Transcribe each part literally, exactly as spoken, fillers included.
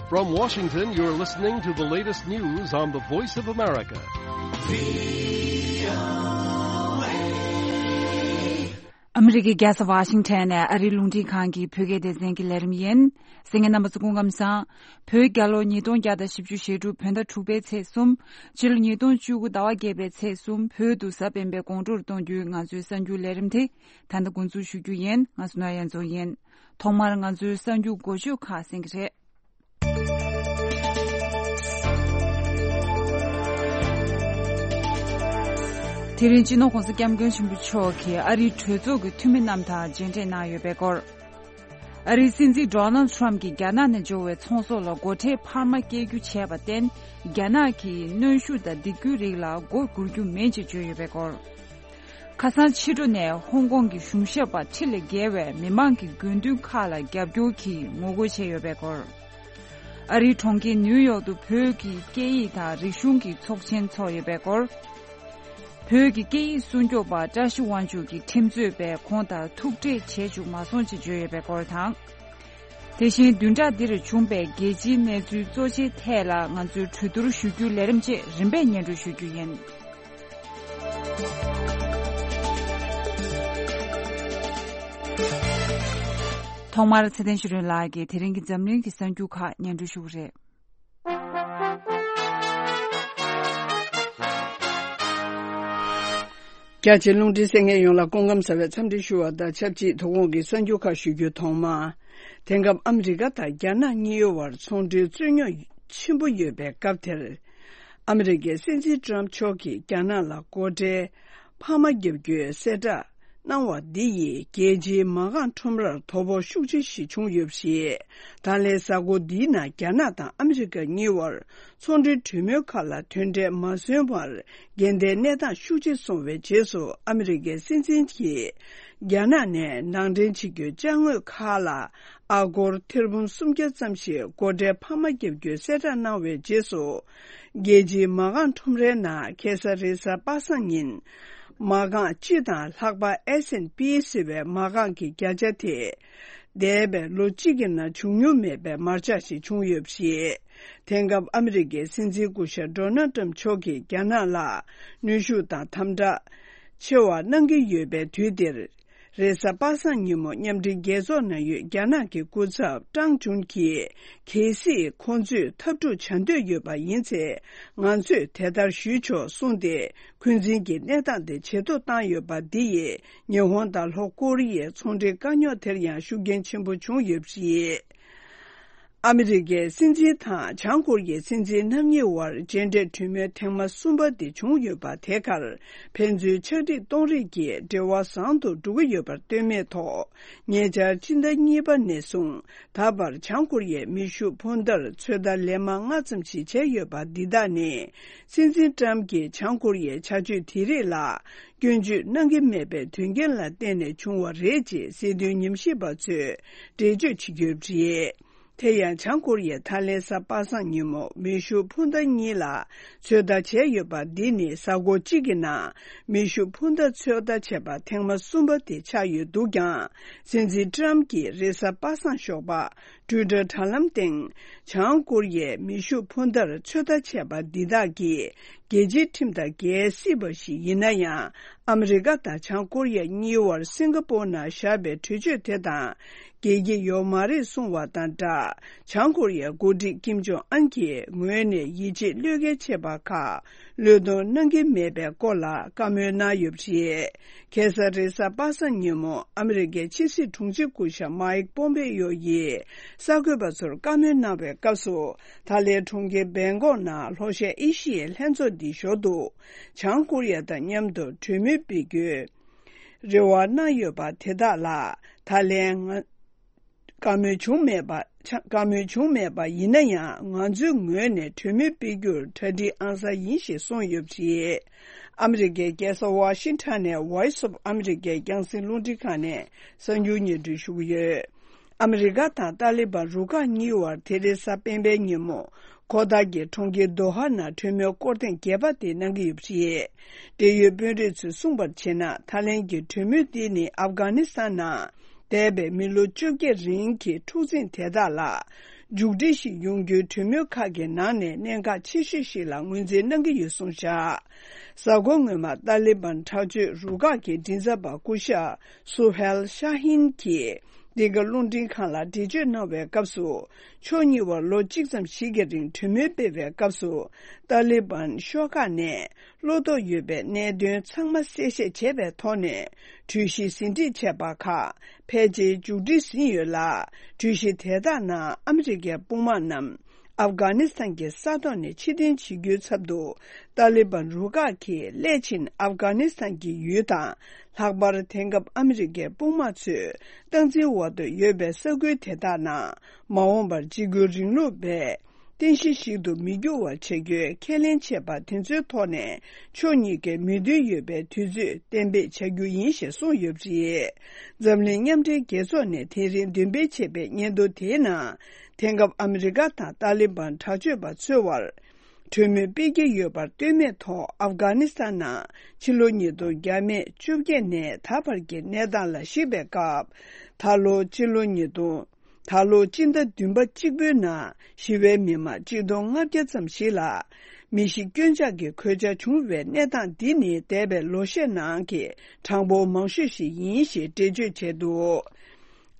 From Washington, you're listening to the latest news on the Voice of America. ཨ་མི་རི་ཀའི་རྒྱལ་ས་ཝ་ཤིང་ཊོན་ནས་ཨ་རིའི་རླུང་འཕྲིན་ཁང་གི་བོད་སྐད་སྡེ་ཚན་གྱི་ལས་རིམ་ཡིན། གསན་མཁན་རྣམ་པ་ཚོ་སྐུ་ཁམས་བཟང་། བོད་རྒྱལ་ལོ་ཉིས་སྟོང་བརྒྱ་དང་བཞི་བཅུ་ཞེ་དྲུག་བོད་ཟླ་དྲུག་པའི་ཚེས་གསུམ། ཕྱི་ལོ་ཉིས་སྟོང་བཅུ་དགུ་ཟླ་བ་བརྒྱད་པའི་ཚེས་གསུམ། བོད་དུ་གཟའ་སྤེན་པའི་དགོང་དྲོར་གཏོང་རྒྱུའི་ང་ཚོའི་གསར་འགྱུར་ལས་རིམ་དེ་ད་ལྟ་འགོ་འཛུགས་ཞུ་རྒྱུ་ཡིན། ང་སུ་ན་ཡན་རྫོང་ཡིན། ཐོག་མར་ང་ཚོའི་གསར་འགྱུར་འགོ་བརྗོད་ཁག་གསན་གྱི་རེད། དེ་རིང་སྤྱི་ནོར་༸གོང་ས་༸སྐྱབས་མགོན་ཆེན་པོ་མཆོག་གིས་ཨ་རིའི་གྲོས་ཚོགས་ཀྱི་འཐུས་མི་རྣམས་དང་མཇལ་འཕྲད་གནང་ཡོད་པའི་སྐོར། ཨ་རིའི་སྲིད་འཛིན་ཌོ་ནལ་ཌི་ཊརམ་གྱིས་རྒྱ་ནག་ནས་འབྱོར་བའི་ཚོང་ཟོག་ལ་སྒོ་ཁྲལ་འཕར་མ་བཀལ་རྒྱུ་བྱས་པར་བརྟེན། རྒྱ་ནག་གིས་གནོན་ཤུགས་དང་སྡིགས་སྐུལ་རིགས་ལ་མགོ་སྒུར་རྒྱུ་མིན་ཅེས་བརྗོད་ཡོད་པའི་སྐོར། ཁ་སང་ཕྱི་དྲོ་ནས་ཧོང་ཀོང་གི་གཞུང་ཞབས་པ་ཁྲི་ལས་བརྒལ་བས་མི་མང་གི་དགོས་འདུན་ཁག་ལ་རྒྱབ་སྐྱོར་གྱིས་ངོ་རྒོལ་བྱས་ཡོད་པའི་སྐོར། ཨ་རིའི་གྲོང་ཁྱེར་ནིའུ་ཡོག་ཏུ་བོད་ཀྱི་སྐད་ཡིག་དང་རིག་གཞུང་གི་ཚོགས་ཆེན་འཚོགས་ཡོད་པའི་སྐོར། བོད་ཀྱི་སྐད་ཡིག་སྲུང་སྐྱོབ་པ་བཀྲ་ཤིས་དབང་ཕྱུག་གིས་ཁྲིམས་རྩོད་པས་ཁོང་དང་ཐུག་འཕྲད་བྱེད་བཅུག་མ་སོང་ཅེས་བརྗོད་ཡོད་པའི་སྐོར་དང་། དེ་བཞིན་བདུན་ཕྲག་འདིར་བྱུང་པའི་རྒྱལ་སྤྱིའི་གནས་ཚུལ་གཙོ་ཆེ་ཐད་ལ་ང་ཚོས་གྲོས་བསྡུར་ཞུ་རྒྱུའི་ལས་རིམ་བཅས་རིམ་པས་སྙན་སྒྲོན་ཞུ་རྒྱུ་ཡིན། ཐོག་མར་ཚེ་བརྟན་ཆོས་སྒྲོན་ལགས་ཀྱིས་དེ་རིང་གི་འཛམ་གླིང་གི་གསར་འགྱུར་ཁག་སྙན་སྒྲོན་ཞུ་གི་རེད། རྒྱ་ཆེའི་རླུང་འཕྲིན་གསན་མཁན་ཡོངས་ལ་སྐུ་ཁམས་བཟང་བའི་འཚམས་འདྲི་ཞུ་བ་དང་ཆབས་ཅིག་དོ་དགོང་གི་གསར་འགྱུར་ཁག་ཞུ་རྒྱུའི་ཐོག་མ། དེང་སྐབས་ཨ་མི་རི་ཀ་དང་རྒྱ་ནག་གཉིས་བར་ཚོང་འབྲེལ་རྩོད་རྙོག་ཆེན་པོ་ཡོད་པའི་སྐབས་དེར། ཨ་མི་རི་ཀའི་སྲིད་འཛིན་ཏྲམ་མཆོག་གིས་རྒྱ་ནག་ལ་སྒོ་ཁྲལ་འཕར་མ་བརྒྱབ་རྒྱུའི་གསལ་བསྒྲགས་གནང་བ་འདི་ཡིས་རྒྱལ་སྤྱིའི་མ་རྐང་ཁྲོམ་རར་དོ་ཕོག་ཤུགས་ཆེ་ཞིག་བྱུང་ཡོད་པ་རེད། ད་ལན་གཟའ་འཁོར་འདིའི་ནང་རྒྱ་ནག་དང་ཨ་མི་རི་ཀ་གཉིས་བར་ཚོང་འབྲེལ་གྲོས་མོལ་ཁག་ལ་དོན་འབྲས་མ་སོན་པར་འགལ་ཟླའི་གནས་སྟངས་ཤུགས་ཆེ་སོང་བའི་རྗེས་སུ། ཨ་མི་རི་ཀའི་སྲིད་འཛིན་གྱིས་རྒྱ་ནག་ནས་ནང་འདྲེན་བྱེད་རྒྱུའི་ཅ་དངོས་ཁག་ལ་ཨ་སྒོར་ཐེར་འབུམ་སུམ་བརྒྱ་ཙམ་ཞིག་སྒོ་ཁྲལ་འཕར་མ་བརྒྱབ་རྒྱུའི་གསལ་བསྒྲགས་གནང་བའི་རྗེས་སུ། རྒྱལ་སྤྱིའི་མ་རྐང་ཁྲོམ་རའི་ནང་ཁ་སང་རེས་གཟའ་པ་སངས་ཉིན། མ་རྐང་སྤྱི་དང་ལྷག་པར་S&P ཟེར་བའི་མ་རྐང་གི་བརྒྱ་ཆ་དེ། འདས་པའི་ལོ་གཅིག་གི་ནང་བྱུང་མྱོང་མེད་པའི་མར་ཆག་ཞིག་བྱུང་ཡོད་པ་རེད། དེང་སྐབས་ཨ་མི་རི་ཀའི་སྲིད་འཛིན་སྐུ་ཞབས་ཌོ་ནལ་ཏྲམ་མཆོག་གིས་རྒྱ་ནག་ལ་གནོན་ཤུགས་དང་དམ་དྲག་ཆེ་བ་གནང་གི་ཡོད་པའི་དུས་འདིར། རེས་གཟའ་པ་སངས་ཉིན་མོ་མཉམ་འབྲེལ་རྒྱལ་ཚོགས་ནང་ཡོད་རྒྱ་ནག་གི་སྐུ་ཚབ་ཀྲང་ཅུན་གྱིས། གལ་སྲིད་ཁོང་ཚོས་འཐབ་འཁྲུག་བྱ་འདོད་ཡོད་པ་ཡིན་ཚེ། ང་ཚོས་དེ་ལྟར་ཞུས་ཆོག་གསུངས་ཏེ། འཁོན་འཛིན་གྱི་གནས་སྟངས་དེ་ཇེ་སྡུག་བཏང་ཡོད་པ་འདི་ཡིས། ཉི་ཧོང་དང་ལྷོ་ཀོ་རི་ཡའི་ཚོང་འབྲེལ་དཀའ་རྙོག་དེར་ཡང་ཤུགས་རྐྱེན་ཆེན་པོ་བྱུང་ཡོད་པ་རེད། ཨ་མི་རི་ཀའི་སྲིད་འཛིན་དང་བྱང་ཀོ་རི་ཡའི་སྲིད་འཛིན་རྣམ་གཉིས་བར་མཇལ་འཕྲད་གྲོས་མོལ་ཐེངས་མ་གསུམ་པ་དེ་བྱུང་ཡོད་པ། དེ་གར་ཕན་ཚུན་ཕྱག་བྲིས་གཏོང་རེས་ཀྱིས་འབྲེལ་བ་བཟང་དུ་འགྲོ་གི་ཡོད་པར་ལྟོས་མེད་ཐོག་ཉེ་ཆར་སྤྱི་ཟླ་གཉིས་པ་ནས་བཟུང་ད་བར་བྱང་ཀོ་རི་ཡས་མེ་ཤུགས་འཕུར་མདའ་ཚོད་ལྟ་ལན་མང་ཙམ་ཞིག་བྱས་ཡོད་པ་འདི་དག་ནི། སྲིད་འཛིན་ཏྲམ་གྱིས་བྱང་ཀོ་རི་ཡའི་བྱ་སྤྱོད་དེ་རིགས་ལ་སྐྱོན་བརྗོད་གནང་གི་མེད་པའི་དོན་རྐྱེན་ལ་བརྟེན་ནས་བྱུང་བ་རེད་ཅེས་སྲིད་དོན་ཉམས་ཞིབ་པ་ཚོས་འགྲེལ་བརྗོད་བྱེད་ཀྱི་ཡོད་པ་རེད། དེ་ཡང་བྱང་ཀོ་རི་ཡས་ད་ལན་གཟའ་པ་སངས་ཉིན་མོ་མེ་ཤུགས་འཕུར་མདའ་གཉིས་ལ་ཚོད་ལྟ་བྱས་ཡོད་པ་འདི་ནི་གཟའ་འཁོར་གཅིག་གི་ནང་མེ་ཤུགས་འཕུར་མདའ་ཚོད་ལྟ་བྱས་པ་ཐེངས་མ་གསུམ་པ་དེ་ཆགས་ཡོད་འདུག་ཀྱང་། སྲིད་འཛིན་ཏྲམ་གྱིས་རེས་གཟའ་པ་སངས་ཞོགས་པ་ཊུའི་ཊར་དྲ་ལམ་སྟེང་། བྱང་ཀོ་རི་ཡས་མེ་ཤུགས་འཕུར་མདའ་ཚོད་ལྟ་བྱས་པ་འདི་དག་གིས། རྒྱལ་སྤྱིའི་ཁྲིམས་དང་འགལ་སྲིད་པ་ཞིག་ཡིན་ན་ཡང་། ཨ་མི་རི་ཀ་དང་བྱང་ཀོ་རི་ཡ་གཉིས་བར་སིང་ག་པོར་ནང་བཞག་པའི་གྲོས་ཆོད་དེ་དང་འགལ་གྱི་ཡོད་མ་རེད་གསུངས་བ་དང་སྦྲགས། བྱང་ཀོ་རི་ཡའི་འགོ་ཁྲིད་ཀིམ་ཇོང་ཨན་གྱི་ངོས་ནས་ཡིད་ཆེས་བློས་འགེལ་བྱས་པ་ཁག་བློས་གཏོང་གནང་གི་མེད་པའི་སྐོར་ལ་བཀའ་མོལ་གནང་ཡོད་པ་རེད། ཁ་སང་རེས་གཟའ་པ་སངས་ཉིན་མོ་ཨ་མི་རི་ཀའི་ཕྱི་སྲིད་དྲུང་ཆེ་སྐུ་ཞབས་མཱིག་པོམ་པེ་ཡོ་ཡིས་གསར་འགོད་པ་ཚོར་བཀའ་མོལ་གནང་བའི་སྐབས་སུ། ཐའི་ལེན་གྲོང་ཁྱེར་བེང་ཀོག་ནང་ལྷོ་ཤར་ཨེ་ཤི་ཡའི་ལྷན་ཚོགས་འདིའི་ཞོར་དུ། བྱང་ཀོ་རི་ཡ་དང་མཉམ་དུ་གྲོས་མོལ་སྤེལ་རྒྱུའི་རེ་བ་གནང་ཡོད་པ་དེ་དག་ལ། ཐའི་ལེན་ང་བཀའ་མོལ་བྱུང་མེད་པ། བཀའ་མོལ་བྱུང་མེད་པ་ཡིན་ན་ཡང་། ང་ཚོའི་ངོས་ནས་གྲོས་མོལ་སྤེལ་རྒྱུར་གྲ་སྒྲིག་ཨང་གསར་ཡིན་ཞེས་གསུངས་ཡོད་པ་རེད། ཨ་མི་རི་ཀའི་རྒྱལ་ས་ཝ་ཤིང་ཊོན་ནས་Voice of America རྒྱང་སྲིང་རླུང་འཕྲིན་ཁང་ནས་གསར་འགྱུར་སྙན་སྒྲོན་ཞུ་གི་ཡོད། ཨ་མི་རི་ཀ་དང་ཏཱ་ལི་བན་རུ་ཁག་གཉིས་བར་དེ་རིང་གཟའ་སྤེན་པའི་ཉིན་མོ། ཁོ་ཐར་གྱི་གྲོང་ཁྱེར་དོ་ཧ་ནང་གྲོས་མོལ་སྐོར་ཐེངས་བརྒྱད་པ་དེ་གནང་གི་ཡོད་པ་རེད། འབྲེལ་ཡོད་དཔོན་རིགས་ཚོས་གསུངས་པར་བྱས་ན། ཐའི་ལེན་གྱི་གྲོས་མོལ་འདི་ནི་ཨབ་གྷ་ནི་སི་ཐན་ནང་འདས་པའི་མི་ལོ་བཅོ་བརྒྱད་རིང་གི་འཁྲུག་འཛིང་དེ་དག་ལ་ མཇུག་སྒྲིལ་ཞིག་ཡོང་རྒྱུའི་གྲོས་མོལ་ཁག་གི་ནང་ནས་གནད་འགག་ཆེ་ཤོས་ཤིག་ལ་ངོས་འཛིན་གནང་གི་ཡོད་གསུངས་བཞག་གཟའ་འཁོར་སྔོན་མ་ཏཱ་ལི་བན་དྲག་སྤྱོད་རུ་ཁག་གི་མགྲིན་ཚབ་པ་སྐུ་ཞབས་སུ་ཧེལ་ཤ་ཧིན་གྱིས། འདི་ག་རླུང་འཕྲིན་ཁང་ལ་འགྲེལ་བརྗོད་གནང་བའི་སྐབས་སུ། ཕྱོགས་གཉིས་བར་ལོ་གཅིག་ཙམ་ཞིག་གི་རིང་གྲོས་མོལ་སྤེལ་བའི་སྐབས་སུ། ཏཱ་ལི་བན་ཤོག་ཁག་ནས་བློ་དོགས་ཡོད་པའི་གནད་དོན་ཚང་མ་གསལ་བཤད་བྱས་པའི་ཐོག་ནས། གྲོས་གཞི་ཟིན་བྲིས་བྱས་པ་ཁག་ཕལ་ཆེར་མཇུག་སྒྲིལ་ཟིན་ཡོད་ལ། གྲོས་གཞི་དེ་དག་ནང་ཨ་མི་རི་ཀའི་དཔུང་དམག་རྣམས་ཨབ་གྷ་ནི་སི་ཐན་གྱི་ས་ཐོག་ནས་ཕྱིར་འཐེན་བྱེད་རྒྱུའི་ཚབ་ཏུ། ཏཱ་ལི་བན་རུ་ཁག་གིས་སླད་ཕྱིན་ཨབ་གྷ་ནི་སི་ཐན་གྱི་ཡུལ་དང་། ལྷག་པར་དེང་སྐབས་ཨ་མི་རི་ཀའི་དཔུང་དམག་ཚོས་སྟངས་འཛིན་འོག་ཏུ་ཡོད་པའི་ས་ཁུལ་དེ་དག་ནང་། མ་འོངས་པར་འཇིགས་སྐུལ་རིང་ལུགས་པས་རྟེན་གཞི་ཞིག་ཏུ་མི་འགྱུར་བར་བྱ་རྒྱུའི་ཁས་ལེན་བྱས་པ་དེ་ཚོའི་ཐོག་ནས། ཕྱོགས་གཉིས་ཀས་མོས་མཐུན་ཡོད་པའི་དུས་ཚོད་གཏན་འབེབས་བྱ་རྒྱུ་ཡིན་ཞེས་གསུངས་ཡོད་པ་རེད། འཛམ་གླིང་མཉམ་འབྲེལ་རྒྱལ་ཚོགས་ནས་དེ་རིང་འདོན་སྤེལ་བྱས་པའི་སྙན་ཐོ་དེའི་ནང་། དེང་སྐབས་ཨ་མི་རི་ཀ་དང་ཏཱ་ལི་བན་དྲག་སྤྱོད་པ་ཚོའི་བར། གྲོས་མོལ་སྤེལ་གྱི་ཡོད་པར་ལྟོས་མེད་ཐོག་ཨབ་གྷ་ནི་སི་ཐན་ནང་ཕྱི་ལོ་ཉིས་སྟོང་བརྒྱ་མེད་བཅོ་བརྒྱད་ནས་ད་བར་གྱི་གནས་སྟངས་ལ་གཞིགས་པའི་སྐབས། ད་ལོ་ཕྱི་ལོ་ཉིས་སྟོང་། ད་ལོ་སྤྱི་ཟླ་བདུན་པ་གཅིག་པུའི་ནང་ཞི་བའི་མི་མང་གཅིག་སྟོང་ལྔ་བརྒྱ་ཙམ་ཞིག་ལ་མི་ཤི་སྐྱོན་ཆག་གི་གོད་ཆག་བྱུང་བའི་གནས་སྟངས་འདི་ནི་འདས་པའི་ལོ་ཤས་ནང་གི་གྲངས་འབོར་མང་ཤོས་ཤིག་ཡིན་ཞེས་འགྲེལ་བརྗོད་བྱས་འདུག་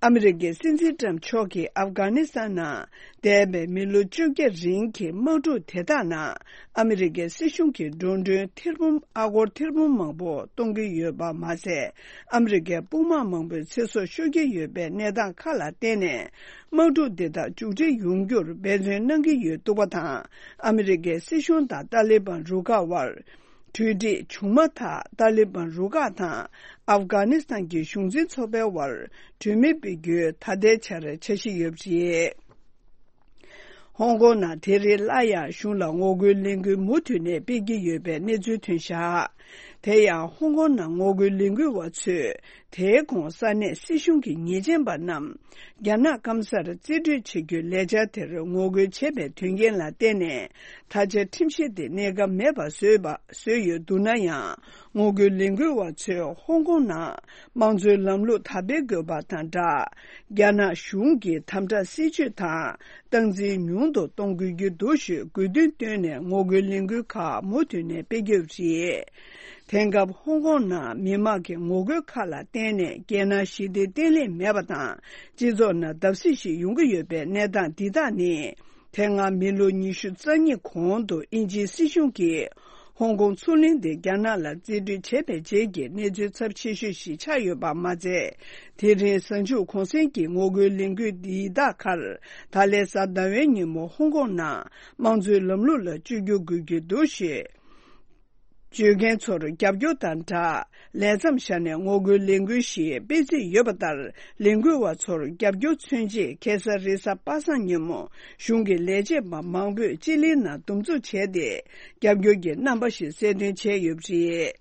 ཨ་མི་རི་ཀའི་སྲིད་འཛིན་ཏྲམ་མཆོག་གིས་ཨབ་གྷ་ནི་སི་ཐན་ནང་འདས་པའི་མི་ལོ་བཅོ་བརྒྱད་རིང་གི་དམག་འཁྲུག་དེ་དག་ནང་ཨ་མི་རི་ཀའི་སྲིད་གཞུང་གིས་འགྲོ་གྲོན་ཐེར་འབུམ་ཨ་སྒོར་ཐེར་འབུམ་མང་པོ་གཏོང་གི་ཡོད་པ་མ་ཟད། ཨ་མི་རི་ཀའི་དཔུང་དམག་མང་པོའི་ཚེ་སྲོག་ཤོར་གྱི་ཡོད་པའི་གནས་སྟངས་ཁག་ལ་བརྟེན་ནས། དམག་འཁྲུག་འདི་དག་མཇུག་སྒྲིལ་ཡོང་རྒྱུར་འབད་བརྩོན་གནང་གི་ཡོད་འདུག་པ་དང་། ཨ་མི་རི་ཀའི་སྲིད་གཞུང་དང་ཏཱ་ལི་བན་རུ་ཁག་དབར། གྲོས་འགྲིག་བྱུང་མ་ཐག་ཏཱ་ལི་བན་རུ་ཁག་དང་ཨབ་གྷ་ནི་སི་ཐན་གྱི་གཞུང་འཛིན་ཚོགས་པའི་དབར་གྲོས་མོལ་སྤེལ་རྒྱུའི་ད་ལྟའི་ཆར་འཆར་གཞི་ཡོད་པ་རེད། ཧོང་ཀོང་ནང་དེ་རིང་སླར་ཡང་གཞུང་ལ་ངོ་རྒོལ་ལས་འགུལ་མུ་མཐུད་ནས་སྤེལ་གྱི་ཡོད་པའི་གནས་ཚུལ་ཐོན་བཞག་དེ་ཡང་ཧོང་ཀོང་ནང་ངོ་རྒོལ་ལས་འགུལ་བ་ཚོས་དེའི་གོང་ས་གནས་སྲིད་གཞུང་གི་ཉེས་ཅན་པ་རྣམས་རྒྱ་ནག་སྐམ་སར་རྩིས་སྤྲོད་བྱེད་རྒྱུའི་ལས་འཆར་དེར་ངོ་རྒོལ་བྱས་པའི་དོན་རྐྱེན་ལ་བརྟེན་ནས། ད་ཆ་ཁྲིམས་གཞི་དེ་གནས་སྐབས་མེད་པ་བཟོས་པ་བཟོས་ཡོད་འདུག་ན་ཡང་། ངོ་རྒོལ་ལས་འགུལ་བ་ཚོས་ཧོང་ཀོང་ནང་དམངས་གཙོའི་ལམ་ལུགས་དར་སྤེལ་དགོས་པ་དང་སྦྲགས། རྒྱ་ནག་གཞུང་གི་དམ་དྲག་སྲིད་བྱུས་དང་སྟངས་འཛིན་ཉུང་དུ་གཏོང་དགོས་ཀྱི་འདུག་ཞེས་དགོས་འདུན་བཏོན་ནས་ངོ་རྒོལ་ལས་འགུལ་ཁག་མུ་མཐུད་ནས་སྤེལ་གྱི་ཡོད་པ་རེད། དེང་སྐབས་ཧོང་ཀོང་ནང་མི་མང་གི་ངོ་རྒོལ་ཁག་ལ་བརྟེན་ནས་རྒྱལ་ནང་ཞི་བདེ་བརྟན་ལྷིང་མེད་པ་དང་། སྤྱི་ཚོགས་ནང་བརྡབ་གསིག་ཞིག་ཡོང་གི་ཡོད་པའི་གནས་སྟངས་འདི་དག་ནི། དེ་སྔ་མི་ལོ་ཉི་ཤུ་རྩ་གཉིས་གོང་དུ་དབྱིན་ཇིའི་སྲིད་གཞུང་གིས་ཧོང་ཀོང་མཚོ་གླིང་དེ་རྒྱ་ནག་ལ་རྩིས་སྤྲོད་བྱས་པའི་རྗེས་ཀྱི་གནས་ཚུལ་ཚབས་ཆེ་ཤོས་ཤིག་ཆགས་ཡོད་པ་མ་ཟད། དེ་རིང་གཟའ་མཇུག་གུང་སེང་གི་ངོ་རྒོལ་ལས་འགུལ་འདིའི་ཟླ་ཁར་ད་ལན་གཟའ་ཟླ་བའི་ཉིན་མོ་ཧོང་ཀོང་ནང་དམངས་གཙོའི་ལམ་ལུགས་ལ་བཅོས་བསྒྱུར་དགོས་ཀྱི་འདུག་ཞེས། བརྗོད་མཁན་ཚོར་རྒྱབ་སྐྱོར་དང་སྦྲགས། ལས་མཚམས་བཞག་ནས་ངོ་རྒོལ་ལས་འགུལ་ཞིག་སྤེལ་རྩིས་ཡོད་པ་ལྟར། ལས་འགུལ་བ་ཚོར་རྒྱབ་སྐྱོར་མཚོན་ཆེད་ཁ་སང་རེས་གཟའ་པ་སངས་ཉིན་མོ་གཞུང་གི་ལས་བྱེད་པ་མང་པོས་སྤྱི་གླིང་ནང་འདུ་འཛོམས་བྱས་ཏེ། རྒྱབ་སྐྱོར་གྱི་རྣམ་པ་ཞིག་གསལ་སྟོན་བྱས་ཡོད་པ་རེད།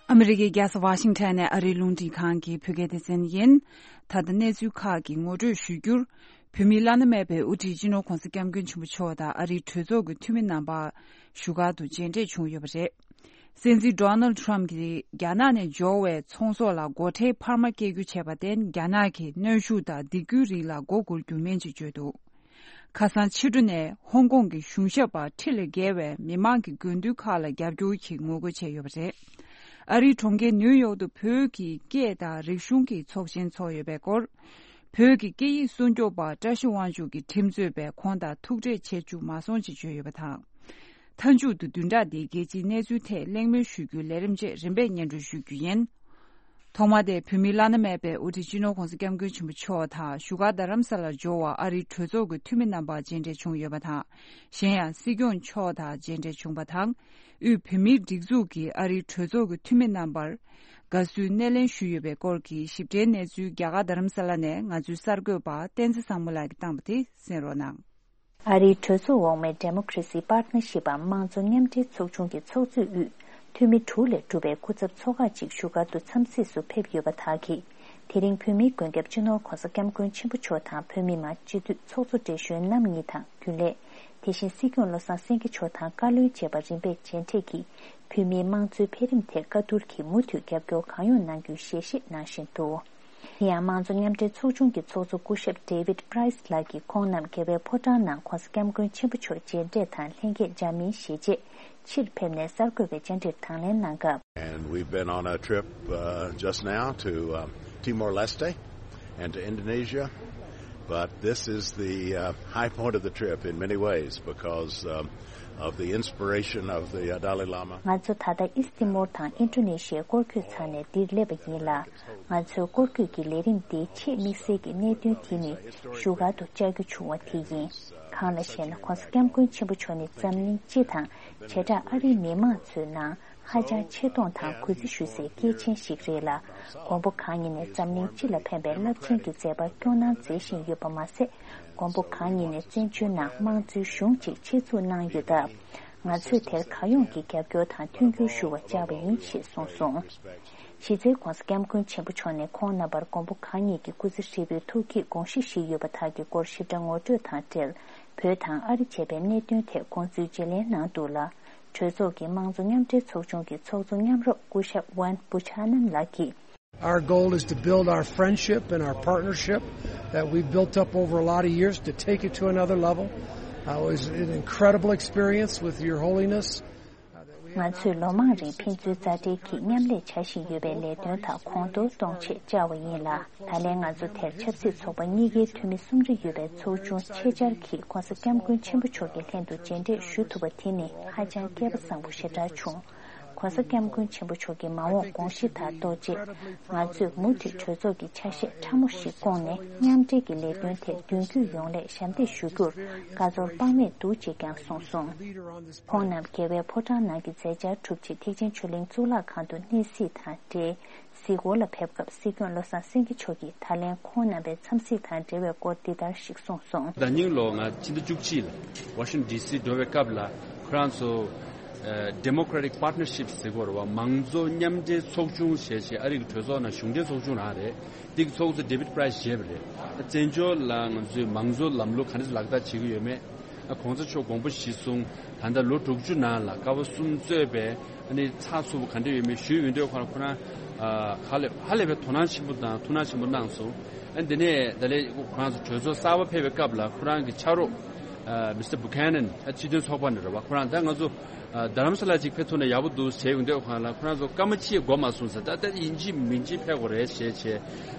ཨ་མི་རི་ཀའི་རྒྱལ་ས་ཝ་ཤིང་ཊོན་ནས་ཨ་རིའི་རླུང་འཕྲིན་ཁང་གི་བོད་སྐད་སྡེ་ཚན་ཡིན། ད་ལྟ་གནས་ཚུལ་ཁག་གི་ངོ་སྤྲོད་ཞུ་རྒྱུར། བོད་མིའི་བླ་ན་མེད་པའི་དབུ་ཁྲིད་སྤྱི་ནོར་༧གོང་ས་༧སྐྱབས་མགོན་ཆེན་པོ་མཆོག་དང་ཨ་རིའི་གྲོས་ཚོགས་ཀྱི་འཐུས་མི་རྣམ་པ་བཞུགས་སྒར་དུ་མཇལ་འཕྲད་བྱུང་ཡོད་པ་རེད། སྲིད་འཛིན་ཌོ་ནལ་ཊམ་གྱིས་རྒྱ་ནག་ནས་འབྱོར་བའི་ཚོང་ཟོག་ལ་སྒོ་ཁྲལ་འཕར་མ་བཀལ་རྒྱུ་བྱས་པར་བརྟེན། རྒྱ་ནག་གིས་གནོན་ཤུགས་དང་སྡིགས་སྐུལ་རིགས་ལ་མགོ་སྒུར་རྒྱུ་མིན་ཅེས་བརྗོད་འདུག་ཁ་སང་ཕྱི་དྲོ་ནས་ཧོང་ཀོང་གི་གཞུང་ཞབས་པ་ཁྲི་ལས་བརྒལ་བས་མི་མང་གི་དགོས་འདུན་ཁག་ལ་རྒྱབ་སྐྱོར་གྱི་ངོ་རྒོལ་བྱས་ཡོད་པ་རེད། ཨ་རིའི་གྲོང་ཁྱེར་ནིའུ་ཡོག་ཏུ་བོད་ཀྱི་སྐད་དང་རིག་གཞུང་གི་ཚོགས་ཆེན་ཚོགས་ཡོད་པའི་སྐོར། བོད་ཀྱི་སྐད་ཡིག་སྲུང་སྐྱོབ་པ་བཀྲ་ཤིས་དབང་ཕྱུག་གིས་ཁྲིམས་རྩོད་པས་ཁོང་དང་ཐུག་འཕྲད་བྱེད་བཅུག་མ་སོང་ཅེས་བརྗོད་ཡོད་པ་དང་། མཐའ་མཇུག་ཏུ་བདུན་ཕྲག་འདིའི་རྒྱལ་སྤྱིའི་གནས་ཚུལ་ཐད་གླེང་མོལ་ཞུ་རྒྱུའི་ལས་རིམ་བཅས་རིམ་པས་སྙན་སྒྲོན་ཞུ་རྒྱུ་ཡིན། ཐོག་མ་དེ་བོད་མིའི་བླ་ན་མེད་པའི་དབུ་ཁྲིད་སྤྱི་ནོར་༧གོང་ས་༧སྐྱབས་མགོན་ཆེན་པོ་མཆོག་དང་བཞུགས་སྒར་རྡ་རམ་ས་ལར་འབྱོར་བར་ཨ་རིའི་གྲོས་ཚོགས་ཀྱི་འཐུས་མི་རྣམ་པ་མཇལ་འཕྲད་བྱུང་ཡོད་པ་དང་། གཞན་ཡང་སྲིད་སྐྱོང་མཆོག་དང་མཇལ་འཕྲད་བྱུང་པ་དང་། དབུས་བོད་མིའི་སྒྲིག་འཛུགས་ཀྱི་ཨ་རིའི་གྲོས་ཚོགས་ཀྱི་འཐུས་མི་རྣམ་པར་དགའ་བསུའི་སྣེ་ལེན་ཞུས་ཡོད་པའི་སྐོར་གྱི་ཞིབ་ཕྲའི་གནས་ཚུལ་རྒྱ་གར་རྡ་རམ་ས་ལ་ནས་ང་ཚོའི་གསར་འགོད་པ་བསྟན་འཛིན་བཟང་མོ་ལགས་ཀྱིས་བཏང་བ་དེ་གསན་རོགས་གནང་། ཨ་རིའི་གྲོས་ཚོགས་འོག་མའི་Democracy Partnership འམ་དམངས་གཙོ་མཉམ་འབྲེལ་ཚོགས་ཆུང་གི་ཚོགས་གཙོས་དབུས་འཐུས་མི་དྲུག་ལས་གྲུབ་པའི་སྐུ་ཚབ་ཚོགས་ཁག་ཅིག་བཞུགས་སྒར་དུ་འཚམས་གཟིགས་སུ་ཕེབས་ཡོད་པ་དག་གིས། དེ་རིང་བོད་མིའི་མགོན་སྐྱབས་སྤྱི་ནོར་༧གོང་ས་༧སྐྱབས་མགོན་ཆེན་པོ་མཆོག་དང་བོད་མི་མང་སྤྱི་འཐུས་ཚོགས་གཙོ་བགྲེས་གཞོན་རྣམ་གཉིས་དང་རྒྱུན་ལས། དེ་བཞིན་སྲིད་སྐྱོང་བློ་བཟང་སེང་གེ་མཆོག་དང་བཀའ་བློན་བཅས་པ་རིམ་པས་མཇལ་འཕྲད་ཀྱིས། བོད་མིའི་དམངས་གཙོའི་འཕེལ་རིམ་ཐད་བཀའ་བསྡུར་གྱིས་མུ་མཐུད་རྒྱབ་སྐྱོར་གང་ཡོང་གནང་རྒྱུའི་ཞལ་བཞེས་གནང་བཞིན་འདུག། དེ་ཡང་དམངས་གཙོ་མཉམ་འབྲེལ་ཚོགས་ཆུང་གི་ཚོགས་གཙོ་སྐུ་ཞབས་David Price ལགས་ཀྱིས་ཁོང་རྣམས་རྒྱལ་བའི་ཕོ་བྲང་ནང་༧གོང་ས་༧སྐྱབས་མགོན་ཆེན་པོ་མཆོག་མཇལ་འཕྲད་དང་ལྷན་རྒྱས་འཇར་མན་ཞེས་བྱས་ཕྱིར་ཕེབས་ནས་གསར་འགོད་པའི་བཅར་འདྲིར་དང་ལེན་གནང་སྐབས། And we've been on a trip uh, just now to um, Timor Leste and to Indonesia. But this is the uh, high point of the trip in many ways because um, of the inspiration of the uh, Dalai Lama. ང་ཚོ་ད་ལྟ་ཨིས་ཏི་མོར་དང་ཨིན་ཌོ་ནེ་ཤི་ཡའི་སྐོར་སྐྱོད་ཚར་ནས་འདིར་སླེབས་པ་ཡིན་ལ། ང་ཚོའི་སྐོར་སྐྱོད་ཀྱི་ལས་རིམ་འདིའི་ཆེས་དམིགས་བསལ་གྱི་གནད་དོན་དེ་ནི་བཞུགས་སྒར་དུ་བཅར་རྒྱུ་བྱུང་བ་དེ་ཡིན། གང་ལ་ཞེ་ན། ྋགོང་ས་ྋསྐྱབས་མགོན་ཆེན་པོ་མཆོག་ནི་འཛམ་གླིང་སྤྱི་དང་བྱེ་བྲག་ཨ་རིའི་མི་མང་ཚོའི་ནང་ཧ་ཅང་ཆེ་མཐོང་དང་གུས་བརྩི་ཞུ་སའི་སྐྱེས་ཆེན་ཞིག་རེད་ལ། མགོན་པོ་གང་ཉིད་ནས་འཛམ་གླིང་སྤྱི་ལ་ཕན་པའི་རླབས་ཆེན་གྱི་མཛད་པ་སྐྱོང་གནང་མཛད་བཞིན་ཡོད་པ་མ་ཟད། མགོན་པོ་གང་ཉིད་ནས་བཙན་བྱོལ་ནང་དམངས་གཙོའི་གཞུང་ཅིག་ཆེད་འཛུགས་གནང་ཡོད་སྟབས། ང་ཚོས་དེར་གང་ཡོང་གི་རྒྱབ་སྐྱོར་དང་མཐུན་འགྱུར་ཞུ་བར་བཅར་བ་ཡིན་ཞེས་གསུངས་སོང་། གཞི་རྩའི་ྋགོང་ས་ྋསྐྱབས་མགོན་ཆེན་པོ་མཆོག་ནས་ཁོང་རྣམ་པར་མགོན་པོ་གང་ཉིད་ཀྱི་སྐུ་ཚེ་ཧྲིལ་པོའི་ཐུགས་བསྐྱེད་དགོངས་གཞི་བཞེས་ཡོད་པ་དག་གི་སྐོར་ཞིབ་ཕྲ་ངོ་སྤྲོད་དང་འབྲེལ། བོད་དང་ཨ་རི་བཅས་པའི་གནད་དོན་ཐད་དགོངས་ཚུལ་བརྗེ་ལེན་གནང་འདུག་ལ། གྲོས་ཚོགས་ཀྱི་དམངས་གཙོ་མཉམ་འབྲེལ་ཚོགས་ཆུང་གི་ཚོགས་གཙོ་མཉམ་རོགས་སྐུ་ཞབས་ཝན་བུ་ཆ་ནན་ལགས་ཀྱིས། Our goal is to build our friendship and our partnership that we've built up over a lot of years to take it to another level. Uh, it was an incredible experience with Your Holiness. ང་ཚོས་ལོ་མང་རིང་ཕན་ཚུན་མཛའ་འབྲེལ་གྱིས་མཉམ་ལས་བྱ་བཞིན་ཡོད་པའི་ལས་དོན་དག་གོང་མཐོར་གཏོང་ཆེད་བཅར་བ་ཡིན་ལ། ད་ལན་ང་ཚོ་དེར་ཆབ་སྲིད་ཚོགས་པ་གཉིས་ཀའི་འཐུས་མི་གསུམ་རེ་ཡོད་པའི་ཚོགས་ཆུང་ཆེད་བཅར་གྱིས་ྋགོང་ས་ྋསྐྱབས་མགོན་ཆེན་པོ་མཆོག་གི་ལྷན་དུ་མཇལ་འཕྲད་ཞུ་ཐུབ་པ་དེ་ནི་ཧ་ཅང་སྐལ་པ་བཟང་པོ་ཞེ་དྲག་བྱུང་། ྋགོང་ས་ྋསྐྱབས་མགོན་ཆེན་པོ་མཆོག་གི་མ་འོངས་དགོངས་གཞི་དང་ལྡོག་རྗེས། ང་ཚོས་མུ་མཐུད་གྲོས་ཚོགས་ཀྱི་ཆ་ཤས་ཕྲ་མོ་ཞིག་བསྐོངས་ནས་མཉམ་འབྲེལ་གྱི་ལས་དོན་ཐད་མདུན་སྐྱོད་ཡོང་སླད་ཞབས་འདེགས་ཞུ་རྒྱུར་དགའ་ཚོར་དཔག་མེད་འདུག་ཅེས་ཀྱང་གསུངས་སོང་། ཁོང་རྣམས་རྒྱལ་བའི་ཕོ་བྲང་ནང་གི་མཛད་འཆར་གྲུབ་རྗེས་ཐེག་ཆེན་ཆོས་གླིང་གཙུག་ལག་ཁང་དུ་གནས་གཟིགས་དང་འབྲེལ། གཟིགས་སྐོར་ལ་ཕེབས་སྐབས་སྲིད་སྐྱོང་བློ་བཟང་སེང་གེ་མཆོག་གིས་ད་ལན་ཁོང་རྣམ་པའི་འཚམས་གཟིགས་དང་འབྲེལ་བའི་སྐོར་འདི་ལྟར་ཞིག་གསུངས་སོང་། ཟླ་ཉིན་ལོ་ང་ཕྱི་ཟླ་བཅུ་གཅིག་ལ་ཝ་ཤིང་ཊོན་ཌི་སི་འགྲོ་བའི་སྐབས་ལ་ཁོ་རང་ཚོ་Democratic Partnership ཟེར་གོ་ར་བ། མང་གཙོ་མཉམ་འབྲེལ་ཚོགས་ཆུང་ཞེས་བྱས་ཨ་རི་གི་གྲོས་ཚོགས་ནང་གཞུང་འབྲེལ་ཚོགས་ཆུང་རང་རེད། འདི་གི་ཚོགས་གཙོ་David Price བཞེས་པ་རེད། བཙན་བྱོལ་ལ་ང་ཚོའི་མང་གཙོ་ལམ་ལུགས་ག་འདྲ་ལག་བསྟར་བྱེད་ཀྱི་ཡོད་མེད། ྋགོང་ས་མཆོག་དགོངས་པ་གཞིར་བཟུང་ད་ལྟ་ལོ་དྲུག་ཅུ་ནང་ལ་ཀ་བ་གསུམ་གཙོས་པའི་ཨ་ནི་ཚགས་ཚུད་པོ་ག་འདྲ་ཡོད་མེད་ཞུས་ཡོང་དུས་ཁོ་རང་ཁོ་རང་ཧ་ལས་ཧ་ལས་པའི་དོ་སྣང་ཆེན་པོ་དང་ཐུགས་སྣང་ཆེན་པོ་གནང་སོང་། ཨ་འདི་ནས་ད་ལས་ཁོ་རང་ཚོ་གྲོས་ཚོགས་གསར་པ་ཕེབས་པའི་སྐབས་ལ་ཁོ་རང་གི་ཕྱག་རོགས་Mr Buchanan ཨ་སྤྱི་མཐུན་ཚོགས་པ་ནས་རེད་བ། ཁོ་རང་ད་ང་ཚོ་རྡ་རམ་ས་ལ་ཅིག་ཕེབས་ཐུབ་ན་ཡག་པོ་འདུག་ཟེར་ཡོང་དུས་ཁོ་རང་ལ་ཁོ་རང་ཚོ་སྐར་མ་གཅིག་འགོར་མ་སོང་ཟེར། ད་ལྟ་ཡིན་གཅིག་མིན་གཅིག་ཕེབས་དགོས་རེད་ཞེས་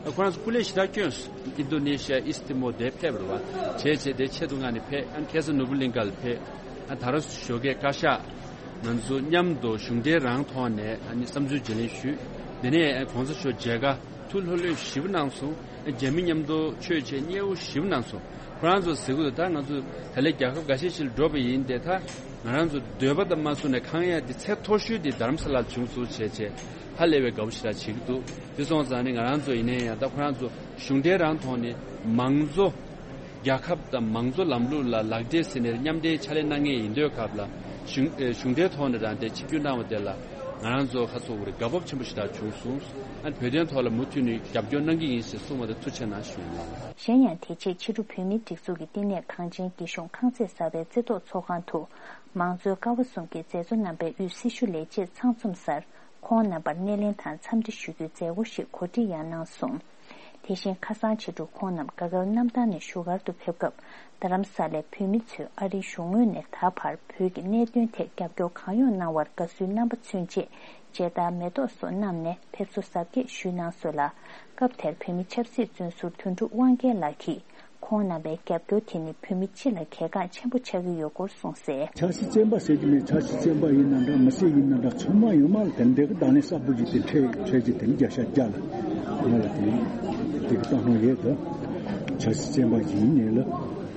བྱས་ཁོ་རང་ཚོ་སྐུ་ལས་ཞེ་དྲག་བསྐྱོན་སོང་། ཨིན་རྡོ་ནེ་ཤི་ཡ་ཨིས་ཏི་མོ་དེ་ཕེབས་རེད་བ། བྱས་བྱས་དེ་ཆེད་དུ་མངགས་ནས་ཕེབས། ཨ་ནི་ཁ་སང་ནོར་བུ་གླིང་ག་ལ་ཕེབས། ཨ་ད་ར་ཞོགས་ཀས་བཀའ་ཤག་ང་ཚོ་མཉམ་དུ་གཞུང་འབྲེལ་རང་ཐོག་ནས་ཨ་ནི་བསམ་ཚུལ་བརྗེ་ལེན་ཞུས། དེ་ནས་ཨ་གོང་ས་མཆོག་མཇལ་ཁ་ཐུགས་ལྷོད་ལྷོད་ཞེ་པོ་གནང་སོང་། ཨ་རྒྱ་མི་མཉམ་དུ་ཆོས་བྱེད་མཉེས་པོ་ཞེ་པོ་གནང་སོང་། ཁོ་རང་ཚོ་ཟེར་གི་འདུག་ད་ང་ཚོ་ད་ལས་རྒྱལ་ཁབ་འགའ་ཤས་ཤིག་ལ་འགྲོ་བ་ཡིན་ཏེ། ད་ང་རང་ཚོ་འདོད་པ་དང་མ་བསུངས་ནས་ཁེངས་ཡ་དེ་ཚད་མཐོ་ཤོས་དེ་རྡ་རམ་ས་ལར་བྱུང་སོང་བྱས་བྱས་ཧ་ལས་པའི་དགའ་པོ་ཞེ་དྲག་བྱེད་ཀྱི་འདུག་དེ་སོང་ཙང་ནི་ང་རང་ཚོ་ཡིན་ན་ཡང་ད་ཁོ་རང་ཚོ་གཞུང་འབྲེལ་རང་ཐོག་ནས་མང་གཙོ་རྒྱལ་ཁབ་དང་མང་གཙོ་ལམ་ལུགས་ལ་ལག་འབྲེལ་ཟེར་ནས་མཉམ་འབྲེལ་ཕྱག་ལས་གནང་མཁན་ཡིན་དུས་སྐབས་ལ་གཞུང་ཨེ་གཞུང་འབྲེལ་ཐོག་ནས་རང་དེ་ཆིབས་བསྒྱུར་གནང་བ་དེ་ལ་ང་རང་ཚོ་ཁ་སོ་བོ་རེ་དགའ་སྤོབས་ཆེན་པོ་ཞེ་དྲག་བྱུང་སོང་། ཨ་ནི་བོད་དོན་ཐོག་ལ་མུ་མཐུད་ནས་རྒྱབ་སྐྱོར་གནང་གི་ཡིན་ཞེས་གསུངས་པ་དེ་ཐུགས་རྗེ་གནང་ཞུ་ཡིན། གཞན་ཡང་དེ་རྗེས་ཕྱི་དྲོ་བོད་མིའི་སྒྲིག་འཛུགས་ཀྱི་བསྟི་གནས་གངས་ཅན་སྐྱིད་གཤོངས་ཁང་བརྩེགས་གསར་པའི་རྩེ་ཐོག་ཚོགས་ཁང་དུ་མང་གཙོའི་ཀ་བ་གསུམ་གྱི་མཛད་གཙོ་རྣམ་པའི་དབུས་སྲི་ཞུ་ལས་བྱེད་ཚང་འཛོམས་སར་ཁོང་རྣམ་པར་སྣེ་ལེན་དང་འཚམས་འདྲི་ཞུ་རྒྱུའི་མཛད་སྒོ་ཞིག་གོ་སྒྲིག་ཡང་གནང་སོང་། དེ་བཞིན་ཁ་སང་ཕྱི་དྲོ་ཁོང་རྣམས་ག་གལ་གནམ་ཐང་ནས་བཞུགས་སྒར་དུ་ཕེབས་སྐབས། རྡ་རམ་ས་ལའི་བོད་མི་ཚོས་ཨ་རིའི་གཞུང་ངོས་ནས་ད་བར་བོད་ཀྱི་གནད་དོན་ཐད་རྒྱབ་སྐྱོར་གང་ཡོང་གནང་བར་དགའ་བསུའི་རྣམ་པ་མཚོན་ཆེད་མཇལ་དར་མེ་ཏོག་སོགས་བསྣམས་ནས་ཕེབས་བསུ་གཟབ་རྒྱས་ཞུས་གནང་སོང་ལ། སྐབས་དེར་བོད་མི་ཆབ་སྲིད་བཙོན་ཟུར་དོན་གྲུབ་དབང་རྒྱལ་ལགས་ཀྱིས། ཁོང་རྣམ་པའི་རྒྱབ་སྐྱོར་དེ་ནི་བོད་མི་སྤྱི་ལ་གལ་འགངས་ཆེན་པོ་ཆགས་ཀྱི་ཡོད་སྐོར་གསུངས་གསལ། ཆབ་སྲིད་བཙོན་པ་ཟེར་གྱི་མེད། ཆབ་སྲིད་བཙོན་པ་ཡིན་ན་འདྲ། མི་སེར་ཡིན་ན་འདྲ། ཚང་མ་ཡོད་མ་རེད། དེ་འདྲའི་གི་བརྡ་ལན་གསར་པོ་ཞིག་དེ་འཕྲལ་འཕྲལ་གྱི་དེ་ནི་བརྒྱ་ཆ་བརྒྱ་ལ་ང་ལ་དེ་ནི་དེ་གི་བཏང་སྣང་ཡོད་དོ། ཆབ་སྲིད་བཙོན་པ་ཞིག་ཡིན་ནའི་ལ་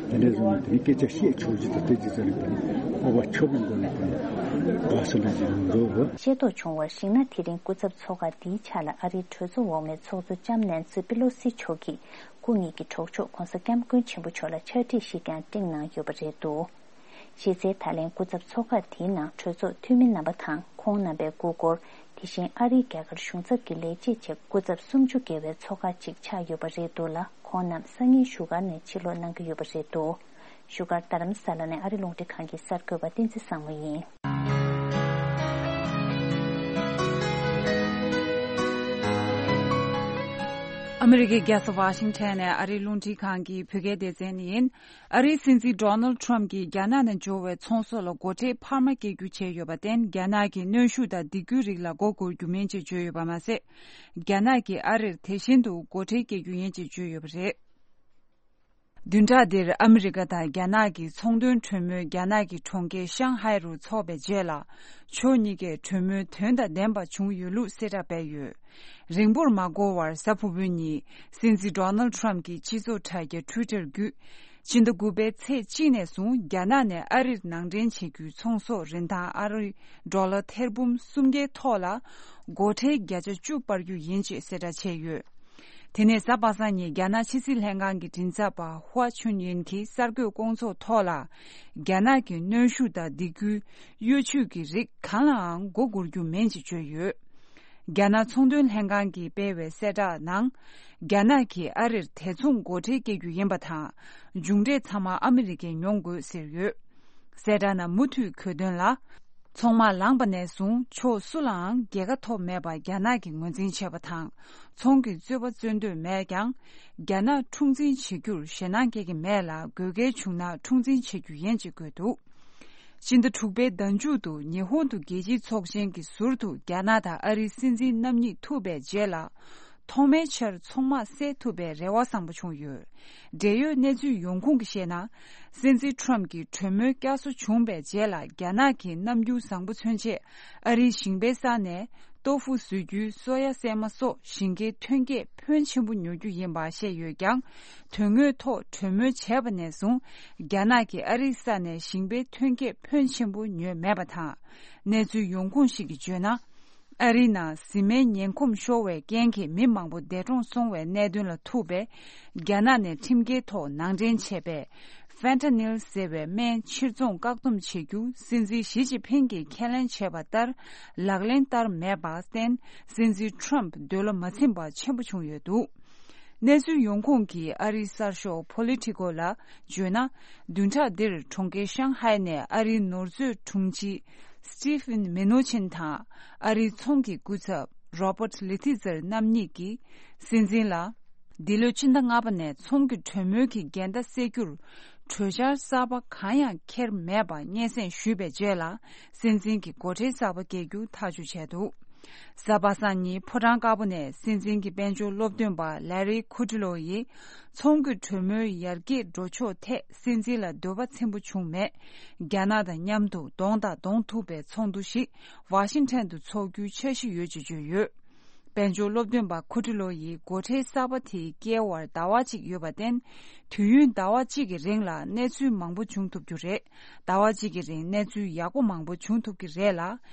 དེ་འདྲའི་བཟོ་ན་དེ་ནི་སྐད་ཆ་བཤད་ཆོག་རྒྱུ་དང་དེ་ཅི་ཟེར་ན་དེ་ནི་སྤོབས་པ་ཆོག་པའི་སྒོ་ནས་དེ་ནི་དགའ་བསུ་འདྲ་ཞིག་གནང་འགྲོ་བ། ཤེས་རྟོགས་བྱུང་བར་གཞིགས་ན། དེ་རིང་སྐུ་ཚབ་ཚོགས་ཁག་འདིའི་ཆ་ལ་ཨ་རིའི་གྲོས་ཚོགས་འོག་མའི་ཚོགས་གཙོ་ལྕམ་ནན་སི་པི་ལོ་སི་མཆོག་གིས། སྐུ་ཉིད་ཀྱི་གྲོགས་མཆོག་༧གོང་ས་༧སྐྱབས་མགོན་ཆེན་པོ་མཆོག་ལ་ཕྱག་བྲིས་ཤིག་ཀྱང་སྤྲིངས་གནང་ཡོད་པ་རེད་འདུག། གཞི་རྩའི་ད་ལན་སྐུ་ཚབ་ཚོགས་ཁག་དེའི་ནང་གྲོས་ཚོགས་འཐུས་མི་རྣམ་པ་དང་ཁོང་རྣམ་པའི་སྐུ་འཁོར། དེ་བཞིན་ཨ་རིའི་རྒྱ་གར་གཞུང་ཚབ་ཀྱི་ལས་བྱེད་བཅས་སྐུ་ཚབ་སུམ་ཅུ་བརྒལ་བའི་ཚོགས་ཁག་ཅིག་ཆགས་ཡོད་པ་རེད་འདུག་ལ། ཁོང་རྣམས་སང་ཉིན་བཞུགས་སྒར་ནས་ཕྱིར་ལོག་གནང་གི་ཡོད་པ་རེད་འདུག། བཞུགས་སྒར་རྡ་རམ་ས་ལ་ནས་ཨ་རི་རླུང་འཕྲིན་ཁང་གི་གསར་འགོད་པ་བསྟན་འཛིན་བཟང་མོ་ཡིན། ཨ་མི་རི་ཀའི་རྒྱལ་ས་ཝ་ཤིང་ཊོན་ནས་ཨ་རིའི་རླུང་འཕྲིན་ཁང་གི་བོད་སྐད་སྡེ་ཚན་ཡིན། ཨ་རིའི་སྲིད་འཛིན་ཌོ་ནལ་ཊམ་གྱིས་རྒྱ་ནག་ནས་འབྱོར་བའི་ཚོང་ཟོག་ལ་སྒོ་ཁྲལ་འཕར་མ་སྐྱེལ་རྒྱུ་བྱས་ཡོད་པར་བརྟེན། རྒྱ་ནག་གིས་གནོན་ཤུགས་དང་སྡིགས་སྐུལ་རིགས་ལ་མགོ་སྒུར་རྒྱུ་མིན་ཅེས་བརྗོད་ཡོད་པ་མ་ཟད། རྒྱ་ནག་གིས་ཨ་རིར་དེ་བཞིན་དུ་སྒོ་ཁྲལ་སྐྱེལ་རྒྱུ་ཡིན་ཅེས་བརྗོད་ཡོད་པ་རེད། བདུན་ཕྲག་འདིར་ཨ་མི་རི་ཀ་དང་རྒྱ་ནག་གི་ཚོང་དོན་གྲོས་མོལ་རྒྱ་ནག་གི་གྲོང་ཁྱེར་ཤང་ཧའེ་རུ་འཚོགས་པའི་རྗེས་ལ། ཕྱོགས་གཉིས་ཀས་གྲོས་མོལ་དོན་དང་ལྡན་པ་བྱུང་ཡོད་ལུགས་གསལ་བསྒྲགས་སྤེལ་ཡོད། རིང་པོར་མ་འགོར་བར་གཟའ་ཕུར་བུའི་ཉིན་སྲིད་འཛིན་ཌོ་ནལ་ཊམ་གྱི་སྤྱི་ཚོགས་དྲ་རྒྱ་ཊུའི་ཊར་བརྒྱུད། ཕྱི་ཟླ་དགུ་པའི་ཚེས་གཅིག་ནས་བཟུང་རྒྱ་ནག་ནས་ཨ་རིར་ནང་འདྲེན་བྱེད་རྒྱུའི་ཚོང་ཟོག་རིན་ཐང་ཨ་རི་ཌོ་ལར་ཐེར་འབུམ་སུམ་བརྒྱའི་ཐོག་ལ་སྒོ་ཁྲལ་བརྒྱ་ཆ་བཅུ་སྤར་རྒྱུ་ཡིན་ཅེས་གསལ་བསྒྲགས་བྱས་ཡོད། དེ་ནས་གཟའ་པ་སངས་ཉིན་རྒྱ་ནག་ཕྱི་སྲིད་ལྷན་ཁང་གི་མགྲིན་ཚབ་པ་ཧུའ་ཆུན་ཡིན་གྱིས་གསར་འགོད་སྐོང་ཚོགས་ཐོག་ལ། རྒྱ་ནག་གི་གནོན་ཤུགས་དང་སྡིགས་སྐུལ་གཡོ་ཇུས་ཀྱི་རིགས་གང་ལའང་མགོ་སྒུར་རྒྱུ་མིན་ཅེས་བརྗོད་ཡོད། རྒྱ་ནག་ཚོང་དོན་ལྷན་ཁང་གིས་སྤེལ་བའི་གསལ་བསྒྲགས་ནང་། རྒྱ་ནག་གིས་ཨ་རིར་དེ་མཚུངས་སྒོ་ཁྲལ་སྐྱེལ་རྒྱུ་ཡིན་པ་དང་། མཇུག་འབྲས་ཚང་མ་ཨ་མི་རི་ཀས་མྱོང་དགོས་ཟེར་ཡོད། གསལ་བསྒྲགས་ནང་མུ་མཐུད་འཁོད་དོན་ལ། ཚོང་དམག་ལངས་པ་ནས་བཟུང་ཕྱོགས་སུ་ལའང་རྒྱལ་ཁ་ཐོབ་མེད་པ་རྒྱ་ནག་གིས་ངོས་འཛིན་བྱས་པ་དང་། ཚོང་གི་རྩོད་པ་རྩོད་འདོད་མེད་ཀྱང་། རྒྱ་ནག་འཁྲུག་འཛིང་བྱེད་རྒྱུར་ཞེད་སྣང་སྐྱེ་གི་མེད་ལ། དགོས་གལ་བྱུང་ན་འཁྲུག་འཛིང་བྱེད་རྒྱུ་ཡིན་ཅེས་བཀོད་འདུག། སྤྱི་ཟླ་དྲུག་པའི་ཟླ་མཇུག་ཏུ་ཉི་ཧོང་དུ་རྒྱལ་སྤྱིའི་ཚོགས་ཆེན་གྱི་ཟུར་དུ་རྒྱ་ནག་དང་ཨ་རིའི་སྲིད་འཛིན་རྣམ་གཉིས་ཐུག་པའི་རྗེས་ལ། ཐོག་མའི་ཆར་ཚོང་དམག་སེལ་ཐུབ་པའི་རེ་བ་བཟང་པོ་བྱུང་ཡོད། འབྲེལ་ཡོད་གནས་ཚུལ་ཡོང་ཁུངས་ཀྱིས་བཤད་ན། སྲིད་འཛིན་ཊམ་གྱིས་གྲོས་མོལ་བསྐྱར་གསོ་བྱུང་བའི་རྗེས་ལ། རྒྱ་ནག་གིས་རྣམ་འགྱུར་བཟང་པོ་མཚོན་ཆེད། ཨ་རིའི་ཞིང་པའི་ས་ནས་ཏོ་ཧྥུ་བཟོ་རྒྱུའི་སོ་ཡ་སྲན་མ་སོགས་ཞིང་ཁའི་ཐོན་སྐྱེད་ཕོན་ཆེན་པོ་ཉོ་རྒྱུ་ཡིན་པ་བཤད་ཡོད་ཀྱང་། དོན་དངོས་ཐོག་གྲོས་མོལ་བྱས་པ་ནས་བཟུང་། རྒྱ་ནག་གིས་ཨ་རིའི་ས་ནས་ཞིང་པའི་ཐོན་སྐྱེད་ཕོན་ཆེན་པོ་ཉོས་མེད་པ་དང་། གནས་ཚུལ་ཡོང་ཁུངས་ཤིག་གིས་བརྗོད་ན། ཨ་རིའི་ནང་བཟི་སྨན་ངན་གོམས་ཤོར་བའི་རྐྱེན་གྱིས་མི་མང་པོ་འདས་གྲོངས་སོང་བའི་གནད་དོན་ལ་ཐུག་པས། རྒྱ་ནག་ནས་ཁྲིམས་འགལ་ཐོག་ནང་འདྲེན་བྱས་པའི་ཧྥེན་ཐ་ནིལ་ཟེར་བའི་སྨན་ཕྱིར་ཚོང་བཀག་སྡོམ་བྱེད་རྒྱུ་སྲིད་འཛིན་ཞི་ཅིན་ཕིང་གིས་ཁས་ལེན་བྱས་པ་ལྟར་ལག་ལེན་བསྟར་མེད་པར་བརྟེན། སྲིད་འཛིན་ཊམ་འདོད་བློ་མ་ཚིམ་པ་ཆེན་པོ་བྱུང་ཡོད་འདུག། གནས་ཚུལ་ཡོང་ཁུངས་ཀྱིས་ཨ་རིའི་གསར་ཤོག་Politico་ལ་བརྗོད་ན། བདུན་ཕྲག་འདིར་གྲོང་ཁྱེར་ཤང་ཧའེ་ནས་ཨ་རིའི་ནོར་མཛོད་དྲུང་ཆེ་Steven Mnuchin་དང་ཨ་རིའི་ཚོང་གི་སྐུ་ཚབ་Robert Lighthizer་རྣམ་གཉིས་ཀྱིས་སྲིད་འཛིན་ལ། འདི་ལོའི་ཕྱི་ཟླ་ལྔ་པ་ནས་ཚོང་གི་གྲོས་མོལ་གྱི་འགལ་ཟླ་སེལ་རྒྱུར་གྲོས་འཆར་གསར་པ་གང་ཡང་འཁྱེར་མེད་པ་སྙན་སེང་ཞུས་པའི་རྗེས་ལ། སྲིད་འཛིན་གྱིས་སྒོ་ཁྲལ་གསར་པ་སྐྱེལ་རྒྱུ་ཐག་གཅོད་བྱས་འདུག། གཟའ་པ་སངས་ཉིན་ཕོ་བྲང་དཀར་པོ་ནས་སྲིད་འཛིན་གྱི་དཔལ་འབྱོར་སློབ་སྟོན་པ་Larry Kudlow་ཡིས། ཚོང་གི་གྲོས་མོལ་ཡར་རྒྱས་འགྲོ་ཕྱོགས་ཐད་སྲིད་འཛིན་ལ་འདོད་པ་ཚིམ་པོ་བྱུང་མེད། རྒྱ་ནག་དང་མཉམ་དུ་གདོང་དང་གདོང་ཐུག་པའི་ཚོགས་འདུ་ཞིག་ཝ་ཤིང་ཊོན་དུ་འཚོགས་རྒྱུའི་འཆར་གཞི་ཡོད་ཅེས་བརྗོད་ཡོད། དཔལ་འབྱོར་སློབ་སྟོན་པ་ཁུ་ཊི་ལོ་ཡིས་སྒོ་ཁྲལ་གསར་པ་དེ་སྐྱེལ་བར་ཟླ་བ་གཅིག་ཡོད་པར་བརྟེན། དུས་ཡུན་ཟླ་བ་གཅིག་གི་རིང་ལ་གནས་ཚུལ་མང་པོ་བྱུང་ཐུབ་རྒྱུ་རེད། ཟླ་བ་གཅིག་གི་རིང་གནས་ཚུལ་ཡག་པོ་མང་པོ་བྱུང་ཐུབ་ཀྱི་རེད་ལ།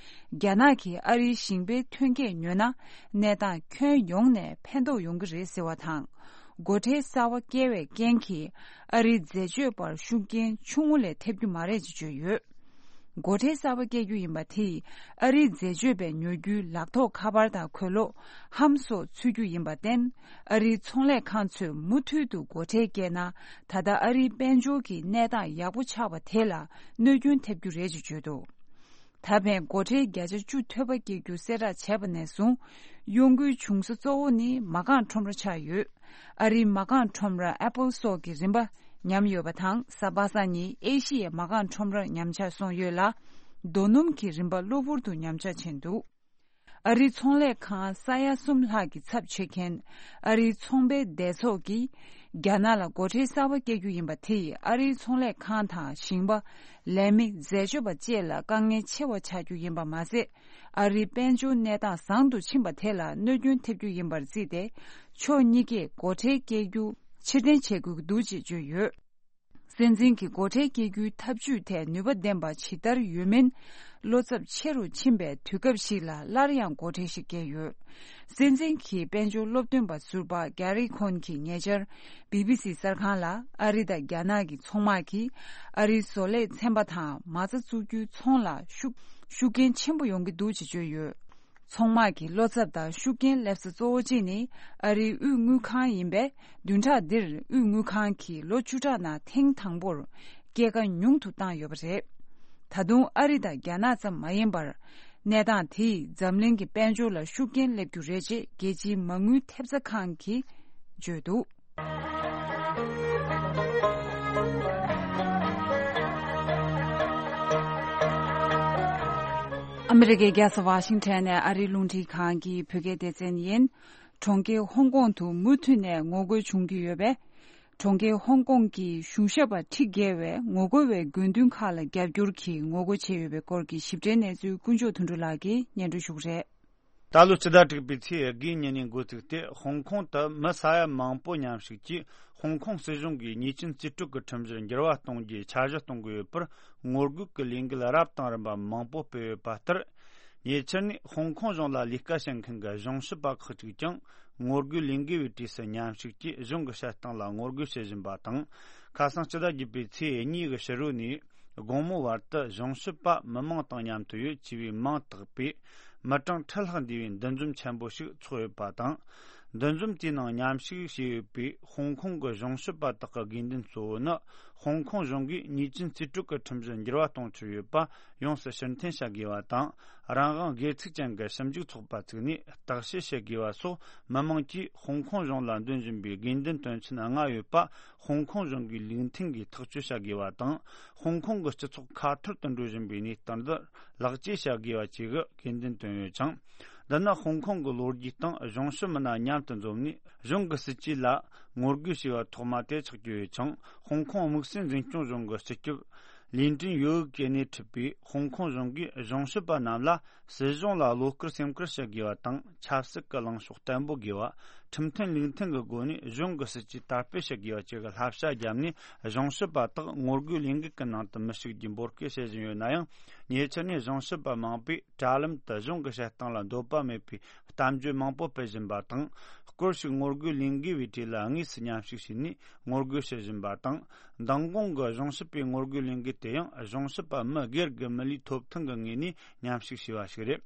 རྒྱ་ནག་གིས་ཨ་རིའི་ཞིང་པའི་ཐོན་སྐྱེད་ཉོས་ན། གནས་སྟངས་ཁྱོན་ཡོངས་ནས་ཕན་ཐོགས་ཡོང་གི་རེད་ཟེར་བ་དང་། སྒོ་ཁྲལ་གསར་པ་བཀལ་བའི་རྐྱེན་གྱིས་ཨ་རིའི་འཛད་སྤྱོད་པར་ཤུགས་རྐྱེན་ཆུང་ངུ་ལས་ཐེབས་རྒྱུ་མ་རེད་ཅེས་བརྗོད་ཡོད། སྒོ་ཁྲལ་གསར་པ་བཀལ་རྒྱུ་ཡིན་པ་དེས་ཨ་རིའི་འཛད་སྤྱོད་པས་ཉོ་རྒྱུའི་ལག་ཐོགས་ཁ་པར་དང་གོས་ལོག་ཧམ་སོགས་ཚུད་རྒྱུ་ཡིན་པར་བརྟེན། ཨ་རིའི་ཚོང་ལས་ཁང་ཚོས་མུ་མཐུད་དུ་སྒོ་ཁྲལ་བཀལ་ན། ད་ལྟ་ཨ་རིའི་དཔལ་འབྱོར་གྱི་གནས་སྟངས་ཡག་པོ་ཆགས་པ་དེ་ལ་གནོད་སྐྱོན་ཐེབས་རྒྱུ་རེད་ཅེས་བརྗོད་འདུག། ད་ཕན་སྒོ་ཁྲལ་བརྒྱ་ཆ་བཅུ་ཐོལ་པ་སྐྱེལ་རྒྱུ་གསལ་བསྒྲགས་བྱས་པ་ནས་བཟུང་། གཡོ་འགུལ་བྱུང་ས་གཙོ་བོ་ནི་མ་རྐང་ཁྲོམ་ར་ཆགས་ཡོད། ཨ་རིའི་མ་རྐང་ཁྲོམ་ར་Apple་སོགས་ཀྱི་རིན་པ་ཉམས་ཡོད་པ་དང་། གཟའ་པ་སངས་ཉིན་ཨེ་ཤི་ཡའི་མ་རྐང་ཁྲོམ་ར་ཉམས་ཆག་སོང་ཡོད་ལ། རྡོ་སྣུམ་གྱི་རིན་པ་གློ་བུར་དུ་ཉམས་ཆག་ཕྱིན་འདུག། ཨ་རིའི་ཚོང་ལས་ཁང་ས་ཡ་གསུམ་ལྷག་གི་ཚབ་བྱེད་མཁན་ཨ་རིའི་ཚོང་པའི་སྡེ་ཚོགས་ཀྱིས། རྒྱ་ནག་ལ་སྒོ་ཁྲལ་གསར་པ་བཀལ་རྒྱུ་ཡིན་པ་དེ་ཡིས་ཨ་རིའི་ཚོང་ལས་ཁང་དང་ཞིང་པ། ལས་མི། འཛད་སྤྱོད་པ་བཅས་ལ་དཀའ་ངལ་ཆེ་བ་ཆགས་རྒྱུ་ཡིན་པ་མ་ཟད། ཨ་རིའི་དཔལ་འབྱོར་གནས་སྟངས་བཟང་དུ་ཕྱིན་པ་དེ་ལ་གནོད་སྐྱོན་ཐེབས་རྒྱུ་ཡིན་པར་བརྩིས་ཏེ། ཕྱོགས་གཉིས་ཀས་སྒོ་ཁྲལ་བཀལ་རྒྱུ་ཕྱིར་འཐེན་བྱེད་དགོས་ཀྱི་འདུག་ཅེས་བརྗོད་ཡོད། སྲིད་འཛིན་གྱི་སྒོ་ཁྲལ་སྐྱེལ་རྒྱུའི་ཐབས་ཇུས་དེ་ནུས་པ་ལྡན་པ་ཇི་ལྟར་ཡོད་མིན། བློ་འཚབ་ཆེ་རུ་ཕྱིན་པའི་དུས་སྐབས་ཤིག་ལ་སླར་ཡང་སྒོ་ཁྲལ་ཞིག་བཀལ་ཡོད། སྲིད་འཛིན་གྱི་དཔལ་འབྱོར་སློབ་སྟོན་པ་ཟུར་པ་Gary Cohn་གྱིས་ཉེ་ཆར་བི་བི་སི་གསར་ཁང་ལ། ཨ་རི་དང་རྒྱ་ནག་གི་ཚོང་དམག་གིས་ཨ་རིའི་བཟོ་ལས་ཚན་པ་དང་མ་རྩ་བཙུགས་རྒྱུའི་ཚོང་ལ་ཤུགས་ཤུགས་རྐྱེན་ཆེན་པོ་ཡོང་གི་འདུག་ཅེས་བརྗོད་ཡོད། ཚོང་དམག་གི་བློ་འཚབ་དང་ཤུགས་རྐྱེན་སླེབས་ས་གཙོ་བོ་གཅིག་ནི་ཨ་རིའི་དབུས་དངུལ་ཁང་ཡིན་པས། བདུན་ཕྲག་འདིར་དབུས་དངུལ་ཁང་གིས་ལོ་བཅུ་ཕྲག་ནང་ཐེངས་དང་པོར་ སྐྱེད་ཀ་ཉུང་དུ་བཏང་ཡོད་པ་རེད། ད་དུང་ཨ་རི་དང་རྒྱ་ནག་ཙམ་མ་ཡིན་པར། གནས་སྟངས་དེས་འཛམ་གླིང་གི་དཔལ་འབྱོར་ལ་ཤུགས་རྐྱེན་སླེབས་རྒྱུ་རེད་ཅེས་རྒྱལ་སྤྱིའི་མ་དངུལ་ཐེབས་རྩ་ཁང་གིས་བརྗོད་འདུག། ཨ་མི་རི་ཀའི་རྒྱལ་ས་ཝ་ཤིང་ཊོན་ནས་ཨ་རིའི་རླུང་འཕྲིན་ཁང་གི་བོད་སྐད་སྡེ་ཚན་ཡིན། གྲོང་ཁྱེར་ཧོང་ཀོང་དུ་མུ་མཐུད་ནས་ངོ་རྒོལ་བྱུང་གི་ཡོད་པས། གྲོང་ཁྱེར་ཧོང་ཀོང་གི་གཞུང་ཞབས་པ་ཁྲི་བརྒལ་བས་ངོ་རྒོལ་བའི་དགོས་འདུན་ཁག་ལ་རྒྱབ་སྐྱོར་གྱིས་ངོ་རྒོལ་བྱས་ཡོད་པའི་སྐོར་གྱི་ཞིབ་ཕྲའི་གནས་ཚུལ་དཀོན་མཆོག་དོན་གྲུབ་ལགས་ཀྱིས་སྙན་སྒྲོན་ཞུ་གི་རེད། ད་ལོ་སྤྱི་ཟླ་དྲུག་པའི་ཚེས་དགུའི་ཉིན་ནས་འགོ་བཙུགས་ཏེ། ཧོང་ཀོང་དུ་མི་ས་ཡ་མང་པོ་མཉམ་ཞུགས་ཀྱིས་ཧོང་ཀོང་སྲིད་གཞུང་གིས་ཉེས་ཅན་རྩིས་སྤྲོད་ཀྱི་ཁྲིམས་གཞི་འགྱུར་བ་གཏོང་རྒྱུའི་འཆར་གཞི་གཏོང་གི་ཡོད་པར་ངོ་རྒོལ་གྱི་ལས་འགུལ་རབ་དང་རིམ་པ་མང་པོ་སྤེལ་ཡོད་པ་ལྟར། ཉེ་ཆར་ནས་ཧོང་ཀོང་གཞུང་ལ་ལས་ཀ་བྱེད་མཁན་གྱི་གཞུང་ཞབས་པ་ཁག་ཅིག་ཀྱང་ངོ་རྒོལ་ལས་འགུལ་བའི་གྲས་སུ་མཉམ་ཞུགས་ཀྱིས་གཞུང་གི་བྱེད་སྟངས་ལ་ངོ་རྒོལ་བྱེད་བཞིན་པ་དང་། ཁ་སང་སྤྱི་ཟླ་བརྒྱད་པའི་ཚེས་གཉིས་ཀྱི་ཕྱི་དྲོ་ནས་དགོང་མོ་བར་དུ་གཞུང་ཞབས་པ་མི་མང་དང་མཉམ་དུ་ཡོད་ཅེས་པའི་མིང་བཏགས་པའི་མི་གྲངས་ཁྲི་ལྷག་འདུས་པའི་འདུ་འཛོམས་ཆེན་པོ་ཞིག་ཚོགས་ཡོད་པ་དང་། འདུ་འཛོམས་དེའི་ནང་མཉམ་ཞུགས་བྱས་ཡོད་པའི་ཧོང་ཀོང་གི་གཞུང་ཞབས་པ་དག་གི་དགོས་འདུན་གཙོ་བོ་ནི། ཧོང་ཀོང་གཞུང་གིས་ཉེས་ཅན་རྩིས་སྤྲོད་ཀྱི་ཁྲིམས་གཞི་འགྱུར་བ་གཏོང་འཆར་ཡོད་པ་ཡོངས་སུ་ཕྱིར་འཐེན་བྱ་དགོས་པ་དང་། རང་དབང་སྒེར་ཚུགས་ཅན་གྱི་ཞིབ་འཇུག་ཚོགས་པ་བཙུགས་ནས་བརྟག་དཔྱད་བྱེད་དགོས་པ་སོགས། མི་མང་གིས་ཧོང་ཀོང་གཞུང་ལ་འདོན་བཞིན་པའི་དགོས་འདུན་དོན་ཚན་ལྔ་ཡོད་པ་ཧོང་ཀོང་གཞུང་གིས་ལུགས་མཐུན་གྱིས་ཐག་གཅོད་བྱ་དགོས་པ་དང་། ཧོང་ཀོང་གི་སྤྱི་ཚོགས་ཁ་ཐོར་དུ་འགྲོ་བཞིན་པའི་གནས་སྟངས་འདི་ལེགས་བཅོས་བྱ་དགོས་པ་བཅས་ཀྱི་དགོས་འདུན་བཏོན་ཡོད་ཅིང་། འདི་ནི་ཧོང་ཀོང་གི་ལོ་རྒྱུས་སྟེང་གཞུང་ཞབས་མི་སྣ་མཉམ་དུ་འཛོམས་ནས་གཞུང་གི་སྲིད་ཇུས་ལ་ངོ་རྒོལ་བྱས་པ་ཐོག་མ་དེ་ཆགས་ཀྱི་ཡོད་ཅིང་། ཧོང་ཀོང་དམིགས་བསལ་འཛིན་སྐྱོང་གཞུང་གི་སྤྱི་ཁྱབ་ལི་ཀྲིན་ཡོའུ་གིས་སྣེ་ཁྲིད་པའི་ཧོང་ཀོང་གཞུང་གིས་གཞུང་ཞབས་པ་རྣམས་ལ་སྲིད་གཞུང་ལ་བློ་དཀར་སེམས་དཀར་བྱེད་དགོས་པ་དང་། ཆབ་སྲིད་ཀྱི་ལངས་ཕྱོགས་བརྟན་པོ་དགོས་པ། ཁྲིམས་མཐུན་ལུགས་མཐུན་གྱི་སྒོ་ནས་གཞུང་གི་སྲིད་ཇུས་དར་སྤེལ་བྱེད་དགོས་པ་བཅས་ཀྱི་བསླབ་བྱ་བརྒྱབ་ནས། གཞུང་ཞབས་པ་དག་ངོ་རྒོལ་ལས་འགུལ་གྱི་ནང་དུ་མི་ཞུགས་རྒྱུ་འབོད་སྐུལ་བྱེད་བཞིན་ཡོད་ན་ཡང་། ཉེ་ཆར་ནས་གཞུང་ཞབས་པ་མང་པོས་དྲ་ལམ་དུ་གཞུང་གི་བྱེད་སྟངས་ལ་འདོད་པ་མེད་པའི་གཏམ་བརྗོད་མང་པོ་སྤེལ་བཞིན་པ་དང་། སྐོར་ཞིག་ངོ་རྒོལ་ལས་འགུལ་བའི་གྲས་ལ་དངོས་སུ་མཉམ་ཞུགས་བྱས་ནས་ངོ་རྒོལ་བྱེད་བཞིན་པ་དང་། མདང་དགོང་གི་གཞུང་ཞབས་པའི་ངོ་རྒོལ་ལས་འགུལ་དེ་ཡང་གཞུང་ཞབས་པ་མི་སྒེར་གྱི་མི་ལུས་ཐོབ་ཐང་གི་ངོས་ནས་མཉམ་ཞུགས་བྱས་པ་ཞིག་རེད།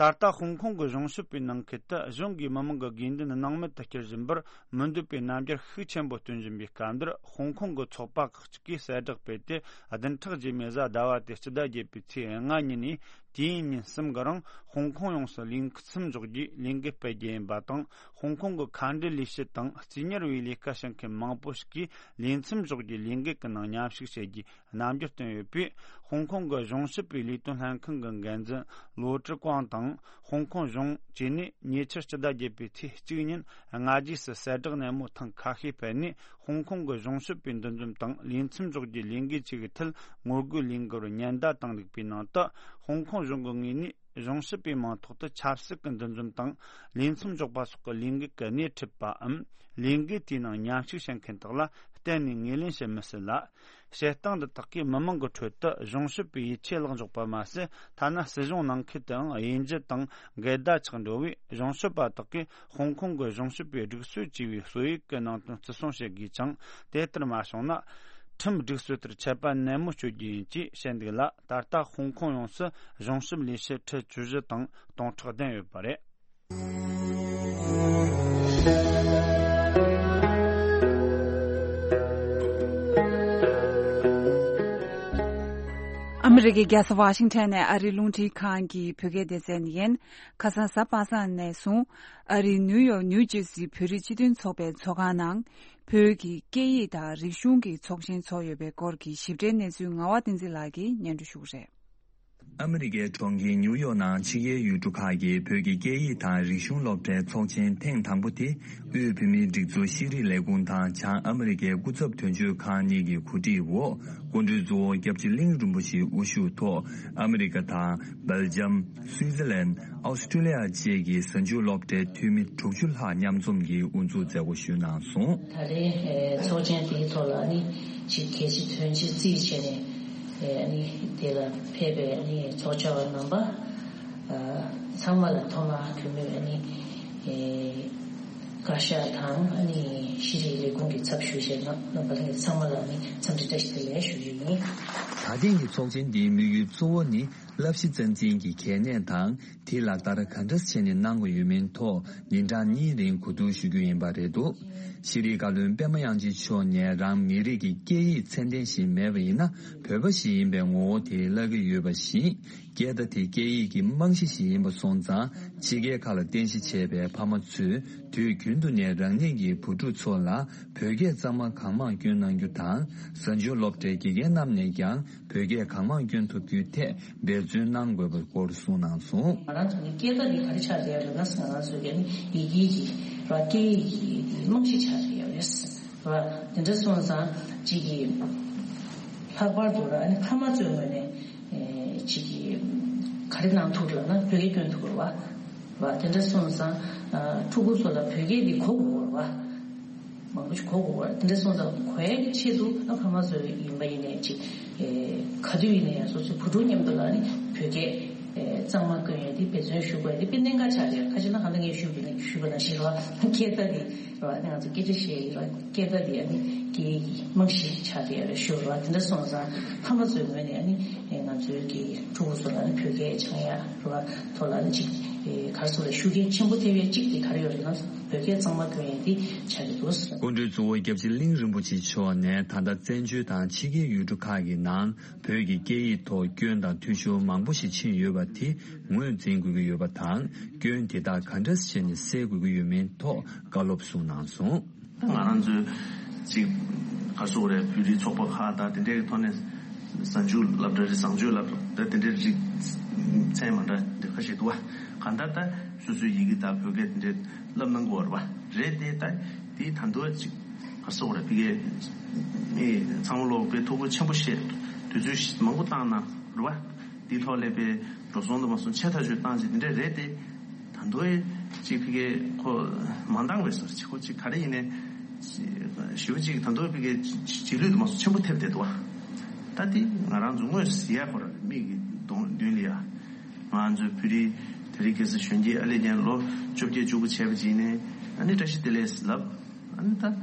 ད་ལྟ་ཧོང་ཀོང་གི་གཞུང་ཞབས་པའི་ནང་ཁུལ་དུ་གཞུང་གིས་མི་མང་གི་དགོས་འདུན་སྣང་མེད་དུ་བསྐྱུར་བཞིན་པར་མི་འདོད་པའི་རྣམ་འགྱུར་ཤུགས་ཆེན་པོ་སྟོན་བཞིན་པའི་སྐབས་འདིར། ཧོང་ཀོང་གི་ཚོགས་པ་ཁག་ཅིག་གིས་གསལ་བསྒྲགས་སྤེལ་ཏེ། བདུན་ཕྲག་རྗེས་མའི་གཟའ་ཟླ་བ་སྟེ་སྤྱི་ཟླ་བརྒྱད་པའི་ཚེས་ལྔ་ཉིན་ནས་དུས་ཡུན་ཉིན་གསུམ་གྱི་རིང་ཧོང་ཀོང་ཡོངས་སུ་ལས་མཚམས་འཇོག་རྒྱུའི་ལས་འགུལ་སྤེལ་རྒྱུ་ཡིན་པ་དང་། ཧོང་ཀོང་གི་མཁའ་འགྲུལ་ལས་བྱེད་དང་རྩིས་གཉེར་བའི་ལས་ཀ་བྱེད་མཁན་མང་པོ་ཞིག་གིས་ལས་མཚམས་འཇོག་རྒྱུའི་ལས་འགུལ་གྱི་ནང་མཉམ་ཞུགས་བྱེད་རྒྱུའི་རྣམ་འགྱུར་བསྟན་ཡོད་པས། ཧོང་ཀོང་གི་གཞུང་ཞབས་པའི་ལས་དོན་ལྷན་ཁང་གི་འགན་འཛིན་ལོ་ཀྲི་ཀོང་དང་། ཧོང་ཀོང་གཞུང་བཅས་ནས་ཉེ་ཆར་སྤྱི་ཟླ་བརྒྱད་པའི་ཚེས་གཅིག་ཉིན་སྔ་རྗེས་སུ་གསལ་བསྒྲགས་སྣེ་མོ་ཐེངས་ཁ་ཤས་སྤེལ་ནས། ཧོང་ཀོང་གི་གཞུང་ཞབས་པའི་འདུ་འཛོམས་དང་ལས་མཚམས་འཇོག་རྒྱུའི་ལས་འགུལ་བཅས་ཀྱི་ཐད་ངོ་རྒོལ་ལས་འགུལ་ཉེན་བརྡ་བཏང་འདུག་པའི་ནང་དུ། ཧོང་ཀོང་གཞུང་གི་ངོས་ནས་གཞུང་ཞབས་པའི་མིང་ཐོག་ཏུ་ཆབ་སྲིད་ཀྱི་འདུ་འཛོམས་དང་ལས་མཚམས་འཇོག་པ་སོགས་ཀྱི་ལས་འགུལ་གྱི་སྣེ་ཁྲིད་པའམ། ལས་འགུལ་དེའི་ནང་མཉམ་ཞུགས་བྱེད་མཁན་དག་ལ་གཏན་ནས་ངོས་ལེན་བྱེད་མི་སྲིད་ལ། བྱེད་སྟངས་འདི་དག་གིས་མི་མང་གི་ཁྲོད་དུ་གཞུང་ཞབས་པའི་ཡིད་ཆེས་བརླག་འཇོག་པ་མ་ཟད། ཐ་ན་སྲིད་གཞུང་ནང་ཁུལ་དུའང་དབྱེ་འབྱེད་དང་འགལ་ཟླ་ཆགས་འགྲོ་བས། གཞུང་ཞབས་པ་དག་གིས་ཧོང་ཀོང་གི་གཞུང་ཞབས་པའི་སྒྲིག་སྲོལ་བཅས་པའི་སྲོལ་ཡིག་གི་ནང་དོན་བརྩི་སྲུང་བྱེད་དགོས་ཅིང་། དེ་ལྟར་མ་བྱུང་ན། ཁྲིམས་སྒྲིག་སྲོལ་ལྟར་ཆད་པ་ནན་མོ་གཅོད་རྒྱུ་ཡིན་ཅེས་བཤད་འདུག་ལ། ད་ལྟ་ཧོང་ཀོང་ཡོངས་སུ་གཞུང་ཞབས་ལས་བྱེད་ཁྲི་བཅུ་བཞི་དང་སྟོང་ཕྲག་བདུན་ཡོད་པ་རེད། ཨ་མི་རི་ཀའི་རྒྱལ་ས་ཝ་ཤིང་ཊོན་ནས་ཨ་རིའི་རླུང་འཕྲིན་ཁང་གི་བོད་སྐད་སྡེ་ཚན་ཡིན། ཁ་སང་གཟའ་པ་སངས་ནས་བཟུང་ཨ་རིའི་ནིའུ་ཡོག་ནིའུ་ཇར་སིའི་བོད་རིགས་སྤྱི་མཐུན་ཚོགས་པའི་ཚོགས་ཁང་ནང་བོད་ཀྱི་སྐད་ཡིག་དང་རིག་གཞུང་གི་ཚོགས་ཆེན་ཚོགས་ཡོད་པའི་སྐོར་གྱི་ཞིབ་ཕྲའི་གནས་ཚུལ་ངག་དབང་བསྟན་འཛིན་ལགས་ཀྱིས་སྙན་སྒྲོན་ཞུ་གི་རེད། ཨ་མི་རི་ཀའི་གྲོང་ཁྱེར་ནིའུ་ཡོག་ནང་ཕྱི་རྒྱལ་ཡུལ་གྲུ་ཁག་གི་བོད་ཀྱི་སྐད་ཡིག་དང་རིག་གཞུང་སློབ་གྲྭའི་ཚོགས་ཆེན་ཐེངས་དང་པོ་དེ། དབུས་བོད་མིའི་སྒྲིག་འཛུགས་ཤེས་རིག་ལས་ཁུངས་དང་བྱང་ཨ་མི་རི་ཀའི་སྐུ་ཚབ་དོན་གཅོད་ཁང་གཉིས་ཀྱི་གོ་སྒྲིག་འོག་སྐུ་མགྲོན་གཙོ་བོ་སྐྱབས་རྗེ་གླིང་རིན་པོ་ཆེའི་དབུ་བཞུགས་ཐོག་ཨ་མི་རི་ཀ་དང་། སྦེལ་ཇམ། སུའི་ཙི་ལན། ཨོ་སི་ཀྲི་ལི་ཡ་བཅས་ཀྱི་གཟའ་མཇུག་སློབ་གྲྭའི་འཐུས་མི་དྲུག་ཅུ་ལྷག་མཉམ་འཛོམས་ཀྱིས་དབུ་འཛུགས་མཛད་སྒོ་ཞུས་གནང་སོང་། ད་རེས་ཚོགས་ཆེན་དེའི་ཐོག་ལ་ནི་ཅིག་གལ་ཆེ་དོན་ཆེ་བརྩིས་བྱས་ནས་ནི་དེ་ལ་ཕེབས་པའི་ནི་ཚོགས་བཅར་བ་རྣམ་པ་ཚང་མ་ལ་ཐོག་མར་བོད་མིའི་ནི་བཀའ་ཤག་དང་ནི་ཤེས་རིག་ལས་ཁུངས་ཀྱི་ཚབ་ཞུ་བྱས་རྣམ་པ་ཚང་མ་ལ་ནི་འཚམས་འདྲི་བཀྲ་ཤིས་བདེ་ལེགས་ཞུ་རྒྱུ་ཡིན། ད་ཐེངས་ཀྱི་ཚོགས་ཆེན་འདིའི་དམིགས་ཡུལ་གཙོ་བོ་ནི་བསླབ་གཞི་རྩ་འཛིན་གྱི་གལ་གནད་དང་། དེ་ལ་ལྟ་བ་ག་འདྲ་བྱས་ནས་གནང་དགོས་ཡོད་མིན་ཐོག་ཉིན་གྲངས་གཉིས་རིང་གོ་བསྡུར་ཞུ་རྒྱུ་ཡིན་པ་རེད་འདུག་ཤེས་རིག་བཀའ་བློན་པད་མ་དབྱངས་ཅན་མཆོག་ནས་རང་མི་རིགས་ཀྱི་སྐད་ཡིག་ཚད་ལྡན་ཞིག་མེད་པ་ཡིན་ན་བོད་པ་ཞིག་ཡིན་པའི་ངོ་བོ་དེ་བརླག་གི་ཡོད་པ་བཞིན། སྐད་བརྡ་དེ་སྐད་ཡིག་གི་རྨང་གཞི་ཞིག་ཡིན་པ་སོང་ཙང་། ཕྱི་རྒྱལ་ཁག་ལ་རྟེན་གཞི་བྱས་པའི་ཕ་མ་ཚོས་དུས་རྒྱུན་དུ་ནས་རང་ཉིད་ཀྱི་བུ་ཕྲུག་ཚོ་ལ་བོད་སྐད་གཙང་མ་གང་མང་བསྐྱོན་གནང་རྒྱུ་དང་། གཟའ་མཇུག་སློབ་གྲྭའི་དགེ་རྒན་རྣམས་ནས་ཀྱང་བོད་སྐད་གང་མང་བསྐྱོན་ཐུབ་རྒྱུའི་ཐད་འབད་བརྩོན་གནང་དགོས་པའི་སྐོར་གསུངས་གནང་སོང་། ང་རང་ཚོ་ནི་སྐད་བརྡ་འདི་ག་རེ་ཆགས་བསྡད་ཡོད་ལབ་ན། ང་རང་ཚོའི་གི་ནི་ཡི་གེ་གི་ར་སྐད་ཡིག་གི་རྨང་གཞི་ཆགས་བསྡད་ཡོད་རེད། ར་དེ་འདྲ་སོང་ཙང་གཅིག་གི་ལྷག་པར་དུ་ར་ཨ་ནི་ཕ་མ་ཚོའི་ངོས་ནས་ཨེ་གཅིག་གི་ག་རེ་གནང་ཐུབ་ལབ་ན་བོད་སྐད་སྐྱོན་ཐུབ་དགོས་རེད་བ། ར་དེ་འདྲ་སོང་ཙང་ཕྲུ་གུ་ཚོ་ལ་བོད་སྐད་འདི་གོ་དགོས་རེད་བ། མང་པོ་ཞིག་གོ་དགོས་པ་དེ་འདྲ་སོང་ཙང་གོ་ཡ་གི་ཆེད་དུ་ཨ་ཕ་མ་ཚོ་ཡིན་པ་ཡིན་ནའི་ཅིག་ཨེ་ག་དུས་ཡིན་ན་ཡང་སོ་སོའི་བུ་ཕྲུག་མཉམ་དུ་ལ་ནི་བོད་སྐད་ཨེ་གཙང་མ་བསྐྱོན་ཡ་དེ་འབད་བརྩོན་ཞུ་དགོས་ཡ་དེ་དཔེ་གནད་འགག་ཆགས་ཀྱི་ཡོད། ཁ་ཅིག་ན་གང་ལྟར་ངས་ཞུས་པ་ནི་ཞུས་པ་ནང་བཞིན་རེད་བ། སྐད་བརྡ་དེ་རེད་བ། ང་ཚོ་སྐད་ཆ་བཤད་ཡི་རེད་བ། སྐད་བརྡ་དེ་ཨ་ནི་སྐད་ཡིག་གི་རྨང་གཞི་ཆགས་ཀྱི་ཡོད་རེད་ཞུ་རེད་བ། དེ་འདྲ་སོང་ཙང་ཕ་མ་ཚོའི་ངོས་ནས་ཨ་ནི་ཨེ་ང་ཚོའི་གི་ཕྲུ་གུ་ཚོ་ལ་ནི་བོད་སྐད་སྦྱང་ཡ་རེད་བ། ཐོག་ལ་ནི་ཅིག་ཨེ་ག་རེ་ཟེར་དགོས་རེད། ཤུགས་རྐྱེན་ཆེན་པོ་ཐེབས་ཡ་གཅིག་དེ་ག་རེ་ཡོད་རེད་ན། བོད་སྐད་གཙང་མ་བསྐྱོན་ཡས་འདི་ཆགས་ཀྱི་འདུག་སྐུ་མགྲོན་གཙོ་བོ་སྐྱབས་རྗེ་གླིང་རིན་པོ་ཆེ་མཆོག་ནས་ད་ལྟ་བཙན་བྱོལ་དང་ཕྱི་རྒྱལ་ཡུལ་གྲུ་ཁག་གི་ནང་བོད་ཀྱི་སྐད་ཡིག་ཐོག་སྐྱོན་དང་འཐུས་ཤོར་མང་པོ་ཞིག་ཕྱིན་ཡོད་པ་དེ་ངོས་འཛིན་དགོས་ཀྱི་ཡོད་པ་དང་། སྐྱོན་དེ་དག་ག་འདྲ་བྱས་ནས་སེལ་དགོས་ཀྱི་ཡོད་མེད་ཐོག་བཀའ་སློབ་གསུངས་གནང་སོང་། ད་ང་རང་ཚོའི་ཅིག་ག་རེ་ཟེར་དགོས་རེད། བོད་རིགས་ཚོགས་པ་ཁག་དང་དེ་འདྲའི་ཐོག་ནས་གཟའ་མཇུག་སློབ་གྲྭ་རེད། བཟང་སྤྱོད་སློབ་གྲྭ་དེ་འདྲའི་རིགས་མཚན་མ་འདྲ་འདི་ཁ་ཤས་འདུག་བ། གང་ལྟར་ད། སོ་སོའི་ཡི་གེ་དང་བོད་སྐད་དེ་འདྲའི་བསླབ་གནང་དགོས་རེད་བ། རེད་དེ་ད་དེའི་ད་དུང་ཅིག་ག་རེ་ཟེར་དགོས་རེད། ཕ་གིའི་ཚང་མ་ལོག་པའི་ཐུགས་ཁུར་ཆེན་པོ་བཞེས། དུས་ཚོད་མང་པོ་བཏང་གནང་རེད་བ། དེའི་ཐོག་ལ་དཔེ་འགྲོ་སོང་དུ་མ་སོང་ཆེ་ཐག་ཆོད་བཏང་ཅིག་དེ་འདྲ་རེད་དེ། ད་དུང་ཅིག་ཕ་གིའི་ཁོ་མ་འདང་བའི་སར་ཅིག་ཁོ་ཅིག་ག་རེ་ཡིན་ནའི་ཞེ་པོ་ཅིག་ད་དུང་ཕ་གིའི་རྗེས་ལུས་དུ་མ་སོང་ཆེན་པོ་ཐེབས་བསྡད་འདུག་བ། ད་དེ་ང་རང་ཚོ་དངོས་སུ་གཟིགས་ཡ་ཁོ་ར་མིག་གི་གདོང་མདུན་ལ་ཡ། ང་ཚོའི་བོད་རིགས་དེ་རིང་ཁ་སང་གཞོན་སྐྱེས་ཨ་ལེ་ཉན་ལོ་བཅོ་བརྒྱད་བཅུ་དགུ་བྱས་པ་ཅིག་ནས་ཨ་ནི་བཀྲ་ཤིས་བདེ་ལེགས་ལབ། ཨ་ནི་ད།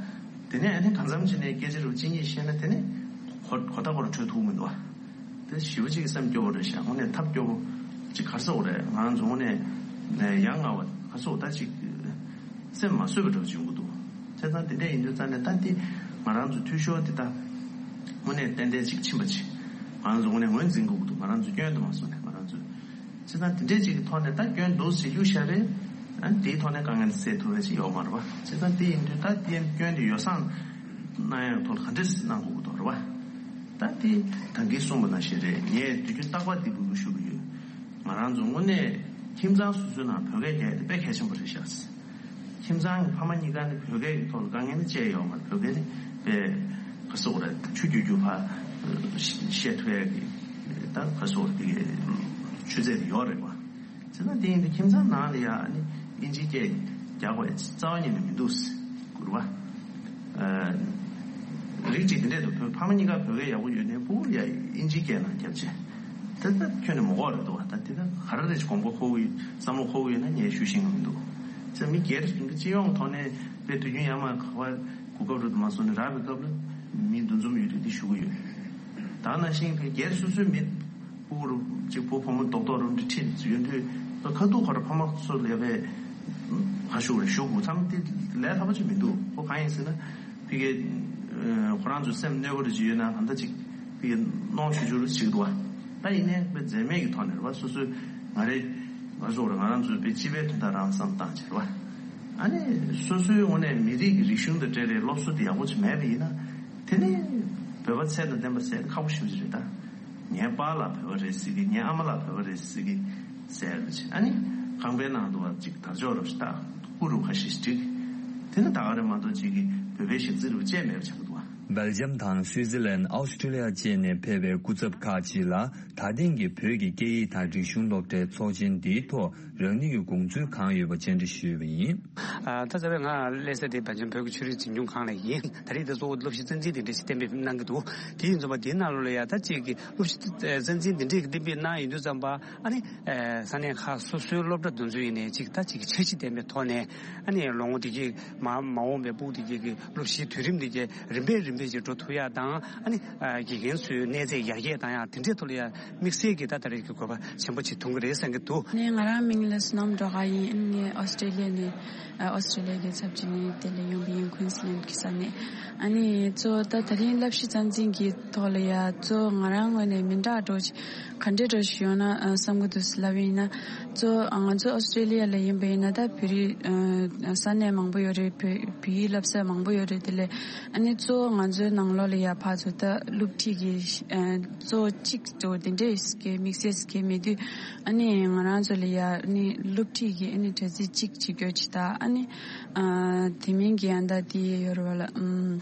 དེ་ནས་ཨ་ནི་གང་འཚམ་ཅིག་ནས་སྐད་ཆ་རུ་གཅིག་གཉིས་བཤད་ན་དེ་ནས་གོ་གོ་ཐག་ཁོ་ར་འཕྲོད་ཐུབ་མི་འདུག་བ། དེ་ཞེ་པོ་ཅིག་སེམས་སྐྱོ་བོ་རེད་ཤག་དངོས་གནས་ཐབས་སྐྱོ་བོ་ཅིག་ག་རེ་ཟེར་དགོས་རེད། ང་རང་ཚོ་དངོས་གནས་ཡ་ང་བ་ག་རེ་ཟེར་དགོས་ད་ཅིག་སེམས་མ་བཟོད་པ་འདྲ་བོ་ཅིག་ཡོང་གི་འདུག་བྱས་ཙང་དེ་འདྲ་ཡིན་དུས་ཙང་ནས་ད་དེ་ང་རང་ཚོ་འཐུས་ཤོར་དེ་ད་དངོས་གནས་ཏན་ཏན་ཅིག་ཕྱིན་པ་ཅིག་ང་རང་ཚོ་དངོས་གནས་ངོས་འཛིན་དགོས་ཀྱི་འདུག་ང་རང་ཚོ་སྐྱོན་དུ་མ་སོང་ནས་ང་རང་ཚོ། བྱས་ཙང་དེ་འདྲས་ཅིག་གི་ཐོག་ནས་ད་སྐྱོན་འདུག་ཟེར་གཡུག་བཞག་པས། ཨ་ནི་དེའི་ཐོག་ནས་དཀའ་ངལ་སེལ་ཐུབ་པ་ཅིག་ཡོད་མ་རེད་བ། བྱས་ཙང་དེ་ཡིན་དུས་ད་དེའི་སྐྱོན་དེ་ཡོ་བསྲང་གནང་ཡག་ཐོག་ལ་ག་འདྲས་གནང་དགོས་ཀྱི་འདུག་རེད་བ། ད་དེ་ད་གིན་གསུངས་པ་ནང་བཞིན་རེད། ངས་དུས་རྒྱུན་རྟག་པར་འདི་འབོད་སྐུལ་ཞུ་གི་ཡོད། ང་རང་ཚོ་དངོས་གནས་ཁྱིམ་ཚང་སོ་སོའི་ནང་བོད་སྐད་རྒྱག་ཡ་དེ་དཔེ་གལ་ཆེན་པོ་རེད་ཤག་ཁྱིམ་ཚང་གི་ཕ་མ་གཉིས་ཀ་ནི་བོད་སྐད་ཀྱི་ཐོག་ལ་དཀའ་ངལ་ནི་བཅས་ཡོད་མ་རེད། བོད་སྐད་ནི་དཔེ་ག་རེ་ཟེར་དགོས་རེད། ཆུ་རྒྱུག་རྒྱུག་ཕར་བཤད་ཐུབ་ཡ་གི་ད་ག་རེ་ཟེར་དགོས་རེད། དེ་གི་ཆུ་ཚད་དེ་ཡོད་རེད་བ། བྱས་ཙང་དེ་ཡིན་དུས་ཁྱིམ་ཚང་ནང་ལ་ཡ་ནི་ཨིན་ཇིའི་སྐད་རྒྱག་དགོས་རྩ་བ་ཉིད་ནས་མི་འདུག་ཟེར་གི་རེད་བ། རིགས་གཅིག་དེ་འདྲས་འདུག་བོད་ཕ་མ་གཉིས་ཀ་བོད་སྐད་ཡག་པོ་ཡོད་ནའི་ཕྲུ་གུ་ལ་ཡ་ཨིན་ཇིའི་སྐད་ནང་རྒྱབ་བྱས། དེ་ལྟར་ཁྱོན་ནས་མི་དགོས་རེད་འདུག་བ། ད་དེ་ལྟར་ག་རེ་རེད་དགོངས་པ་འཁོར་གི་ཡོད། བསམ་བློ་འཁོར་གི་ཡོད་ན་ངས་ཞུ་ཤེས་ཀྱི་མི་འདུག་ཙང་མི་སྒེར་གྱི་སྤྱི་ཡོངས་ཐོག་ནས་དཔེ་དུས་རྒྱུན་ཡར་མར་ག་པར་གོ་སྐབས་རེ་མ་སོང་ནས་རག་པའི་སྐབས་ལ་མི་འདུ་འཛོམས་ཡོད་དུས་དེ་ཞུ་གི་ཡོད། ད་ནང་བཞིན་དེ་སྒེར་སོ་སོའི་མི་ཕྲུ་གུ་རུ་གཅིག་བུ་བུ་མོ་རྡོག་རྡོག་རུ་འདྲི་ཁྲིད་ཡོད་དུས་ཁ་ཐུག་ཁོ་ར་ཕ་མ་ཚོ་ལས་པའི་ཁ་ཤུགས་རེ་ཞུ་དགོས་ཙང་དེ་ལས་སླ་པོ་ཅིག་མི་འདུག་ཁོ་གང་ཡིན་ཟེར་ན། ཕ་གི་ཁོ་རང་ཚོ་སེམས་གནོད་པ་རེ་ཅིག་ཡོད་ན་གང་ལྟར་ཅིག་ཕ་གི་གནོང་ཞུ་ཞུ་རེ་ཅིག་འདུག་བ། ད་ཡིན་ནའི་དཔེ་འཛེམ་མེད་ཀྱི་ཐོག་ནས་རེད་བ། སོ་སོའི་ང་རེ་ང་ཚོ་རེད། ང་རང་ཚོའི་དཔེ་སྤྱི་པའི་དོན་དག་རང་བསམ་བཏང་བྱས་རེད་བ། ཨ་ནི་སོ་སོའི་ངོས་ནས་མི་རིགས་ཀྱི་རིག་གཞུང་དང་འབྲེལ་བའི་སློབ་གསོ་དེ་ཡག་པོ་ཅིག་མེད་པ་ཡིན་ན་དེ་ནི་བོད་པ་ཚད་དང་ལྡན་པ་ཟེར་ཁག་པོ་ཞེ་པོ་ཅིག་རེད་ད། ངའི་པཱ་ལགས་བོད་པ་རེད་ཟེར་གི། ངའི་ཨ་མ་ལགས་བོད་པ་རེད་ཟེར་གི་ཟེར་རེད། ཨ་ནི་ཁང་པའི་ནང་དུ་བ་ཅིག་དར་ལྕོག་རབ་ཞིག་བཏགས། སྐུ་རུ་ཁ་ཤས་ཤིག་བསྒྲིགས། དེ་ནི་ད་ག་རེ་མ་གཏོགས་ཅིག་གི་བོད་པའི་ཞག་རྩི་རུ་བཅད་མེད་པ་ཆགས་འདུག་བ། སྦེལ་ཇམ་དང་སུའི་ཙི་ལན། ཨོ་སི་ཀྲི་ལི་ཡ་བཅས་ནས་ཕེབས་པའི་སྐུ་ཚབ་ཁག་ཅིག་ལ་ད་ཐེངས་ཀྱི་བོད་ཀྱི་སྐད་ཡིག་དང་རིག་གཞུང་སློབ་གྲྭའི་ཚོགས་ཆེན་འདིའི་ཐོག་རང་ཉིད་ཀྱི་དགོངས་ཚུལ་གང་ཡོད་པ་བཅར་འདྲི་ཞུས་པ་ཡིན། ཨ། ད་རྩ་བའི་ང་སླེབས་ས་དེ་སྦེལ་ཇམ་བོད་ཀྱི་ཆོས་རིག་འཛིན་སྐྱོང་ཁང་ལ་ཡིན། ད་རེས་དེ་གཙོ་བོ་སློབ་གཞི་རྩ་འཛིན་དེ་འདྲ་ཞིག་གཏན་འབེབས་གནང་གི་འདུག་དེ་ཡིན་ཙམ་པ་དེའི་ནང་ལོགས་ལ་ཡ་ད་ཅིག་གི་སློབ་གཞི་རྩ་འཛིན་དེ་འདྲས་ཀྱི་གཏན་འབེབས་གནང་ཡོང་དུས་ཙམ་པ་ཨ་ནི་ས་གནས་ཁག་སོ་སོའི་སློབ་གྲྭ་དེ་ཚོ་ཡིན་ནའི་ཅིག་ད་ཅིག་གི་འཆར་གཞི་ལྡན་པའི་ཐོག་ནས་ཨ་ནི་ལོ་ངོ་དེ་གའི་མ་མ་འོངས་པའི་ཕྲུ་གུ་དེ་གའི་གི་སློབ་གཞིའི་དུས་རིམ་དེ་གའི་རིམ་པས་རིམ་ དེ་ཅིག་འགྲོ་ཐུབ་ཡག་དང་། ཨ་ནི་ཨ་དགེ་རྒན་ཚོའི་གནས་ཚད་ཡར་རྒྱས་བཏང་ཡག་དེ་འདྲའི་ཐོག་ལ་ཡང་དམིགས་བསལ་གྱི་ད་ད་རེས་ཀྱི་དགོས་པ་ཆེན་པོ་ཅིག་མཐོང་གི་རེད་བསམ་གྱི་འདུག་ནས་ང་རང་མིང་ལ་བསོད་ནམས་སྒྲོལ་དཀར་ཡིན། ཨ་ནི་ངས་ཨོ་སི་ཀྲེ་ལི་ཡ་ནས་ཨ་ཨོ་སི་ཀྲེ་ལི་ཡ་གི་ཚབ་བྱས་ནས་དེ་ལ་ཡོང་པ་ཡིན། ཀུན་སི་ལན་གྱི་ས་ནས། ཨ་ནི་གཙོ་བོ་ད་ད་རིང་བསླབ་གཞི་རྩ་འཛིན་གྱི་ཐོག་ལ་ཡ་གཙོ་བོ་ང་རང་ངོས་ནས་མི་འདྲ་འགྲོ་ཞིག་ག་འདྲས་འགྲོ་ཞིག་ཡོང་ན་ཨ་བསམ་གྱི་འདུག་ལབ་ཡིན་ན། གཙོ་བོ་ང་ཚོ་ཨོ་སི་ཀྲེ་ལི་ཡ་ལ་ཡིན་པ་ཡིན་ན་ད་བོད་རིགས་ཨ་ས་གནས་མང་པོ་ཡོད་རེད། བོད་བོད་ཡིག་བསླབ་ས་མང་པོ་ཡོད་རེད། དེ་ལས་ཨ་ནི་གཙོ་བོ་ང་ཚོའི་ནང་ལོགས་ལ་ཡ་ཕར་ཚུར་ད་སློབ་ཁྲིད་ཀྱི་ཨ་གཙོ་བོ་གཅིག་གཙོ་བོ་དེ་འདྲས་ཀྱི་དམིགས་བསལ་གྱི་མེད་དུས། ཨ་ནི་ང་རང་ཚོ་ལ་ཡ་ཨ་ནི་སློབ་ཁྲིད་ཀྱི་ཨ་ནི་གྲ་སྒྲིག་གཅིག་བྱེད་རྒྱུ་ཅིག་དང་། ཨ་ནི་ཨ་དེ་མིན་གྱི་ཡང་ད་དེ་ཡོད་རེད་བ་ལ། ཨམ་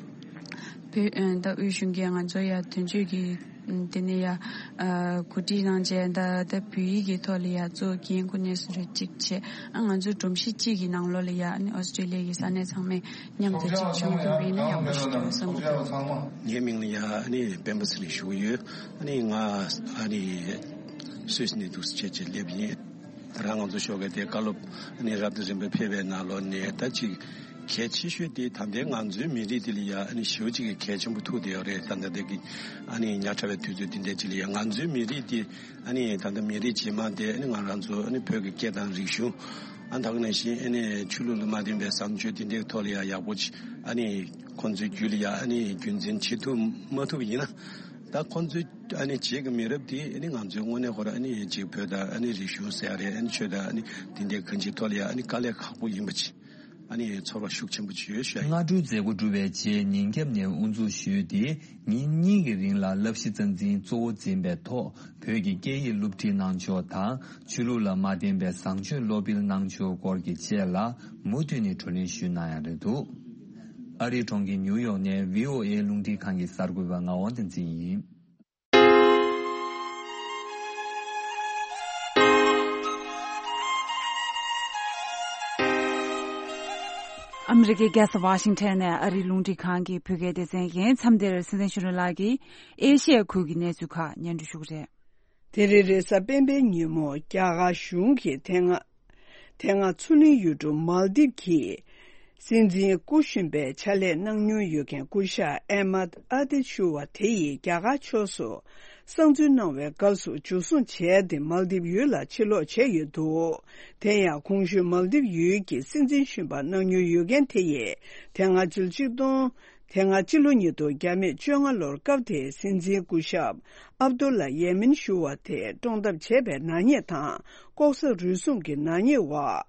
བོད་ཨ་ད་དབུས་གཞུང་གིས་ང་ཚོ་ཡ་དོན་གཅོད་ཀྱི་ཨམ་དེ་ནས་ཡ་ཨ་གོ་སྒྲིག་གནང་བྱས། ད་ད་བོད་ཡིག་གི་ཐོག་ལ་ཡ་གཙོ་འགན་ཁུར་ནས་སུ་རེ་གཅིག་བྱས། ཨ་ང་ཚོ་སྒྲོམ་གཞི་གཅིག་གི་ནང་ལོགས་ལ་ཡ་ཨ་ནི་ཨོ་སི་ཀྲེ་ལི་ཡ་གི་ས་གནས་ཚང་མས་མཉམ་དུ་གཅིག་བྱུང་ཐུབ་པ་ཡིན་ན་ཡག་པོ་ཞིག་འདུག་བསམ་གྱི་འདུག་ངའི་མིང་ལ་ཡ་ཨ་ནི་སྤེན་པ་ཚེ་རིང་ཞུ་གི་ཡོད། ཨ་ནི་ང་ཨ་ནི་སུད་སི་ནས་འདུག་སེ་བྱས་བྱས་སླེབས་ཡིན། ད་རང་ང་ཚོ་ཞོགས་ཀས་དེ་བཀའ་སློབ་ཨ་ནི་རབ་དང་རིམ་པ་ཕེབས་པའི་ནང་ལོགས་ནས་ད་ཅིག་གལ་ཆེ་ཤོས་དེ་ད་ལྟའི་ང་ཚོའི་མི་རིགས་དེ་ལ་ཡ་ཨ་ནི་ཞེ་པོ་ཅིག་གི་གལ་ཆེན་པོ་ཐུག་བསྡད་ཡོད་རེད། ད་ལྟ་དེ་གི་ཨ་ནི་ཉག་ཕྲ་བའི་དུས་ཚོད་འདི་འདྲའི་ཅིག་ལ་ཡ་ང་ཚོའི་མི་རིགས་དེ་ཨ་ནི་ད་ལྟ་མི་རིགས་རྗེས་མ་དེ་ཨ་ནི་ང་རང་ཚོ་ཨ་ནི་བོད་ཀྱི་སྐད་དང་རིག་གཞུང་། ཨ་ད་ག་ནང་བཞིན་ཨ་ནི་ཆོས་ལུགས་ལ་མ་བརྟེན་པའི་བཟང་སྤྱོད་དེ་འདྲའི་ཐོག་ལ་ཡང་ཡག་པོ་ཅིག་ཨ་ནི་ཁོང་ཚོའི་རྒྱུད་ལ་ཡང་ཨ་ནི་རྒྱུན་འཛིན་བྱེད་ཐུབ་མ་ཐུབ་ཡིན་ན། ད་ཁོང་ཚོའི་ཨ་ནི་རྗེས་ཀྱི་མི་རབས་དེ་ཨ་ནི་ང་ཚོའི་དངོས་གནས་ཁོ་རང་ཨ་ནི་ཅིག་བོད་དང་ཨ་ནི་རིག་གཞུང་ཟེར་ཡ་རེད། ཨ་ནི་ཆོས་དང་ཨ་ནི་དེ་འདྲའི་གང་ཅིའི་ཐོག་ལ་ཡང་ཨ་ནི་དཀའ་ལས་ཁག་པོ་ཡིན་པ་ཅིག་ཨ་ནི་ཚོར་བ་ཤུགས་ཆེན་པོ་ཅིག་ཡོད་ཤག་སྔ་དྲོའི་མཛད་སྒོ་གྲུབ་པའི་རྗེས་ཉིན་རྒྱབ་ནས་དབུ་འཛུགས་ཞུས་ཏེ། ཉིན་གཉིས་ཀྱི་རིང་ལ་བསླབ་གཞི་རྩ་འཛིན་གཙོ་བོ་འཛིན་པའི་ཐོག་བོད་ཀྱི་སྐད་ཡིག་སློབ་ཁྲིད་གནང་ཕྱོགས་དང་། ཆོས་ལུགས་ལ་མ་བརྟེན་པའི་བཟང་སྤྱོད་སློབ་སྤེལ་གནང་ཕྱོགས་སྐོར་གྱི་བཅས་ལ་མུ་མཐུད་ནས་བགྲོ་གླེང་ཞུས་གནང་ཡ་རེད་འདུག་ཨ་རིའི་གྲོང་ཁྱེར་ཉིའུ་ཡོག་ནས་བྷི་ཨོ་ཨེ་རླུང་འཕྲིན་ཁང་གི་གསར་འགོད་པ་ངག་དབང་བསྟན་འཛིན་ཡིན། ཨ་མི་རི་ཀའི་རྒྱལ་ས་ཝ་ཤིང་ཊོན་ནས་ཨ་རིའི་རླུང་འཕྲིན་ཁང་གི་བོད་སྐད་སྡེ་ཚན་ཡིན། མཚམས་འདིར་སྲིད་བློན་ཆོས་སྒྲོན་ལགས་ཀྱིས་ཨེ་ཤི་ཡ་ཁུལ་གྱི་གནས་ཚུལ་ཁག་སྙན་སྒྲོན་ཞུ་གི་རེད། དེ་རིང་རེས་གཟའ་སྤེན་པའི་ཉིན་མོ་རྒྱ་གར་གཞུང་གི་དེ་སྔ་དེ་སྔ་མཚོ་གླིང་ཡུལ་གྲུ་མལ་དིབ་ཀྱི་སྲིད་འཛིན་སྐུ་གཞོན་པའི་ཕྱག་ལས་གནང་མྱོང་ཡོད་མཁན་སྐུ་ཞབས་ཨེ་མད་ཨ་དིད་ཞུ་བ་དེ་ཡིས་རྒྱ་གར་ཕྱོགས་སུ་གསང་འཛུལ་གནང་བའི་སྐབས་སུ་འཇུ་བཟུང་བྱས་ཏེ་མལ་དིབ་ཡུལ་ལ་ཕྱིར་ལོག་བྱས་ཡོད་འདུག་དེ་ཡང་གོང་ཞུས་མལ་དིབ་ཡུལ་གྱི་སྲིད་འཛིན་གཞོན་པ་གནང་མྱོང་ཡོད་མཁན་དེ་ཡིས་དེ་སྔ་ཕྱི་ལོ་ཆིག་སྟོང་དེ་སྔ་ཕྱི་ལོ་ཉིས་སྟོང་བརྒྱ་མེད་བཅོ་ལྔ་ལོར་སྐབས་དེའི་སྲིད་འཛིན་སྐུ་ཞབས་ཨབ་དུ་ལ་ཡེ་མིན་ཞུ་བ་དེ་བཀྲོངས་ཐབས་བྱས་པའི་ནག་ཉེས་དང་ལྐོག་ཟ་རུལ་སུངས་ཀྱི་ནག་ཉེས་འོག་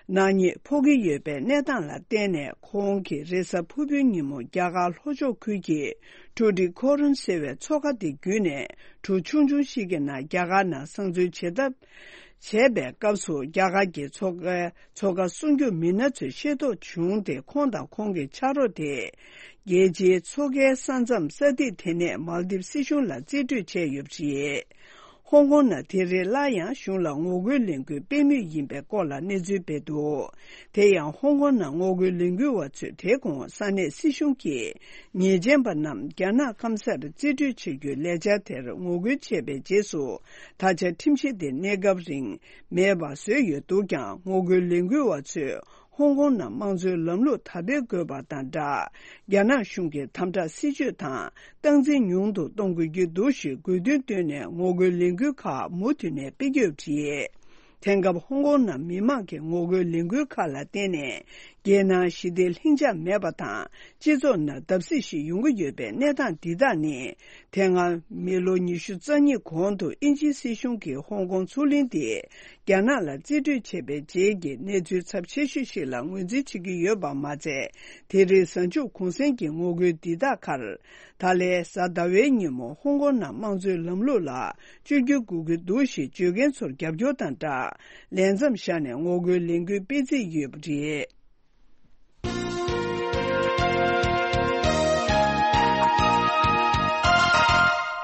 ནག་ཉེས་ཕོག་གི་ཡོད་པའི་གནས་སྟངས་ལ་བརྟེན་ནས། ཁོང་གིས་རེས་གཟའ་ཕུར་བུའི་ཉིན་མོ་རྒྱ་གར་ལྷོ་ཕྱོགས་ཁུལ་གྱི་ཊུ་ཊི་ཁོ་རོན་ཟེར་བའི་མཚོ་ཁ་དེ་བརྒྱུད་ནས་གྲུ་ཆུང་ཆུང་ཞིག་གི་ནང་རྒྱ་གར་ནང་གསང་འཛུལ་བྱེད་ཐབས་བྱས་པའི་སྐབས་སུ། རྒྱ་གར་གྱི་མཚོ་ཁའི་མཚོ་ཁ་སྲུང་སྐྱོབ་མི་སྣ་ཚོས་ཤེས་རྟོགས་བྱུང་སྟེ། ཁོང་དང་ཁོང་གི་ཕྱག་རོགས་དེ་རྒྱལ་སྤྱིའི་མཚོ་ཁའི་ས་མཚམས་ས་ཐིག་དེ་ནས་མལ་དིབ་སྲིད་གཞུང་ལ་རྩིས་སྤྲོད་བྱས་ཡོད་པ་རེད། ཧོང་ཀོང་ནང་དེ་རིང་སླར་ཡང་གཞུང་ལ་ངོ་རྒོལ་ལས་འགུལ་སྤེལ་མུས་ཡིན་པའི་སྐོར་ལ་གནས་ཚུལ་སྤེལ་འདུག་དེ་ཡང་ཧོང་ཀོང་ནང་ངོ་རྒོལ་ལས་འགུལ་བ་ཚོས་དེ་གོང་ས་གནས་སྲིད་གཞུང་གིས་ཉེས་ཅན་པ་རྣམས་རྒྱ་ནག་སྐམ་སར་རྩིས་སྤྲོད་བྱེད་རྒྱུའི་ལས་འཆར་དེར་ངོ་རྒོལ་བྱས་པའི་རྗེས་སུ། ད་ཆ་ཁྲིམས་གཞི་དེ་གནས་སྐབས་རིང་མེད་པ་བཟོས་ཡོད་འདུག་ཀྱང་། ངོ་རྒོལ་ལས་འགུལ་བ་ཚོས་ཧོང་ཀོང་ནང་དམངས་གཙོའི་ལམ་ལུགས་དར་སྤེལ་དགོས་པ་དང་སྦྲགས། རྒྱ་ནག་གཞུང་གི་དམ་དྲག་སྲིད་བྱུས་དང་སྟངས་འཛིན་ཉུང་དུ་གཏོང་དགོས་ཀྱི་འདུག་ཞེས་དགོས་འདུན་བཏོན་ནས། ངོ་རྒོལ་ལས་འགུལ་ཁག་མུ་མཐུད་ནས་སྤེལ་གྱི་ཡོད་པ་རེད། དེང་སྐབས་ཧོང་ཀོང་ནང་མི་མང་གི་ངོ་རྒོལ་ལས་འགུལ་ཁག་ལ་བརྟེན་ནས། རྒྱལ་ནང་ཞི་བདེ་ལྷིང་འཇགས་མེད་པ་དང་། སྤྱི་ཚོགས་ནང་བརྡབ་གསིག་ཞིག་ཡོང་གི་ཡོད་པའི་གནས་སྟངས་འདི་དག་ནི། དེ་སྔ་མི་ལོ་ཉི་ཤུ་རྩ་གཉིས་གོང་དུ་དབྱིན་ཇིའི་སྲིད་གཞུང་གིས་ཧོང་ཀོང་མཚོ་གླིང་དེ་རྒྱ་ནག་ལ་རྩིས་སྤྲོད་བྱས་པའི་རྗེས་ཀྱི་གནས་ཚུལ་ཚབས་ཆེ་ཤོས་ཤིག་ལ་ངོས་འཛིན་བྱེད་ཀྱི་ཡོད་པ་མ་ཚད། དེ་རིང་གཟའ་མཇུག་གུང་སེང་གི་ངོ་རྒོལ་འདི་དག་ཁར། ད་ལན་གཟའ་ཟླ་བའི་ཉིན་མོ་ཧོང་ཀོང་ནང་དམངས་གཙོའི་ལམ་ལུགས་ལ་བཅོས་བསྒྱུར་དགོས་ཀྱི་འདུག་ཞེས་བརྗོད་མཁན་ཚོར་རྒྱབ་སྐྱོར་དང་སྦྲགས། ལས་མཚམས་བཞག་ནས་ངོ་རྒོལ་ལས་འགུལ་སྤེལ་རྩིས་ཡོད་པ་རེད།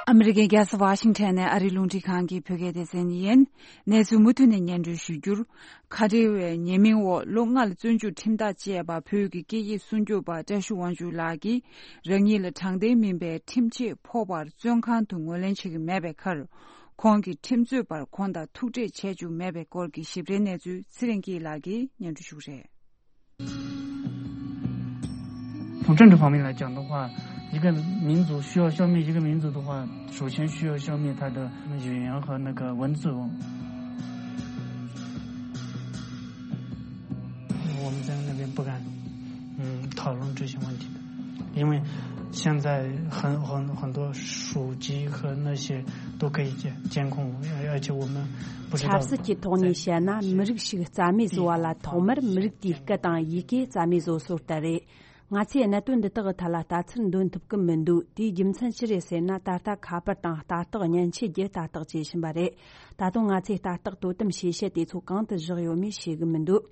ཨ་མི་རི་ཀའི་རྒྱལ་ས་ཝ་ཤིང་ཊོན་ནས་ཨ་རིའི་རླུང་འཕྲིན་ཁང་གི་བོད་སྐད་སྡེ་ཚན་ཡིན། གནས་ཚུལ་མུ་མཐུད་ནས་སྙན་སྒྲོན་ཞུ་རྒྱུར། ཁ་བྲལ་བའི་ཉེས་མིང་འོག་ལོ་ལྔ་ལ་བཙོན་འཇུག་ཁྲིམས་ཐག་བཅད་པ་བོད་ཀྱི་སྐད་ཡིག་སྲུང་སྐྱོབ་པ་བཀྲ་ཤིས་དབང་ཕྱུག་ལགས་ཀྱིས། རང་ཉིད་ལ་དྲང་བདེན་མིན་པའི་ཁྲིམས་ཆད་ཕོག་པར་བཙོན་ཁང་དུ་ངོས་ལེན་བྱེད་ཀྱི་མེད་པའི་ཁར། ཁོང་གིས་ཁྲིམས་རྩོད་པར་ཁོང་དང་ཐུག་འཕྲད་བྱས་བཅུག་མེད་པའི་སྐོར་གྱི་ཞིབ་ཕྲའི་གནས་ཚུལ་ཚེ་རིང་སྐྱིད་ལགས་ཀྱིས་སྙན་སྒྲོན་ཞུ་གི་རེད། 同政治方面来讲的话，一个民族需要消灭一个民族的话，首先需要消灭他的语言和那个文字。我们在那边不敢，嗯，讨论这些问题的，因为现在很很很多手机和那些都可以监监控，而而且我们不知道。 ཆབ་སྲིད་ཀྱི་ཐོག་ནས་བཤད་ན། མི་རིགས་ཤིག་རྩ་མེད་བཟོ་བ་ལ་ཐོག་མར་མི་རིགས་དེའི་སྐད་དང་ཡི་གེ་རྩ་མེད་བཟོ་སྲོལ་ལྟར་རེད། ང་ཚོས་གནད་དོན་འདི་དག་གི་ཐད་ལ་ལྟ་ཚུལ་འདོན་ཐུབ་ཀྱི་མི་འདུག་དེའི་རྒྱུ་མཚན་ཅི་རེད་ཟེར་ན། ད་ལྟ་ཁ་པར་དང་ལྟ་རྟོག་མཉེན་ཆས་ཀྱིས་ལྟ་རྟོག་བྱེད་བཞིན་པ་རེད། ད་དུང་ང་ཚོས་ལྟ་རྟོག་དོ་དམ་བྱེད་ཡུལ་དེ་ཚོ་གང་དུ་བཞག་ཡོད་མེད་ཤེས་ཀྱི་མི་འདུག་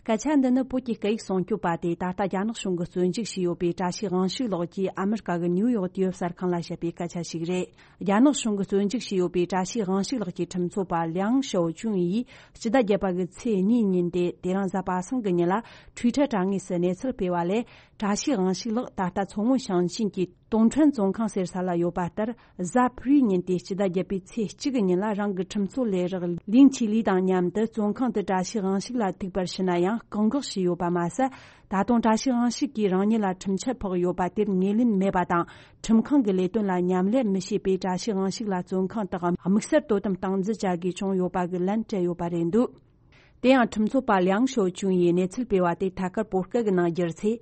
སྐད་ཆ་འདི་ནི་བོད་ཀྱི་སྐད་ཡིག་སྲུང་སྐྱོབ་པ་དེས་ད་ལྟ་རྒྱ་ནག་གཞུང་གིས་བཙོན་འཇུག་བྱས་ཡོད་པའི་བཀྲ་ཤིས་དབང་ཕྱུག་ལགས་ཀྱིས་ཨ་མི་རི་ཀ་གི་ནིའུ་ཡོག་དུས་བབ་གསར་ཁང་ལ་བཤད་པའི་སྐད་ཆ་ཞིག་རེད། རྒྱ་ནག་གཞུང་གིས་བཙོན་འཇུག་བྱས་ཡོད་པའི་བཀྲ་ཤིས་དབང་ཕྱུག་ལགས་ཀྱི་ཁྲིམས་རྩོད་པ་ལིའང་ཞའོ་ཅུན་ཡིས་སྤྱི་ཟླ་བརྒྱད་པ་གི་ཚེས་གཉིས་ཉིན་ཏེ། དེ་རིང་གཟའ་པ་སངས་ཀྱི་ཉིན་ལ་ཊུའི་ཊར་དྲ་ངོས་སུ་གནས་ཚུལ་སྤེལ་བ་ལས། བཀྲ་ཤིས་དབང་ཕྱུག་ལགས་ད་ལྟ་མཚོ་སྔོན་ཞིང་ཆེན་གྱི་ཏུང་ཁྲོན་བཙོན་ཁང་ཟེར་ས་ལ་ཡོད་པ་ལྟར། གཟའ་ཕུར་བུའི་ཉིན་ཏེ་སྤྱི་ཟླ་བརྒྱད་པའི་ཚེས་གཅིག་གི་ཉིན་ལ་རང་གི་ཁྲིམས་རྩོད་ལས་རོགས་ལིང་ཆི་ལི་དང་མཉམ་དུ་བཙོན་ཁང་དུ་བཀྲ་ཤིས་དབང་ཕྱུག་ལ་ཐུག་པར་ཕྱིན་ན་ཡང་བཀག་འགོག་བྱས་ཡོད་པ་མ་ཟད། ད་དུང་བཀྲ་ཤིས་དབང་ཕྱུག་གིས་རང་ཉིད་ལ་ཁྲིམས་ཆད་ཕོག་ཡོད་པ་དེར་ངོས་ལེན་མེད་པ་དང་། ཁྲིམས་ཁང་གི་ལས་དོན་ལ་མཉམ་ལས་མི་བྱེད་པས། བཀྲ་ཤིས་དབང་ཕྱུག་ལ་བཙོན་ཁང་དུ་དམིགས་བསལ་དོ་དམ་སྟངས་འཛིན་བྱ་དགོས་བྱུང་ཡོད་པ་གི་ལན་སྤྲད་ཡོད་པ་རེད་འདུག་དེ་ཡང་ཁྲིམས་རྩོད་པ་ལིའང་ཞའོ་ཅུན་ཡིས་གནས་ཚུལ་སྤེལ་བ་དེ་ཐད་ཀར་བོད་སྐད་ཀྱི་ནང་བསྒྱུར་ཚེ།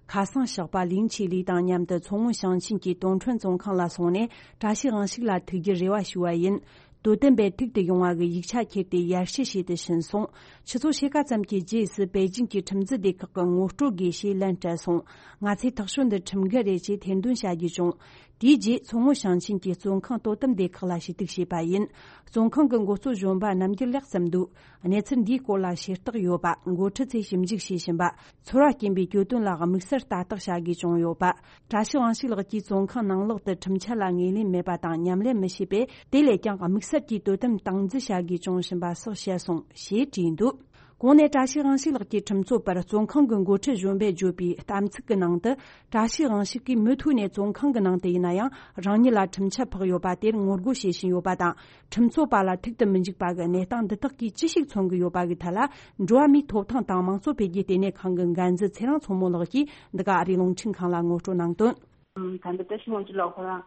ཁ་སང་ཞོགས་པ་ལིང་ཆི་ལི་དང་མཉམ་དུ་མཚོ་སྔོན་ཞིང་ཆེན་གྱི་ཏུང་ཁྲོན་བཙོན་ཁང་ལ་སོང་ནས། བཀྲ་ཤིས་དབང་ཕྱུག་ལ་ཐུག་རྒྱུའི་རེ་བ་ཞུས་པ་ཡིན། དོ་དམ་པས་ཐུག་ཏུ་ཡོང་བ་གི་ཡིག་ཆ་ཁྱེར་ཏེ་ཡར་ཞུ་བྱས་ཏེ་ཕྱིན་སོང་། ཆུ་ཚོད་ཕྱེད་ཀ་ཙམ་གྱི་རྗེས་སུ་པེ་ཅིང་གི་ཁྲིམས་འཛིན་སྡེ་ཁག་གི་ངོ་སྤྲོད་དགོས་ཞེས་ལན་སྤྲད་སོང་། ང་ཚོས་ཐག་གཅོད་འདི་ཁྲིམས་འགལ་རེད་ཅེས་ཐེར་འདོན་བྱ་རྒྱུ་བྱུང་། དེའི་རྗེས་མཚོ་སྔོན་ཞིང་ཆེན་གྱི་བཙོན་ཁང་དོ་དམ་སྡེ་ཁག་ལ་ཞུ་གཏུག་བྱས་པ་ཡིན། བཙོན་ཁང་གི་འགོ་གཙོ་གཞོན་པ་རྣམ་རྒྱལ་ལེགས་བསམ་འདུག་གནས་ཚུལ་འདིའི་སྐོར་ལ་ཤེས་རྟོགས་ཡོད་པ། འགོ་ཁྲིད་ཚོས་ཞིབ་འཇུག་བྱེད་བཞིན་པ། ཚོར་བ་སྐྱེན་པའི་གྱོད་དོན་ལ་དམིགས་བསལ་ལྟ་རྟོག་བྱ་དགོས་བྱུང་ཡོད་པ། བཀྲ་ཤིས་དབང་ཕྱུག་ལགས་ཀྱིས་བཙོན་ཁང་ནང་ལོགས་དུ་ཁྲིམས་འཆར་ལ་ངོས་ལེན་མེད་པ་དང་མཉམ་ལས་མི་བྱེད་པས། དེ་ལས་ཀྱང་དམིགས་བསལ་གྱིས་དོ་དམ་སྟངས་འཛིན་བྱ་དགོས་བྱུང་བཞིན་པ་སོགས་བཤད་སོང་ཞེས་བྲིས་འདུག་གོང་ནས་བཀྲ་ཤིས་དབང་ཕྱུག་ལགས་ཀྱི་ཁྲིམས་རྩོད་པར་བཙོན་ཁང་གི་འགོ་ཁྲིད་གཞོན་པས་བརྗོད་པའི་གཏམ་ཚིག་གི་ནང་དུ། བཀྲ་ཤིས་དབང་ཕྱུག་གིས་མུ་མཐུད་ནས་བཙོན་ཁང་གི་ནང་དུ་ཡིན་ན་ཡང་རང་ཉིད་ལ་ཁྲིམས་ཆད་ཕོག་ཡོད་པ་དེར་ངོ་རྒོལ་བྱེད་བཞིན་ཡོད་པ་དང་། ཁྲིམས་རྩོད་པ་ལ་ཐུག་ཏུ་མི་འཇུག་པ་གི་གནས་སྟངས་འདི་དག་གིས་ཅི་ཞིག་མཚོན་གྱི་ཡོད་པ་གི་ཐད་ལ། འགྲོ་བ་མིའི་ཐོབ་ཐང་དང་དམངས་གཙོ་འཕེལ་རྒྱས་ལྟེ་གནས་ཁང་གི་འགན་འཛིན་ཚེ་རིང་མཚོ་མོ་ལགས་ཀྱིས་འདི་ག་ཨ་རིའི་རླུང་འཕྲིན་ཁང་ལ་ངོ་སྤྲོད་གནང་དོན། ད་ལྟ་བཀྲ་ཤིས་དབང་ཕྱུག་ལགས་ཁོ་རང་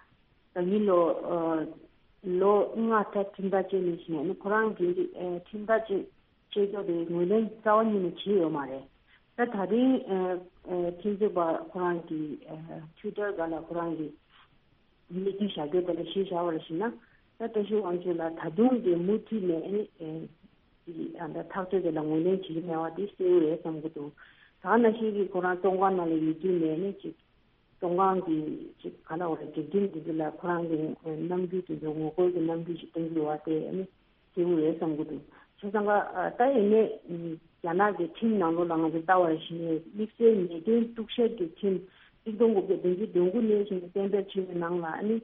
ད་ཉིན་ལོ་ལོ་ལྔ་ད་ཁྲིམས་ཐག་བཅད་ནས་ཕྱིན་ནས་ཁོ་རང་གི་ཁྲིམས་ཐག་བཅད་བཅད་ཀྱོག་དེ་ངོས་ལེན་རྩ་བ་ཉིད་ནས་བྱས་ཡོད་མ་རེད། ད་ད་རིང་ཁྲིམས་རྩོད་པ་ཁོ་རང་གི་ཊུའི་ཊར་སྒང་ལ་ཁོ་རང་གི་གནས་ཚུལ་བཞག་རྒྱུ་དེ་ལ་གཞི་བཞག་པ་ལ་ཞིག་ན། ད་བཀྲ་ཤིས་དབང་ཕྱུག་ལགས་ད་དུང་གི་མུ་མཐུད་ནས་ཨ་ནི་ཨེ་ཨ་ད་ཐག་གཅོད་དེ་ལ་ངོས་ལེན་བྱེད་ཀྱི་མེད་པ་དེ་གསལ་པོ་རེད་བསམ་གྱི་འདུག་ད་ནང་བཞིན་གྱི་ཁོ་རང་བཙོན་ཁང་ནང་ལ་ཡོད་དུས་ནས་ཨ་ནི་ཅིག་བཙོན་ཁང་གི་ཅིག་ག་ལ་བ་རེད། སྒྲིག་ཁྲིམས་དེ་ཚོ་ལ་ཁོ་རང་གི་རྣམ་འགྱུར་དེ་ཚོ་ངོ་རྒོལ་གྱི་རྣམ་འགྱུར་ཞིག་སྟོན་གྱི་ཡོད་པ་དེ་ཨ་ནི་གསལ་པོ་རེད་བསམ་གྱི་འདུག་བྱས་ཙང་ཀ་ད་ཡིན་ནའི་རྒྱ་ནག་གི་ཁྲིམས་ནང་ལོགས་ལ་ང་ཚོ་ལྟ་བ་རེ་བཞིན་ནས་དམིགས་བསལ་ཉེས་དོན་གཏུག་བཤེར་གྱི་ཁྲིམས་གཅིག་སྟོང་དགུ་བརྒྱ་བདུན་ཅུ་དོན་དགུ་ནས་བཞིན་གཏན་འབེབས་བྱས་པའི་ནང་ལ་ཨ་ནི་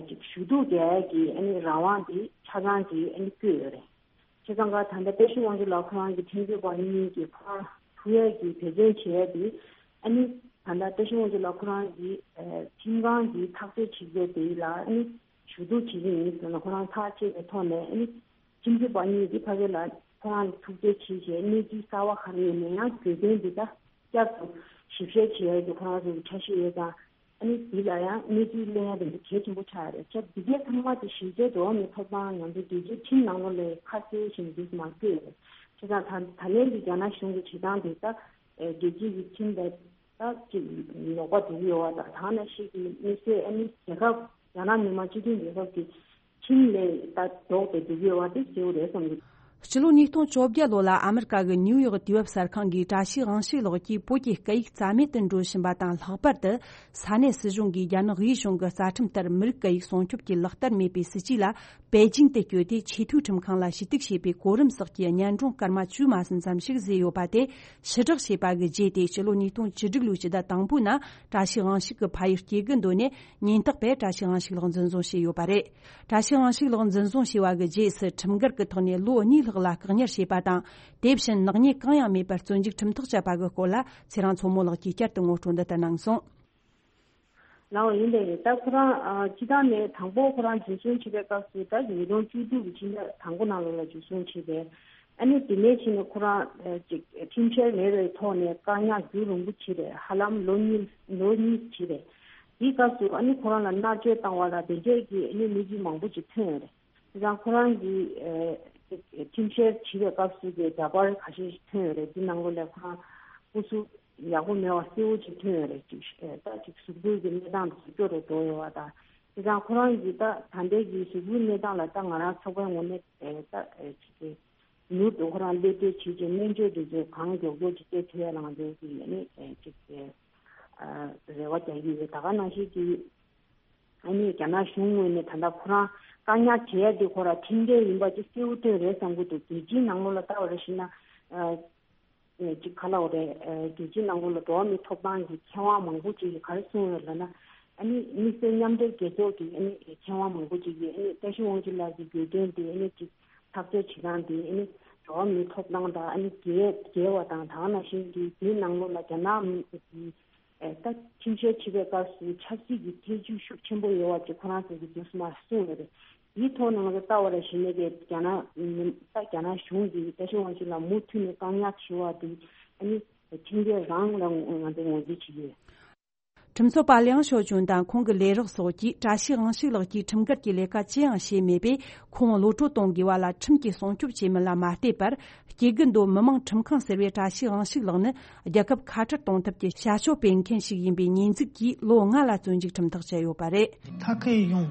ཅིག་ཞུ་གཏུག་རྒྱག་ཡས་ཀྱི་ཨ་ནི་རང་དབང་དེ་ཆ་ཚང་གིས་ཨ་ནི་བཀོད་ཡོད་རེད། བྱས་ཙང་ཀ་ད་ལྟ་བཀྲ་ཤིས་དབང་ཕྱུག་ལགས་ཁོ་རང་གི་ཁྲིམས་རྩོད་པ་གཉིས་ཀྱིས་ཁོ་རང་ཐུག་ཡས་ཀྱི་འབད་བརྩོན་བྱས་ཏེ་ཨ་ནི་ད་ལྟ་བཀྲ་ཤིས་དབང་ཕྱུག་ལགས་ཁོ་རང་གི་ཁྲིམས་ཁང་གི་ཐག་གཅོད་བྱེད་རྒྱུ་དེ་ལ་ཨ་ནི་ཞུ་གཏུག་བྱེད་ཀྱི་ཡིན་ཟེར་ན་ཁོ་རང་ཐག་བཅད་པའི་ཐོག་ནས་ཨ་ནི་ཁྲིམས་རྩོད་པ་གཉིས་ཀྱིས་ཕ་གི་ལ་ཁོ་རང་ལ་ཐུག་འཕྲད་བྱས་བྱས་གནས་ཚུལ་གསར་པ་ག་རེ་ཡིན་ན་ཡང་གྱོད་དོན་འདི་དག་བསྐྱར་དུ་ཞིབ་བཤེར་བྱེད་ཡས་ཀྱི་ཁོ་རང་ཚོ་གི་འཆར་གཞི་ཡོད་ཙང་། ཨ་ནི་འདི་ལ་ཡང་གནས་ཚུལ་གླེང་ཡ་དེ་འདྲ་གལ་ཆེན་པོ་ཆགས་རེད། ཆ་འདི་གས་ཚང་མ་དེ་གཞི་རྩའི་འགྲོ་བ་མིའི་ཐོབ་ཐང་ང་ཚོ་རྒྱལ་སྤྱིའི་ཁྲིམས་ནང་ལོགས་ལ་ཁ་གསལ་ཞིག་འདུག་མ་བཀོད་རེད། བྱས་ཙང་ད་ད་ལན་གྱི་རྒྱ་ནག་གཞུང་གི་བྱེད་སྟངས་དེ་ད་རྒྱལ་སྤྱི་གི་ཁྲིམས་དང་ད་ཅིག་ལོག་པ་འགྲོ་གི་ཡོད་པ་དང་། ད་ནང་བཞིན་གྱི་དམིགས་བསལ་ཨ་ནི་རྒྱལ་ཁབ་རྒྱ་ནག་མི་དམངས་སྤྱི་མཐུན་རྒྱལ་ཁབ་ཀྱི་ཁྲིམས་ལས་ད་ལྡོག་སྟེ་འགྲོ་གི་ཡོད་པ་དེ་གསལ་པོ་རེད་བསམ་གྱི། སྤྱི་ལོ་ཉིས་སྟོང་བཅོ་བརྒྱད་ལོ་ལ་ཨ་མི་རི་ཀ་གི་ནིའུ་ཡོག་དུས་བབ་གསར་ཁང་གིས་བཀྲ་ཤིས་དབང་ཕྱུག་ལགས་ཀྱིས་བོད་ཀྱི་སྐད་ཡིག་རྩ་མེད་དུ་འགྲོ་བཞིན་པ་དང་། ལྷག་པར་དུ་ས་གནས་སྲིད་གཞུང་གིས་རྒྱ་ནག་དབུས་གཞུང་གི་རྩ་ཁྲིམས་ལྟར་མི་རིགས་སྐད་ཡིག་སྲུང་སྐྱོབ་ཀྱི་ལག་བསྟར་མེད་པའི་སྲིད་ཇུས་ལ་པེ་ཅིང་དུ་བསྐྱོད་དེ་ཆེས་མཐོའི་ཁྲིམས་ཁང་ལ་ཞུ་གཏུག་བྱས་པའི་གོ་རིམ་སོགས་ཀྱི་སྙན་སྒྲོན་སྐར་མ་བཅུ་མ་ཟིན་ཙམ་ཞིག་བཟོས་ཡོད་པ་དེ་ཕྱིར་བསྒྲགས་བྱས་པ་གི་རྗེས་ཏེ། སྤྱི་ལོ་ཉིས་སྟོང་བཅུ་དྲུག་ལོའི་ཕྱི་ཟླ་དང་པོའི་ནང་བཀྲ་ཤིས་དབང་ཕྱུག་གི་ཕ་ཡུལ་སྐྱེ་རྒུ་མདོ་ནས་ཉེན་རྟོག་པས་བཀྲ་ཤིས་དབང་ཕྱུག་ལགས་འཛིན་བཟུང་བྱས་ཡོད་པ་རེད། བཀྲ་ཤིས་དབང་ཕྱུག་ལགས་འཛིན་བཟུང་བྱས་པ་གི་རྗེས་སུ་ཁྲིམས་འགལ་གྱི་ཐོག་ནས་ལོ་གཉིས་ལྷག་ལ་བཀག་ཉར་བྱས་པ་དང་། དེ་བཞིན་ནག་ཉེས་གང་ཡང་མེད་པར་བཙོན་འཇུག་ཁྲིམས་ཐག་བཅད་པ་གི་སྐོར་ལ་ཚེ་རིང་མཚོ་མོ་ལགས་ཀྱིས་བསྐྱར་དུ་ངོ་སྤྲོད་འདི་ལྟར་གནང་སོང་། ལགས་འོང་། ཡིན་པས་ད་ཁོ་རང་ཨ་སྤྱི་བཏང་ནས་དང་པོ་ཁོ་རང་འཛིན་བཟུང་བྱས་པའི་སྐབས་སུ་ད་ཉིས་སྟོང་བཅུ་དྲུག་གི་ཕྱི་ཟླ་དང་པོ་ནང་ལོགས་ལ་འཛིན་བཟུང་བྱས་པས། ཨ་ནི་དེ་ནས་ཕྱིན་ནས་ཁོ་རང་ཨ་ཅིག་ཁྲིམས་འཆར་མེད་པའི་ཐོག་ནས་བཀག་ཉར་རྒྱུན་རིང་པོ་བྱས་པས། ཧ་ལམ་ལོ་གཉིས་ལོ་གཉིས་བྱས་པས། དེའི་སྐབས་སུ་ཨ་ནི་ཁོ་རང་ལ་མནར་གཅོད་བཏང་བ་ལ་དེ་འདྲས་ཀྱི་ཨ་ནི་གནས་ཚུལ་མང་པོ་ཅིག་ཐོན་ཡོད་རེད། དེ་དང་ཁོ་རང་གིས་ཨ་ཁྲིམས་བཤེར་བྱེད་པའི་སྐབས་སུ་གི་འདྲ་པར་ཁ་ཤས་ཤིག་ཐོན་ཡོད་རེད། འདི་ནང་ལོགས་ལ་ཁོ་རང་སྐུ་གཟུགས་ཡག་པོ་མེད་པ་གསལ་བོ་ཅིག་ཐོན་ཡོད་རེད། ཅིག་ཨ་ད་ཅིག་གཟུགས་པོའི་གི་གནས་སྟངས་དེ་སྐྱོ་རུ་འགྲོ་ཡོད་པ་དང་། དེ་དང་ཁོ་རང་གིས་ད་ད་ལྟའི་གི་གཟུགས་པོའི་གནས་སྟངས་ལ་ད་ང་རང་ཚོགས་པའི་ངོས་ནས་ཨ་ད་ཨ་ཅིག་གི་མྱུར་དུ་ཁོ་རང་སླེབས་བསྡད་བྱས་ཀྱི་སྨན་བཅོས་འདི་ཚོ་གང་མགྱོགས་མགྱོགས་ཅིག་སྤྲད་ཐུབ་ཡ་ལང་འདོད་ཀྱི་ཡ་ནི་ཅིག་རེ་བ་རྒྱག་གི་ཡོད། ད་ག་ནང་བཞིན་གྱི་ཨ་ནི་རྒྱ་ནག་གཞུང་ངོས་ནས་ད་ལྟ་ཁོ་རང་བཀག་ཉར་བྱེད་ཡ་དེ་ཁོ་རང་ཁྲིམས་འགལ་ཡིན་པ་ཅིག་གསལ་པོ་བཏོན་རེད་བསམ་གྱི་འདུག་རྒྱལ་སྤྱིའི་ནང་ལོགས་ལ་ལྟ་བ་རེ་ཞིག་ན་ཅིག་ག་ལ་འོ་རེད། རྒྱལ་སྤྱིའི་ནང་ལོགས་ལ་འགྲོ་བ་མིའི་ཐོབ་ཐང་གི་མཁས་དབང་མང་པོ་ཅིག་གིས་ག་རེ་གསུངས་ཡོད་ལབ་ན། ཨ་ནི་དམིགས་བསལ་མཉམ་འབྲེལ་རྒྱལ་ཚོགས་ཀྱི་ཨ་ནི་མཁས་དབང་མང་པོ་ཅིག་གིས་ཨ་ནི་ཏེ་ཤི་དབང་ཕྱུག་ལགས་ཀྱི་བརྗོད་དོན་དེ་ཨ་ནི་ཅིག་ཐག་གཅོད་བྱེད་སྟངས་དེ་ཨ་ནི་འགྲོ་བ་མིའི་ཐོབ་ཐང་དང་ཨ་ནི་འགལ་འགལ་བ་དང་། ད་ག་ནང་བཞིན་གྱི་དེའི་ནང་ལོགས་ལ་རྒྱ་ནག་མི་གི་ཨེ་ད་ཁྲིམས་བཤེར་བྱེད་པའི་སྐབས་སུ་ཆབ་སྲིད་ཀྱི་ཐེ་ཇུས་ཤུགས་ཆེན་པོ་ཡོད་པ་ཅིག་ཁོ་རང་ཚོ་གིས་དུས་སུ་མར་གསུངས་ཡོད་རེད། དེའི་ཐོག་ནང་ལ་ལྟ་བ་ར་ཞིག་ནས་ཀྱི་རྒྱ་ནག་ད་རྒྱ་ནག་གཞུང་གིས་ཏེ་ཤི་དབང་ཕྱུག་ལགས་མུ་མཐུད་ནས་བཀག་ཉར་བྱེད་པ་དེ་ཨ་ནི་ཁྲིམས་འགལ་རང་ལ་ང་ཚོས་ངོས་འཛིན་བྱེད་ཀྱི་ཡོད། ཁྲིམས་རྩོད་པ་ལིའང་ཞའོ་ཅུན་དང་ཁོང་གི་ལས་རོགས་སོགས་ཀྱིས་བཀྲ་ཤིས་དབང་ཕྱུག་ལགས་ཀྱིས་ཁྲིམས་འགལ་གྱི་ལས་ཀ་ཅི་ཡང་བྱས་མེད་པས། ཁོང་གློད་བཀྲོལ་གཏོང་དགོས་པ་ལ་ཁྲིམས་ཀྱིས་སྲུང་སྐྱོབ་བྱེད་མིན་ལ་མ་ལྟོས་པར། སྐྱེ་རྒུ་མདོ་མི་དམངས་ཁྲིམས་ཁང་ཟེར་བའི་བཀྲ་ཤིས་དབང་ཕྱུག་ལགས་ནི་རྒྱལ་ཁབ་ཁ་བྲལ་གཏོང་ཐབས་ཀྱི་བྱ་སྤྱོད་སྤེལ་མཁན་ཞིག་ཡིན་པའི་ཉེས་འཛུགས་ཀྱིས་ལོ་ལྔ་ལ་བཙོན་འཇུག་ཁྲིམས་ཐག་བཅད་ཡོད་པ་རེད། 他可以用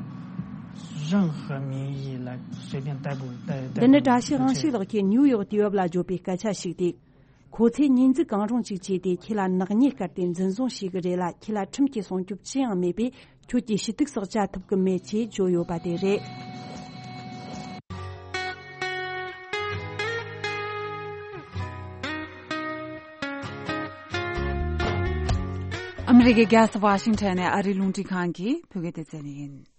任何名义来随便逮捕、逮、逮 འདི་ནི་བཀྲ་ཤིས་དབང་ཕྱུག་ལགས་ཀྱིས་ནིའུ་ཡོག་དུས་བབ་ལ་བརྗོད་པའི་སྐད་ཆ་ཞིག་སྟེ། ཁོ་ཚོས་ཉེས་འཛུགས་གང་རུང་ཅིག་བྱས་ཏེ། ཁྱེད་ལ་ནག་ཉེས་བཀལ་ཏེ་འཛིན་བཟུང་བྱེད་ཀྱི་རེད་ལ། ཁྱེད་ལ་ཁྲིམས་ཀྱི་སྲུང་སྐྱོབ་ཅི་ཡང་མེད་པས། ཁྱོད་ཀྱིས་ཞུ་གཏུག་སོགས་བྱ་ཐུབ་ཀྱི་མེད་ཅེས་བརྗོད་ཡོད་པ་དེ་རེད། ཨ་མི་རི་ཀའི་རྒྱལ་ས་ཝ་ཤིང་ཊོན་ནས་ཨ་རིའི་རླུང་འཕྲིན་ཁང་གི་བོད་སྐད་སྡེ་ཚན་ཡིན།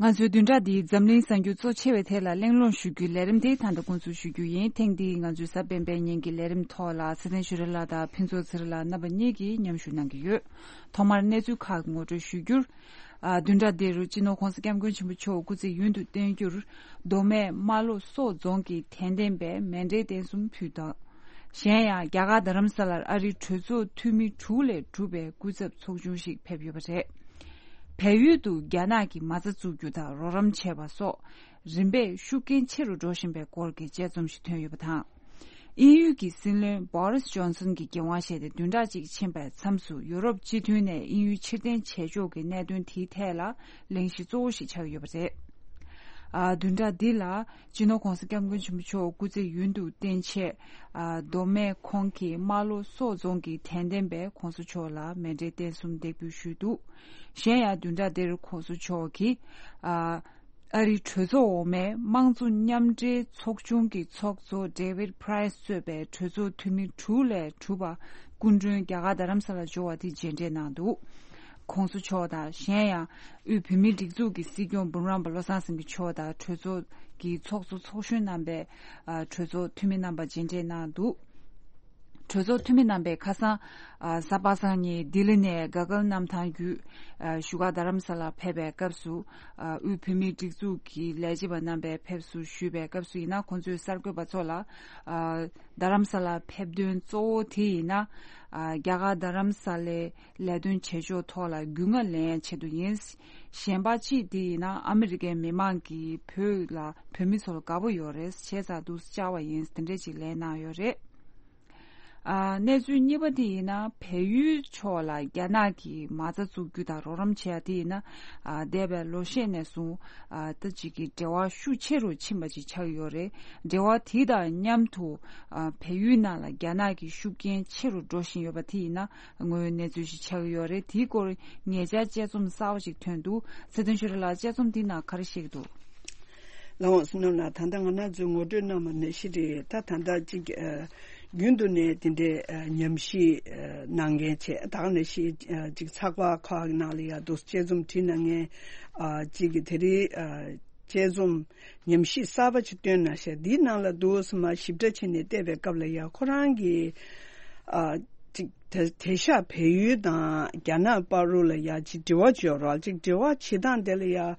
ང་ཚོའི་བདུན་ཕྲག་འདིའི་འཛམ་གླིང་གསར་འགྱུར་གཙོ་ཆེ་བའི་ཐད་ལ་གླེང་སློང་ཞུ་རྒྱུའི་ལས་རིམ་དེ་ད་ལྟ་འགོ་འཛུགས་ཞུ་རྒྱུ་ཡིན། ཐེངས་འདིའི་ང་ཚོའི་གཟའ་སྤེན་པའི་ཉིན་གྱི་ལས་རིམ་ཐོག་ལ་ཚེ་བརྟན་ཆོས་སྒྲོན་ལགས་དང་ཕུན་ཚོགས་ཚེ་རིང་ལགས་རྣམ་པ་གཉིས་ཀྱིས་མཉམ་ཞུགས་གནང་གི་ཡོད། ཐོག་མར་གནས་ཚུལ་ཁག་གི་ངོ་སྤྲོད་ཞུ་རྒྱུར། ཨ། བདུན་ཕྲག་འདིར་སྤྱི་ནོར་༧གོང་ས་༧སྐྱབས་མགོན་ཆེན་པོ་མཆོག་སྐུ་ཚེ་ཡུན་དུ་བརྟན་རྒྱུར། མདོ་སྨད་རྨ་ལྷོ་སོག་རྫོང་གི་དད་ལྡན་པས་མཎྜལ་རྟེན་གསུམ་ཕུལ་དང་། གཞན་ཡང་རྒྱ་གར་རྡ་རམ་ས་ལར་ཨ་རིའི་གྲོས་ཚོགས་འཐུས་མི་དྲུག་ལས་གྲུབ་པའི་སྐུ་ཚབ་ཚོགས་ཆུང་ཞིག་ཕེབས་ཡོད་པ་རེད། བལ་ཡུལ་དུ་རྒྱ་ནག་གིས་མ་རྩ་བཙུགས་རྒྱུ་དང་རོགས་རམ་བྱས་པ་སོགས་རིམ་པས་ཤུགས་རྐྱེན་ཆེ་རུ་འགྲོ་བཞིན་པའི་སྐོར་གྱི་དཔྱད་རྩོམ་ཞིག་ཐོན་ཡོད་པ་དང་། དབྱིན་ཡུལ་གྱི་སྲིད་བློན་བྷོ་རིས་ཇོན་སན་གྱིས་འགན་དབང་བཞེས་ཏེ་བདུན་ཕྲག་གཅིག་ཕྱིན་པའི་མཚམས་སུ་ཡུ་རོབ་སྤྱི་མཐུན་ནས་དབྱིན་ཡུལ་ཕྱིར་འཐེན་བྱེད་ཕྱོགས་ཀྱི་གནད་དོན་དེའི་ཐད་ལ་གླེང་གཞི་གཙོ་བོ་ཞིག་ཆགས་ཡོད་པ་རེད། ཨ། བདུན་ཕྲག་འདི་ལ་སྤྱི་ནོར་༧གོང་ས་༧སྐྱབས་མགོན་ཆེན་པོ་མཆོག་སྐུ་ཚེ་ཡུན་དུ་བརྟན་ཆེད། ཨ། མདོ་སྨད་ཁོངས་ཀྱི་རྨ་ལྷོ་སོག་རྫོང་གི་དད་ལྡན་པས་༧གོང་ས་མཆོག་ལ་མཎྜལ་རྟེན་གསུམ་འདེགས་འབུལ་ཞུས་འདུག་གཞན་ཡང་བདུན་ཕྲག་འདིར་༧གོང་ས་མཆོག་གིས། ཨ། ཨ་རིའི་གྲོས་ཚོགས་འོག་མའི་དམངས་གཙོ་མཉམ་འབྲེལ་ཚོགས་ཆུང་གི་ཚོགས་གཙོ་David Price་གཙོས་པའི་གྲོས་ཚོགས་འཐུས་མི་དྲུག་ལས་གྲུབ་པ་སྐུ་མགྲོན་རྒྱ་གར་རྡ་རམ་ས་ལར་འབྱོར་བ་དེ་མཇལ་འཕྲད་གནང་འདུག་གོང་ས་མཆོག་དང་གཞན་ཡང་དབུས་བོད་མིའི་སྒྲིག་འཛུགས་ཀྱི་སྲིད་སྐྱོང་འབུམ་རམས་པ་བློ་བཟང་སེང་གེ་མཆོག་དང་གྲོས་ཚོགས་ཀྱི་ཚོགས་གཙོ་ཚོགས་གཞོན་རྣམ་པས་གྲོས་ཚོགས་འཐུས་མི་རྣམ་པ་མཇལ་འཕྲད་གནང་འདུག་གྲོས་ཚོགས་འཐུས་མི་རྣམ་པས་ཁ་སང་གཟའ་པ་སངས་ཉིན་ལྡི་ལི་ནས་ག་གལ་གནམ་ཐང་བརྒྱུད་བཞུགས་སྒར་རྡ་རམ་ས་ལར་ཕེབས་པའི་སྐབས་སུ། དབུས་བོད་མིའི་སྒྲིག་འཛུགས་ཀྱི་ལས་བྱེད་པ་རྣམ་པས་ཕེབས་བསུ་ཞུས་པའི་སྐབས་སུ་ཡིན་ན། ཁོང་ཚོས་གསར་འགོད་པ་ཚོ་ལ། རྡ་རམ་ས་ལར་ཕེབས་དོན་གཙོ་བོ་དེ་ཡིན་ན། རྒྱ་གར་རྡ་རམ་ས་ལའི་ལས་དོན་བྱེད་ཕྱོགས་ཐོག་ལ་རྒྱུས་མངའ་ལེན་ཡའི་ཆེད་དུ་ཡིན། གཞན་པ་གཅིག་དེ་ཡིན་ན་ཨ་མི་རི་ཀའི་མི་མང་གིས་བོད་ལ་བོད་མི་ཚོར་དགའ་པོ་ཡོད་རེད། བྱས་ཙང་འདུག་སེ་བཅར་བ་ཡིན། དེ་འདྲས་ཅིག་ལན་གནང་ཡོད་རེད། ཨ། གནས་ཚུལ་གཉིས་པ་དེ་ཡིན་ན། བལ་ཡུལ་ཕྱོགས་ལ་རྒྱ་ནག་གིས་མ་རྩ་འཛུགས་རྒྱུ་དང་རོགས་རམ་བྱེད་ཡ་དེ་ཡིན་ན། ཨ། འདས་པའི་ལོ་ཤས་ནས་བཟུང་། ཨ། ད་ཅིག་གི་འབྲེལ་བ་ཤུགས་ཆེ་རུ་ཕྱིན་པ་ཅིག་ཆགས་ཡོད་རེད། འབྲེལ་བ་དེ་དང་མཉམ་དུ། ཨ། བལ་ཡུལ་ནང་ལ་རྒྱ་ནག་གི་ཤུགས་རྐྱེན་ཆེ་རུ་འགྲོ་བཞིན་ཡོད་པ་དེ་ཡིན་ན་དངོས་ཡོད་གནས་ཚུལ་ཞིག་ཆགས་ཡོད་རེད། དེའི་སྐོར་ཉེ་ཆར་དཔྱད་རྩོམ་གསར་པ་ཞིག་ཐོན་འདུག་ཚེ་བརྟན་ཆོས་སྒྲོན་ལགས། དཔྱད་རྩོམ་འདིའི་ནང་ག་རེ་བཤད་ཀྱི་འདུག་ལགས་འོང་བསོད་ནམས་ལགས། ད་ལྟ་ང་རང་ཚོས་ངོ་སྤྲོད་གནང་བ་ནང་བཞིན་རེད། ད་ད་ལྟ་གཅིག་ཨ། རྒྱུན་དུ་ནས་དེ་འདྲའི་ཨ། ཉམས་ཞིབ་ཨ། གནང་མཁན་བྱས། ད་ག་ནང་བཞིན་ཨ། གཅིག་ཚགས་པར་ཁག་གི་ནང་ལ་ཡང་འདུག་དཔྱད་རྩོམ་བྲིས་གནང་མཁན་ཨ། གཅིག་གིས་དེ་རིང་ཨ། དཔྱད་རྩོམ་ཉམས་ཞིབ་གསར་པ་ཅིག་བཏོན་གནང་ཤག་འདིའི་ནང་ལ་འདུག་སེ་མར་ཞིབ་ཕྲ་བྱས་ནས་བལྟས་པའི་སྐབས་ལ་ཡང་ཁོ་རང་གིས་ཨ། གཅིག་དེ་དེང་སང་བལ་ཡུལ་དང་རྒྱ་ནག་བར་དུ་ལ་ཡང་གཅིག་འབྲེལ་བ་ཅིག་ཡོད་རེད། གཅིག་འབྲེལ་བ་བྱེད་སྟངས་དེ་ལ་ཡང་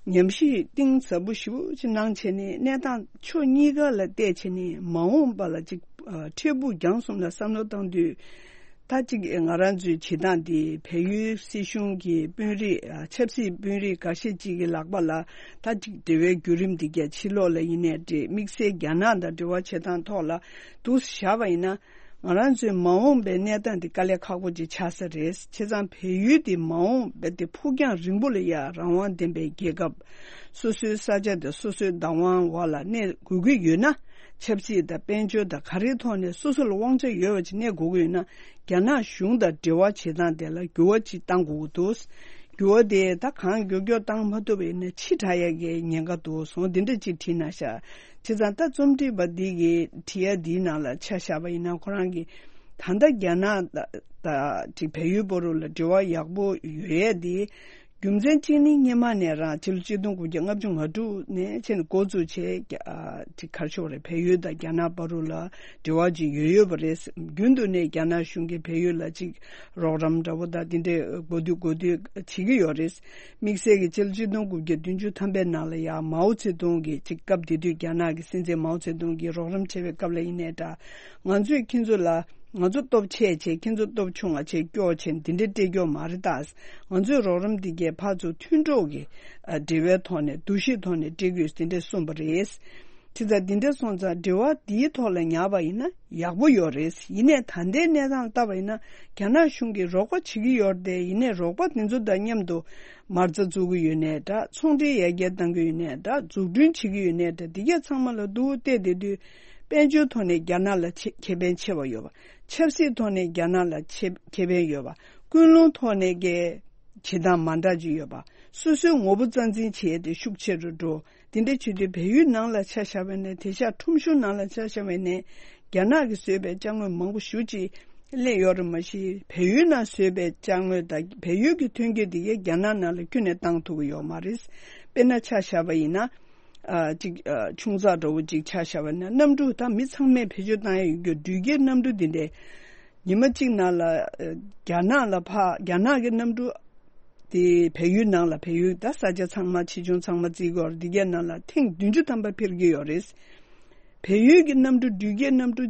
ཉམས་ཞིབ་གཏིང་ཟབ་པོ་ཞེ་པོ་ཅིག་གནང་བྱས་ནས། གནས་སྟངས་ཕྱོགས་གཉིས་ཀ་ལ་བལྟས་བྱས་ནས། མ་འོངས་པ་ལ་ཅིག་ཨ་འཕྲལ་ཕུགས་རྒྱང་གསུམ་ལ་བསམ་བློ་བཏང་དུས། ད་ཅིག་ང་རང་ཚོའི་བྱེད་སྟངས་འདི་བལ་ཡུལ་སྲིད་གཞུང་གི་དཔོན་རིགས་ཨ་ཆབ་སྲིད་དཔོན་རིགས་འགའ་ཤས་ཅིག་གི་ལག་པ་ལ། ད་ཅིག་འབྲེལ་བའི་བརྒྱུད་རིམ་འདི་གས་ཕྱི་ལོགས་ལ་ཡིན་ནའི་འདྲ། དམིགས་བསལ་རྒྱ་ནག་དང་འབྲེལ་བ་བྱེད་སྟངས་ཐོག་ལ་འདུག་བཞག་པ་ཡིན་ན། ང་རང་ཚོའི་མ་འོངས་པའི་གནས་སྟངས་འདི་དཀའ་ལས་ཁག་པོ་ཅིག་ཆགས་ས་རེད། བྱས་ཙང་བལ་ཡུལ་འདི་མ་འོངས་པའི་དེ་ཕུགས་རྒྱང་རིང་པོ་ལ་ཡ་རང་དབང་ལྡན་པའི་རྒྱལ་ཁབ། སོ་སོའི་ས་ཆ་དང་སོ་སོའི་བདག་དབང་འོག་ལ་གནས་དགོས་ཀྱི་ཡོད་ན། ཆབ་སྲིད་དང་དཔལ་འབྱོར་དང་ག་རེའི་ཐོག་ནས་སོ་སོ་ལ་དབང་ཆ་ཡོད་པ་ཅིག་གནས་དགོས་ཀྱི་ཡོད་ན། རྒྱ་ནག་གཞུང་དང་འབྲེལ་བ་བྱེད་སྟངས་དེ་ལ་འགྱུར་བ་ཅིག་གཏང་དགོས་ཀྱི་འདུག་འགྱུར་བ་དེ་ད་གང་མགྱོགས་མགྱོགས་བཏང་མ་ཐུབ་པ་ཡིན་ན་ཕྱི་དྲགས་ཡག་གི་ཉེན་ཁ་འདུག་སོང་། འདི་འདྲ་ཅིག་བྲིས་གནང་ཤག་བྱས་ཙང་ད་རྩོམ་སྒྲིག་པ་འདི་གིས་བྲིས་ཡ་འདིའི་ནང་ལ་ཆ་བཞག་པ་ཡིན་ན། ཁོ་རང་གིས་ད་ལྟ་རྒྱ་ནག་དང་ཅིག་བལ་ཡུལ་བར་དུ་ལ་འབྲེལ་བ་ཡག་པོ་ཡོད་ཡས་དེ། རྒྱུ་མཚན་གཅིག་ནི་སྔོན་མ་ནས་རང་ཕྱི་ལོ་ཆིག་སྟོང་དགུ་བརྒྱ་ལྔ་བཅུ་ང་དྲུག་ནས་བྱས་ནས་འགོ་བཙུགས་བྱས། ཨ་ཅིག་ག་རེ་ཞུ་དགོས་རེད། བལ་ཡུལ་དང་རྒྱ་ནག་བར་དུ་ལ་འབྲེལ་བ་ཅིག་ཡོད་ཡོད་པ་རེད། རྒྱུན་དུ་ནས་རྒྱ་ནག་གཞུང་གིས་བལ་ཡུལ་ལ་ཅིག་རོགས་རམ་འདྲ་པོ་དང་དེ་འདྲའི་དགོས་དུས་དགོས་དུས་བྱེད་ཀྱི་ཡོད་རེད། དམིགས་བསལ་གྱི་ཕྱི་ལོ་ཆིག་སྟོང་དགུ་བརྒྱ་བདུན་ཅུ་ཐམ་པའི་ནང་ལ་ཡང་མའོ་ཙེ་ཏུང་གིས་ཅིག་སྐབས་དེ་དུས་རྒྱ་ནག་གི་སྲིད་འཛིན་མའོ་ཙེ་ཏུང་གིས་རོགས་རམ་བྱས་པའི་སྐབས་ལ་ཡིན་ནའི་འདྲ། ང་ཚོས་ཁྱེད་ཚོ་ལ། ང་ཚོ་སྟོབས་ཆེ་བྱས། ཁྱེད་ཚོ་སྟོབས་ཆུང་བ་བྱས་སྐྱོ་བྱས་འདི་འདྲའི་སྤྲད་སྐྱོ་མ་རེད་ད། ང་ཚོའི་རོགས་རམ་འདི་གས་ཕར་ཚུར་མཐུན་གྲོགས་ཀྱི་ཨ་འབྲེལ་བའི་ཐོག་ནས། འདུ་ཤེས་ཐོག་ནས་སྤྲད་དགོས་འདི་འདྲས་གསུངས་པ་རེད། དེ་ལྟར་འདི་འདྲས་སོང་ཙང་འབྲེལ་བ་འདིའི་ཐོག་ལ་ཉར་བ་ཡིན་ན་ཡག་པོ་ཡོད་རེད། ཡིན་ནའི་ད་ལྟའི་གནས་སྟངས་ལ་བལྟས་པ་ཡིན་ན། རྒྱ་ནག་གཞུང་གིས་རོགས་པ་བྱེད་ཀྱི་ཡོད་རེད་དེ། ཡིན་ནའི་རོགས་པ་དེ་ཚོ་དང་མཉམ་དུ་མ་རྩ་བཙུགས་ཀྱི་ཡོད་ནའི་འདྲ། ཚོང་འབྲེལ་ཡར་རྒྱས་གཏང་གི་ཡོད་ནའི་འདྲ། འཛུགས་སྐྲུན་བྱེད་ཀྱི་ཡོད་ནའི་འདྲ། འདི་གས་ཚང་མ་ལ་སྡུག་བལྟས་བསྡད་དུས། དཔལ་འབྱོར་ཐོག་ནས་རྒྱ་ནག་ལ་ཆེ་ཁེ་ཕན་ཆེ་བ་ཡོད་པ། ཆབ་སྲིད་ཐོག་ནས་རྒྱ་ནག་ལ་ཆེ་ཁེ་ཕན་ཡོད་པ། ཀུན་སློང་ཐོག་ནས་ཀྱི་བྱེད་སྟངས་མ་འདྲ་ཅིག་ཡོད་པ། སོ་སོའི་ངོ་བོ་རྩ་འཛིན་བྱེད་ཡས་དེ་ཤུགས་ཆེ་རུ་འགྲོ། དེ་འདྲ་བྱེད་དུས་བལ་ཡུལ་ནང་ལ་ཆ་བཞག་པ་ཡིན་ན། དེང་སང་ཁྲོམ་གཞུང་ནང་ལ་ཆ་བཞག་པ་ཡིན་ན། རྒྱ་ནག་གིས་བཟོས་པའི་ཅ་དངོས་མང་པོ་ཞེ་ཅིག་སླེབས་ཡོད་རེད། མ་གཞི་བལ་ཡུལ་ནང་བཟོས་པའི་ཅ་དངོས་དང་བལ་ཡུལ་གྱི་ཐོན་སྐྱེད་དེ་གས་རྒྱ་ནག་ནང་ལ་ཁྱོན་ནས་བཏང་ཐུབ་ཀྱི་ཡོད་མ་རེད། དཔེར་ན་ཆ་བཞག་པ་ཡིན་ན། ཨ་ཅིག་ཨ་ཆུང་ཙག་འདྲ་བོ་ཅིག་ཆ་བཞག་པ་ན། གནམ་གྲུ་ད་མི་ཚང་མས་བེད་སྤྱོད་བཏང་ཡ་ཡོད་རྒྱུ་འགྲུལ་སྐྱེལ་གནམ་གྲུ་འདི་འདྲས། ཉི་མ་གཅིག་ནང་ལ་ཨ་རྒྱ་ནག་ལ་ཕར། རྒྱ་ནག་གི་གནམ་གྲུ་དེ་བལ་ཡུལ་ནང་ལ། བལ་ཡུལ་ད་ས་ཆ་ཚང་མ་ཆེ་ཆུང་ཚང་མ་བརྩི་དགོས་རེད། འདི་གའི་ནང་ལ་ཐེངས་བདུན་ཅུ་ཐམ་པ་འཕུར་གྱི་ཡོད་རེད། བལ་ཡུལ་གྱི་གནམ་གྲུ། འགྲུལ་སྐྱེལ་གནམ་གྲུ་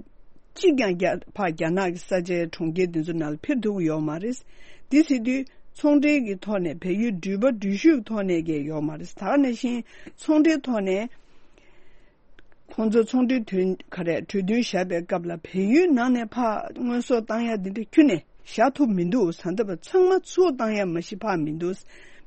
གཅིག་ཀྱང་རྒྱ་ཕར་རྒྱ་ནག་གི་ས་ཆའི་གྲོང་ཁྱེར་འདི་ཚོ་ནང་ལ་འཕུར་ཐུབ་ཀྱི་ཡོད་མ་རེད། འདི་ཟེར་དུས་ཚོང་འབྲེལ་གྱི་ཐོག་ནས། བལ་ཡུལ་འགྲུལ་པ་འགྲུལ་བཞུད་ཀྱི་ཐོག་ནས་ཀྱི་ཡོད་མ་རེད། ད་ག་ནང་བཞིན་ཚོང་འབྲེལ་ཐོག་ནས། ཁོང་ཚོ་ཚོང་འབྲེལ་དོན། ག་རེ། གྲོས་མཐུན་བཞག་པའི་སྐབས་ལ་བལ་ཡུལ་ནང་ནས་ཕར་དངོས་ཟོག་བཏང་ཡ་འདི་འདྲ་ཁྱོན་ནས་བཞག་ཐུབ་མི་འདུག་ད་ལྟ་བར་ཚང་མ་ཚུར་བཏང་ཡ་མ་གཞི་ཕར་མི་འདུག་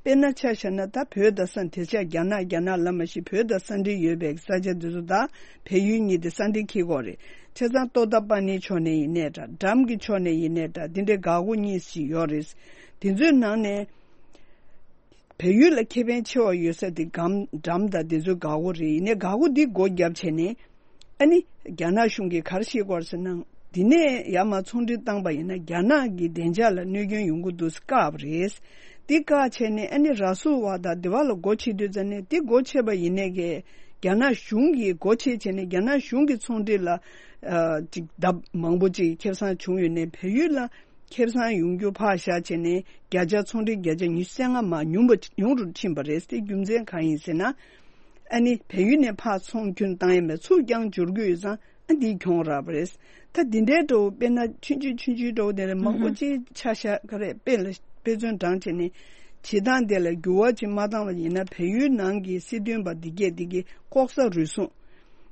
དཔེར་ན་ཆ་བཞག་ན། ད་བོད་དང་ས། དེང་སང་རྒྱ་ནག་རྒྱ་ནག་ལབ་མ་གཞི་བོད་དང་ས་འབྲེལ་ཡོད་པའི་ས་ཆ་འདི་ཚོ་དང་བལ་ཡུལ་གཉིས་དེ་ས་འབྲེལ་འཁེལ་གྱི་ཡོད་རེད། བྱས་ཙང་རྟོག་འཐབ་པ་ནིའི་ཕྱོགས་ནས་ཡིན་ནའི་འདྲ། འགྲམ་གྱི་ཕྱོགས་ནས་ཡིན་ནའི་འདྲ། འདི་འདྲའི་འགག་སྒོ་གཉིས་ཤིག་ཡོད་རེད། དེ་ཚོའི་ནང་ནས། བལ་ཡུལ་ལ་ཁེ་ཕན་ཆེ་བ་ཡོད་ས་དེ་འགྲམ། འགྲམ་དང་དེ་ཚོའི་འགག་སྒོ་རེད། ཡིན་ནའི་འགག་སྒོ་འདི་སྒོ་བརྒྱབ་བྱས་ནས། ཨ་ནི་རྒྱ་ནག་གཞུང་གིས་ག་རེ་བྱེད་ཀྱི་ཡོད་རེད་ཟེར་ན། འདི་ནས་ཡར་མར་ཚོང་འབྲེལ་བཏང་པ་ཡིན་ན་རྒྱ་ནག་གི་བདེ་འཇགས་ལ་གནོད་སྐྱོན་ཡོང་གི་འདུག་ཟེར་བཀག་པ་རེད། འདི་བཀག་བྱས་ནས་ཨ་ནི་ར་སུ་ཝ་དང་འདི་བ་ལ་སྒོ་ཕྱེ་དུས་ཙམ་ནས། འདི་སྒོ་ཕྱེ་བ་ཡིན་ནའི་གི་རྒྱ་ནག་གཞུང་གིས་སྒོ་ཕྱེ་བྱས་ནས་རྒྱ་ནག་གཞུང་གི་ཚོང་འབྲེལ་ལ་ཨ་ཅིག་ལྡབ་མང་པོ་ཅིག་ཁེ་བཟང་བྱུང་ཡོད་ནའི། བལ་ཡུལ་ལ་ཁེ་བཟང་ཡོང་རྒྱུ་ཕར་བཞག་བྱས་ནས། བརྒྱ་ཆ། ཚོང་འབྲེལ་བརྒྱ་ཆ་ཉི་ཤུ་རྩ་ལྔ་མར་ཉུང་བ། ཉུང་རུ་ཕྱིན་པ་རེད། དེ་རྒྱུ་མཚན་གང་ཡིན་ཟེར་ན། ཨ་ནི་བལ་ཡུལ་ནས་ཕར་ཚོང་ཁྱོན་བཏང་ཡ་མེད། ཚུར་རྐྱང་འབྱོར་གྱི་ཡོད་ཙང་། ཨ་འདིས་གྱོང་རག་པ་རེད། ད་འདི་འདྲའི་འདྲ་བོ། དཔེར་ན་ཆུང་ཆུང་ཆུང་ཆུང་འདྲ་བོ་དེ་འདྲ་མང་པོ་ཅིག་ཆ་བཞག་ག་རེ། དཔེ་ལ་དཔེ་མཚོན་དྲངས་བྱས་ནས། བྱེད་སྟངས་དེ་ལ་འགྱུར་བ་ཅིག་མ་བཏང་བ་ཡིན་ན། བལ་ཡུལ་ནང་གི་སྲིད་དོན་པ་འདི་གས་འདི་གས་ལྐོག་ཟ་རུལ་སུངས་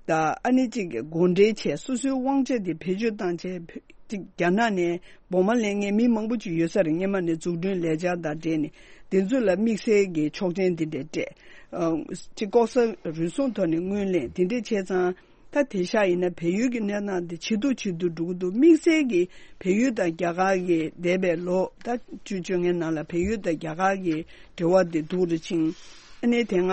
དང་། ཨ་ནི་ཅིག་གོ་འབྲེལ་བྱས། སོ་སོའི་དབང་ཆ་དེ་བེད་སྤྱོད་བཏང་བྱས། ཅིག་རྒྱ་ནག་ནས་སྦོ་མ་ལེན་མཁན་མི་མང་པོ་ཅིག་ཡོད་ས་རེད། སྔོན་མ་ནས་འཛུགས་སྐྲུན་ལས་འཆར་དང་འབྲེལ་ནས། དེ་ཚོ་ལ་དམིགས་བསལ་གྱི་ཆོག་མཆན་དེ་འདྲ་སྤྲད། ཨ་ཅིག་ལྐོག་ཟ་རུལ་སུངས་ཐོག་ནས་ངོས་ལེན་དེ་འདྲ་བྱས་ཙང་། ད་དེང་སང་ཡིན་ན་བལ་ཡུལ་གྱི་གནས་སྟངས་དེ་ཇེ་སྡུག་ཇེ་སྡུག་འགྲོ་གི་འདུག་དམིགས་བསལ་གྱི་བལ་ཡུལ་དང་རྒྱ་གར་གྱི་འདས་པའི་ལོ་ད་བཅུ་བཅོ་ལྔའི་ནང་ལ་བལ་ཡུལ་དང་རྒྱ་གར་གྱི་འབྲེལ་བ་དེ་སྡུག་རུ་ཕྱིན། ཨ་ནི་དེ་སྔ་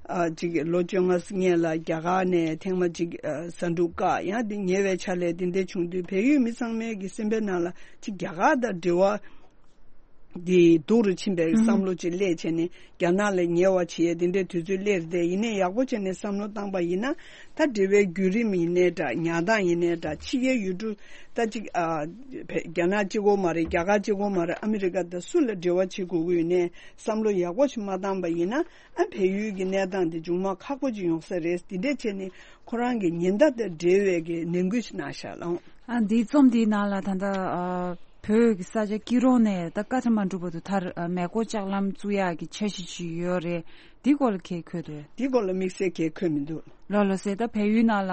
ཨ་ཅིག་ལོ་བཅོ་ལྔ་སྔོན་ལ་རྒྱ་གར་ནས་ཐེངས་མ་གཅིག་ཨ་ཟ་འབྲུ་བཀག་ཡང་དེ་ཉེ་བའི་ཆར་ལ་དེ་འདྲ་བྱུང་དུས། བལ་ཡུལ་མི་ཚང་མའི་གི་སེམས་པའི་ནང་ལ་ཅིག་རྒྱ་གར་དང་འབྲེལ་བ་ འདི་སྡུག་རུ་ཕྱིན་པའི་ཨུ་ཧུ། བསམ་བློ་ཅིག་སླེབས་བྱས་ནས་རྒྱ་ནག་ལ་ཉེ་བ་བྱེད་ཡས་དེ་འདྲའི་དུས་ཚོད་སླེབས་རེད་དེ། ཡིན་ནའི་ཡག་པོ་བྱས་ནས་བསམ་བློ་བཏང་པ་ཡིན་ན། ད་འབྲེལ་བའི་བརྒྱུད་རིམ་ཡིན་ནའི་འདྲ། ཉར་སྟངས་ཡིན་ནའི་འདྲ། ཕྱི་རྒྱལ་ཡུལ་གྲུ་ད་ཅིག་ཨ། བེ་རྒྱ་ནག་གཅིག་པོ་མ་རེད། རྒྱ་གར་གཅིག་པོ་མ་རེད། ཨ་མི་རི་ཀ་དང་སུ་ལ་འབྲེལ་བ་བྱེད་དགོས་ཀྱི་ཡོད་ནའི་བསམ་བློ་ཡག་པོ་ཞིག་མ་བཏང་པ་ཡིན་ན། ཨ། བལ་ཡུལ་གྱི་གནས་སྟངས་དེ་མཇུག་མ་ཁག་པོ་ཅིག་ཡོང་ས་རེད། དེ་འདྲས་བྱས་ནས་ཁོ་རང་གི་ཉེན་བརྡ་དང་འབྲེལ་བའི་གི་ནན་སྐུལ་ཞིག་གནང་ཤག་ལགས། ཨ། འདིའི་རྩོམ་འདིའི་ནང་ལ་ད་ལྟ་ཨ། བོད་ཀྱི་ས་ཆ་སྐྱིད་གྲོང་ནས་ད་བཀའ་ཁྲི་མ་འགྲུབ་བར་དུ་མཐར་ཨ། མེ་འཁོར་ལྕགས་ལམ་བཙུགས་ཡག་གི་འཆར་གཞི་ཅིག་ཡོད་རེད། འདི་སྐོར་ལ་གང་འཁོད་འདུག། འདི་སྐོར་ལ་དམིགས་བསལ་གང་འཁོད་མི་འདུག། ལགས་ལགས་སེ། ད་བལ་ཡུལ་ནང་ལ་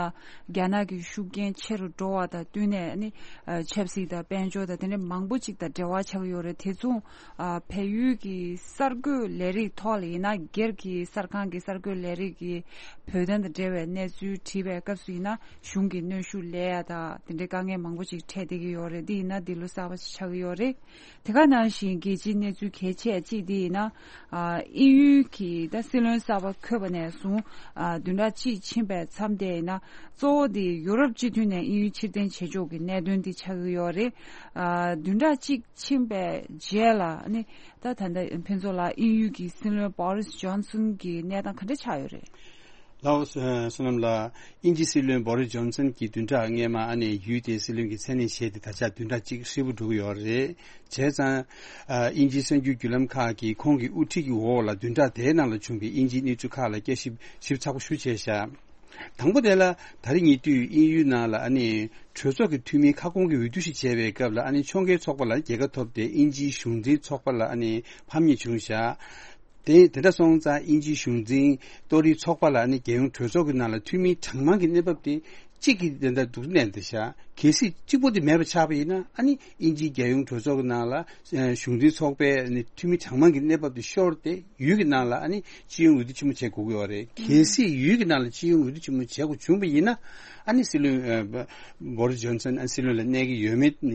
རྒྱ་ནག་གི་ཤུགས་རྐྱེན་ཆེ་རུ་འགྲོ་བ་དང་བསྟུན་ནས་ནི་ཨ། ཆབ་སྲིད་དང་དཔལ་འབྱོར་དང་དེ་འདྲ་མང་པོ་ཅིག་དང་འབྲེལ་བ་ཆགས་ཀྱི་ཡོད་རེད། དེ་མཚུངས་ཨ། བལ་ཡུལ་གྱི་གསར་འགོད་ལས་རིགས་ཐོག་ལ་ཡིན་ན། སྒེར་གྱི་གསར་ཁང་གི་གསར་འགོད་ལས་རིགས་ཀྱི་བོད་དོན་དང་འབྲེལ་བའི་གནས་ཚུལ་བྲིས་པའི་སྐབས་སུ་ཡིན་ན། གཞུང་གི་གནོན་ཤུགས་སླེབས་ཡ་དང་དེ་འདྲའི་དཀའ་ངལ་མང་པོ་ཅིག་འཕྲད་བསྡད་ཀྱི་ཡོད་རེད། འདི་ཡིན་ན་འདི་ལོ་གསར་པ་ཞིག་ཆགས་ཀྱི་ཡོད་རེད། དེ་ག་ནང་བཞིན་རྒྱལ་སྤྱིའི་གནས་ཚུལ་གལ་ཆེ་གཅིག་འདི་ཡིན་ན། ཨ། དབྱིན་ཡུལ་གྱི་ད་སྲིད་བློན་གསར་པ་འཁོད་པ་ནས་བཟུང་ཨ། བདུན་ཕྲག་གཅིག་ཕྱིན་པའི་མཚམས་དེ་ཡིན་ན། གཙོ་བོ་དེ་ཡུ་རོབ་སྤྱི་མཐུན་ནས་དབྱིན་ཡུལ་ཕྱིར་འཐེན་བྱེད་ཕྱོགས་ཀྱི་གནད་དོན་དེ་ཆགས་ཀྱི་ཡོད་རེད། ཨ། བདུན་ཕྲག་གཅིག་ཕྱིན་པའི་རྗེས་ལ་ནི་ད་ད་ལྟ་ཕུན་ཚོགས་ལགས། དབྱིན་ཡུལ་གྱི་སྲིད་བློན་བོ་རིས་ཇོན་སན་གྱི་གནས་སྟངས་ག་འདྲ་ཆགས་ཡོད་རེད། ལགས་སོ། བསོད་ནམས་ལགས། དབྱིན་ཇིའི་སྲིད་བློན་བོ་རིས་ཇོན་སན་གྱིས་བདུན་ཕྲག་སྔས་མ་ཨ་ནི་ཡུལ་དེའི་སྲིད་བློན་གྱི་མཚན་གནས་བཞེས་ཏེ་ད་ཆ་བདུན་ཕྲག་གཅིག་ཧྲིལ་པོ་འགྲོ་གི་ཡོད་རེད། བྱས་ཙང་ཨ། དབྱིན་ཇིའི་གསར་འགྱུར་བརྒྱུད་ལམ་ཁག་གིས་ཁོང་གི་དབུ་ཁྲིད་ཀྱི་འོག་ལ་བདུན་ཕྲག་དེའི་ནང་ལ་བྱུང་བའི་དབྱིན་ཇིའི་གནས་ཚུལ་ཁག་ལ་དཔྱད་ཞིབ་ཞིབ་ཚགས་པོ་ཞེ་པོ་བྱས་ཤག། དང་པོ་དེ་ལ་ད་རེས་ཉེ་དུས་དབྱིན་ཡུལ་ནང་ལ་ཨ་ནི་གྲོས་ཚོགས་ཀྱི་འཐུས་མིའི་ཁ་སྐོང་གི་འོས་བསྡུ་ཞིག་བྱས་པའི་སྐབས་ལ། ཨ་ནི་ཕྱོགས་འགལ་ཚོགས་པ་ལ་རྒྱལ་ཁ་ཐོབ་སྟེ་དབྱིན་ཇིའི་གཞུང་འཛིན་ཚོགས་པ་ལ་ཨ་ནི་ཕམ་ཉེས་བྱུང་ཤག། དེ་དེ་འདྲ་སོང་ཙང་དབྱིན་ཇིའི་གཞུང་འཛིན་གཏོར་རིགས་ཚོགས་པ་ལ་ཨ་ནི་རྒྱལ་ཡོངས་གྲོས་ཚོགས་ཀྱི་ནང་ལ་འཐུས་མི་གྲངས་མང་གི་གནས་བབ་དེ་གཅིག་གིས་དེ་འདྲ་འདུག་གནས་བསྡད་ཤག། གལ་སྲིད་གཅིག་པོ་དེ་མེད་པ་ཆགས་པ་ཡིན་ན། ཨ་ནི་དབྱིན་ཇིའི་རྒྱལ་ཡོངས་གྲོས་ཚོགས་ཀྱི་ནང་ལ་ཨ། གཞུང་འཛིན་ཚོགས་པའི་ཨ་ནི་འཐུས་མི་གྲངས་མང་གི་གནས་བབ་དེ་ཤོར་ཏེ་ཡུལ་གྱི་ནང་ལ་ཨ་ནི་སྤྱི་ཡོངས་འོས་བསྡུ་ཆེན་མོ་བྱེད་དགོས་ཀྱི་ཡོད་རེད། གལ་སྲིད་ཡུལ་གྱི་ནང་ལ་སྤྱི་ཡོངས་འོས་བསྡུ་ཆེན་མོ་བྱེད་དགོས་བྱུང་བ་ཡིན་ན། ཨ་ནི་སྲིད་བློན་ཨ། བོ་རིས་ཇོན་སན་ཨ། སྲིད་བློན་ལ་གནས་ཀྱི་ཡོད་མེད་ཨ།